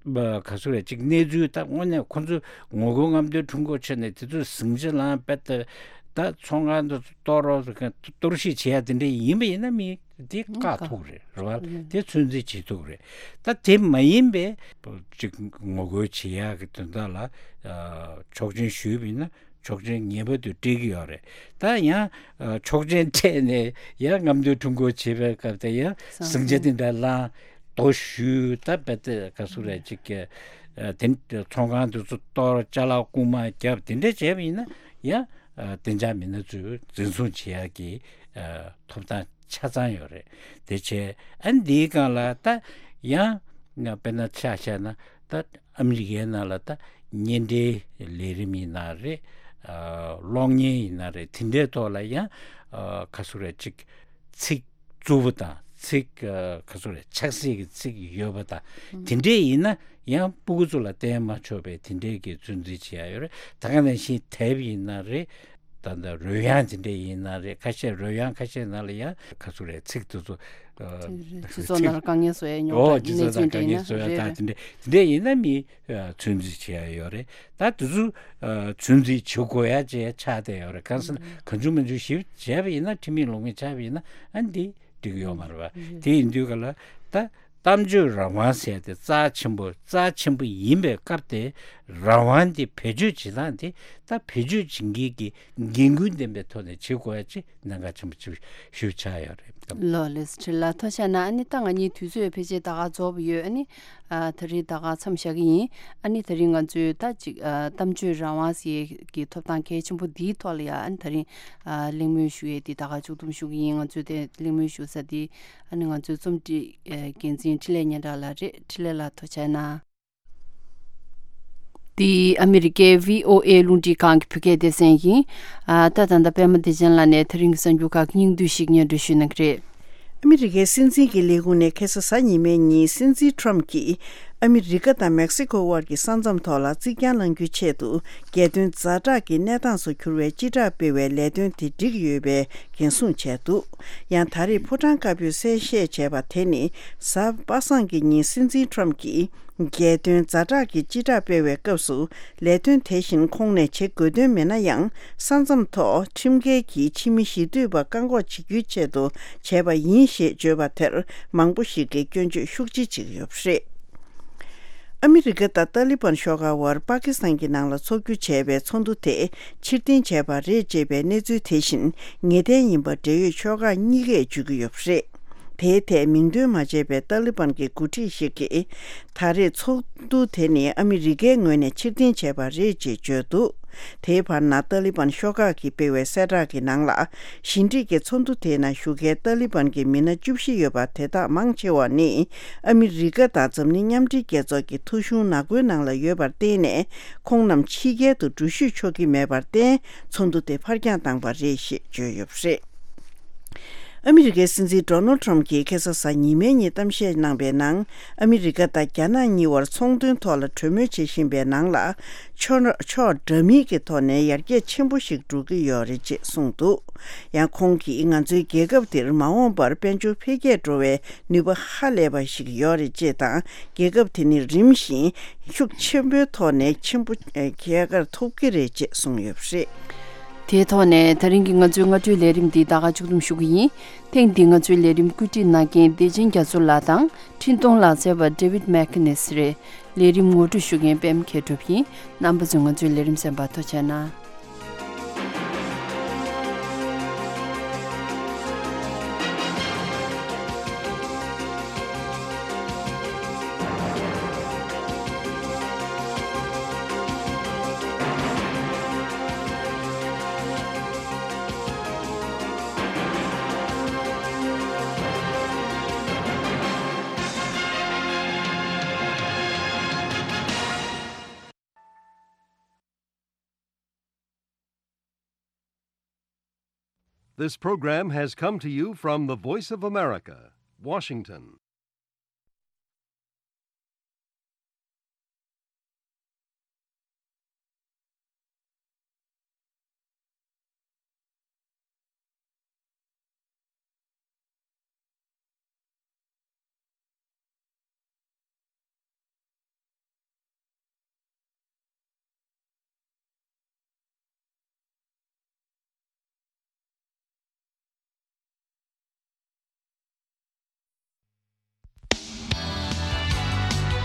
ཨ། ག་ཚོད་རེད་ཅིག་གནས་ཚུལ་ད་དངོས་གནས་ཁོང་ཚོས་ངོ་རྒོལ་རྔམ་སྟོན་ཁྲོམ་སྐོར་བྱས་ནས་དེ་ཚོས་ཟིང་ཆ་ལངས་པས་ད་ད་ཚོང་ཁང་དུ་གཏོར་རོགས་གཏོར་བཤིག་བྱེད་ཡ་དེ་འདྲ་ཡིན་པ་ཡིན་ན་མི་དེ་བཀག་ཐུབ་རེད་རེད་བ། དེ་ཚོད་འཛིན་བྱེད་ཐུབ་རེད། ད་དེ་མ་ཡིན་པའི་ཅིག་ངོ་རྒོལ་བྱེད་ཡ་གི་དོན་དག་ལ་ཆོག་མཆན་ཞུས་པ་ཡིན་ན། ཆོག་མཆན་ངེས་པར་དུ་སྤྲད་ཀྱི་ཡོད་རེད། ད་ཡང་ཨ། ཆོག་མཆན་སྤྲད་ནས་ཡང་རྔམ་སྟོན་ཁྲོམ་སྐོར་བྱེད་པའི་སྐབས་དེ་ཡང་ཟིང་ཆ་དེ་འདྲ་ལངས་རྡོ་གཞུས་ད་བེད་དེ་ག་ཚོད་རེད་ཅིག་གི་ཨ། དེ་ཚོང་ཁང་དེ་ཚོ་གཏོར་ཅ་ལག་རྐུན་མ་བརྒྱབ་དེ་འདྲ་བྱས་པ་ཡིན་ན་ཡང་ཨ། བདེ་འཇགས་མི་སྣ་ཚོས་འཛིན་བཟུང་བྱེད་ཡག་གི་ཨ། ཐོབ་ཐང་ཆ་ཚང་ཡོད་རེད། དེ་བྱས་ཨ་འདིའི་སྒང་ལ་ད་ཡང་ང་དཔེར་ན་ཆ་བཞག་ན་ད་ཨ་མི་རི་ཀའི་ནང་ལ་ད་གཉེན་འབྲེལ་ལས་རིམ་ཡིན་ན་རེད། ཨ། གློག་བརྙན་ཡིན་ན་རེད། དེ་འདྲའི་ཐོག་ལ་ཡང་ཨ། ག་ཚོད་རེད་ཅིག་ཚིག་རྩུབ་པོ་དང་ཚིག་ཨ། ག་ཚོད་རེད་ཆགས་སྲེད་ཀྱི་ཚིག་ཡོད་པ་དང་དེ་འདྲས་ཡིན་ན་ཡང་སྤུ་གུ་ཚོ་ལ་བསྟན་མ་ཆོག་པའི་དེ་འདྲས་ཀྱི་ཚོད་འཛིན་བྱེད་ཡ་ཡོད་རེད། ད་ག་ནང་བཞིན་དེབ་ཡིན་ན་རེད། ད་ལྟ་རོལ་དབྱངས་དེ་འདྲ་ཡིན་ན་རེད། ཁ་ཤས་རོལ་དབྱངས་ཁ་ཤས་ནང་ལ་ཡང་ག་ཚོད་རེད་ཚིག་དེ་ཚོ་ཨ། སྤྱི་ཚོགས་ནང་ལ་དཀའ་ངལ་བཟོ་ཡ་ཉོ་ཨོ་ད་སྤྱི་ཚོགས་ནང་དཀའ་ངལ་བཟོ་ཡ་ད་དེ་འདྲ་དེ་འདྲ་ཡིན་ན་མི་ཨ། ཚོད་འཛིན་བྱེད་ཡ་ཡོད་རེད། ད་དེ་ཚོ་ཨ། ཚོད་འཛིན་བྱེད་དགོས་ཡ་ཅིག་ཆགས་བསྡད་ཡོད་རེད། གང་ཟེར་ན་གང་བྱུང་མང་བྱུང་ཞིབ་བྱས་པ་ཡིན་ན་ཁྲིམས་མེད་ལུགས་མེད་ཆགས་པ་ཡིན་ན་ཨ་འདི་འགྲིག་གི་ཡོད་མ་རེད་པ། དེ་ཡིན་དུས་ག་ལ་ད་གཏམ་བརྗོད་རང་དབང་ཟེར་དེ་རྩ་ཆེན་པོ་རྩ་ཆེན་པོ་ཡིན་པའི་སྐབས་དེ་རང་དབང་དེ་བེད་སྤྱོད་བྱེད་སྟངས་དེ་ད་བེད་སྤྱོད་བྱེད་མཁན་གྱི་འགན་ཁུར་ལྡན་པའི་ཐོག་ནས་བྱེད་དགོས་ཡ་ཅིག་གནད་འགག་ཆེན་པོ་ཅིག་ཞུ་ཆགས་ཡོད་རེད། ལགས་ལགས་སོ། ཁྲི་ལ་ཐུགས་རྗེ་གནང་། ཨ་ནི་ད་ང་གཉིས་དུས་ཚོད་ཕལ་ཆེར་ད་ག་རྫོགས་པ་ཡོད། ཨ་ནི་ཨ། ད་རེས་ད་ག་མཚམས་བཞག་གི་ཡིན། ཨ་ནི་ད་རིང་ང་ཚོས་ད་ཅིག་ཨ། གཏམ་བརྗོད་རང་དབང་ཟེར་གྱི་ཐོབ་ཐང་གལ་ཆེན་པོ་འདིའི་ཐོག་ལ་ཡ་ཨ་ནི་ད་རིང་ཨ། གླེང་མོལ་ཞུ་ཡས་འདི་ད་ག་མཇུག་བསྡོམས་ཞུ་གི་ཡིན། ང་ཚོས་དེ་གླེང་མོལ་ཞུ་ས་འདི་ཨ་ནི་ང་ཚོའི་རྩོམ་སྒྲིག་ཨ། འགན་འཛིན་འཕྲིན་ལས་སྙན་གྲགས་ལགས་རེད། འཕྲིན་ལས་ལགས་ཐུགས་རྗེ་གནང་། འདི་ཨ་མི་རི་ཀའི་བྷི་ཨོ་ཨེ་རླུང་འཕྲིན་ཁང་གི་བོད་སྐད་སྡེ་ཚན་ཡིན། ཨ། ད་ད་ལྟ་པད་མ་བདེ་ཆེན་ལགས་ནས་ད་རིང་གི་གསར་འགྱུར་ཁག་སྙིང་བསྡུས་ཤིག་སྙན་སྒྲོན་ཞུ་གནང་གི་རེད། ཨ་མི་རི་ཀའི་སྲིད་འཛིན་གྱི་ལས་ཁུངས་ནས་ཁ་སང་གཟའ་ཉི་མའི་ཉིན་སྲིད་འཛིན་ཁྲོམ་གྱིས་ཨ་མི་རི་ཀ་དང་མེག་སི་ཁོ་དབར་གྱི་ས་མཚམས་ཐོག་ལ་རྩིག་གྱང་བསླང་རྒྱུའི་ཆེད་དུ་རྒྱལ་དོན་ཛ་དྲག་གི་གནས་སྟངས་སུ་གྱུར་བའི་སྤྱི་བསྒྲགས་སྤེལ་བའི་ལས་དོན་དེ་འགྲིག་ཡོད་པའི་འགན་སྲུང་བྱས་འདུག་ཡང་ད་རེས་ཕོ་བྲང་དཀར་པོས་གསལ་བཤད་བྱས་པ་དེ་ནི་གཟའ་པ་སངས་ཀྱི་ཉིན་སྲིད་འཛིན་ཁྲོམ་གྱིས། རྒྱལ་དོན་ཛ་དྲག་གི་སྤྱི་བསྒྲགས་སྤེལ་བའི་སྐབས་སུ་ལས་དོན་དེ་བཞིན་ཁོང་ནས་བྱེད་དགོས་དོན་མེད་ན་ཡང་ས་མཚམས་ཐོག་ཁྲིམས་འགལ་གྱིས་ཕྱི་མི་ཞི་འཐུས་པ་བཀག་འགོག་བྱེད་རྒྱུའི་ཆེད་དུ་བྱས་པ་ཡིན་ཞེས་བརྗོད་པ་དེར་མང་པོ་ཞིག་གིས་སྐྱོན་བརྗོད་ཤུགས་ཆེ་བྱེད་ཀྱི་ཡོད་པ་རེད། ཨ་མི་རི་ཀ་དང་ཏཱ་ལི་བན་ཤོག་ཁག་དབར་པ་ཀི་སི་ཐན་གྱི་ནང་ལ་འཚོགས་རྒྱུ་བྱས་པའི་ཚོགས་འདུ་དེ་ཕྱིར་འཐེན་བྱས་པ་རེད་ཅེས་པའི་གནས་ཚུལ་དེ་བཞིན་ངེས་གཏན་ཡིན་པ་འབྲེལ་ཡོད་ཕྱོགས་ཁག་གཉིས་ཀས་བརྗོད་ཀྱི་ཡོད་པ་རེད། དེའི་ཐད་མིང་འདོན་མ་བྱས་པའི་ཏཱ་ལི་བན་གྱི་འགོ་ཁྲིད་ཞིག་གིས། ད་རེས་ཚོགས་འདུ་དེ་ནི་ཨ་མི་རི་ཀའི་ངོས་ནས་ཕྱིར་འཐེན་བྱས་པ་རེད་ཅེས་བརྗོད་འདུག་དེའི་བར་ན་ཏཱ་ལི་བན་ཤོག་ཁག་གིས་སྤེལ་བའི་གསལ་བསྒྲགས་ཀྱི་ནང་ལ། ཞི་འགྲིག་གི་ཚོགས་འདུ་དེའི་ནང་ཞུགས་མཁན་ཏཱ་ལི་བན་གྱི་མི་སྣ་བཅུ་བཞི་ཡོད་པ་དེ་དག་མང་ཆེ་བ་ནི་ཨ་མི་རི་ཀ་དང་འཛམ་གླིང་མཉམ་འབྲེལ་རྒྱལ་ཚོགས་ཀྱི་ཐོ་གཞུང་ནག་པོའི་ནང་ལ་ཡོད་པར་བརྟེན་ནས་ཁོང་རྣམས་ཕྱི་རྒྱལ་དུ་འགྲུལ་བཞུད་ཆོག་གི་མེད་པར་བརྟེན་ཚོགས་འདུ་དེ་ཕར་འགྱངས་བཏང་པ་རེད་ཞེས་བརྗོད་ཡོད་པ་རེད། ཨ་མི་རི་ཀའི་སྲིད་འཛིན་ཌོ་ནལ་ཊམ་གྱིས་ཁ་སང་གཟའ་ཉི་མའི་ཉིན་གཏམ་བཤད་གནང་པའི་ནང་། ཨ་མི་རི་ཀ་དང་རྒྱ་ནག་གཉིས་བར་ཚོང་དོན་ཐོག་ལ་གྲོས་མོལ་བྱེད་བཞིན་པའི་ནང་ལ། ཕྱོགས་ཕྱོགས་འདྲ་མིན་གྱི་ཐོག་ནས་ཡར་རྒྱས་ཆེན་པོ་ཞིག་འགྲོ་གི་ཡོད་རེད་ཅེས་གསུངས་འདུག་ཡང་ཁོང་གིས་ང་ཚོའི་རྒྱལ་ཁབ་འདིར་མ་འོངས་པར་དཔལ་འབྱོར་འཕེལ་རྒྱས་འགྲོ་བའི་ནུས་པ་ཧ་ལས་པ་ཞིག་ཡོད་རེད་ཅེས་དང་། རྒྱལ་ཁབ་དེ་ནི་རིམ་བཞིན་ཤུགས་ཆེན་པོའི་ཐོག་ནས་ཆེན་པོ་ཨེ་རྒྱལ་ཁར་ཐོབ་ཀྱི་རེད་ཅེས་གསུངས་ཡོད་པ་རེད། དེའི་ཐོག་ནས་ད་རིང་གི་ང་ཚོའི་སྔ་དྲོའི་ལས་རིམ་འདི་ད་ག་མཇུག་བསྡོམས་ཞུ་གི་ཡིན། ཐེངས་འདིའི་ང་ཚོའི་ལས་རིམ་བཀོད་སྒྲིག་གནང་མཁན་བདེ་ཆེན་རྒྱ་མཚོ་ལགས་དང་འཕྲིན་གཏོང་ལག་རྩལ་བ་David McInnes་རེད། ལས་རིམ་ངོ་སྤྲོད་ཞུ་མཁན་པད་མ་མཁས་གྲུབ་ཡིན། རྣམ་པ་ཚོས་ང་ཚོའི་ལས་རིམ་གསན་པར་ཐུགས་རྗེ་གནང་། This program has come to you from the Voice of America, Washington.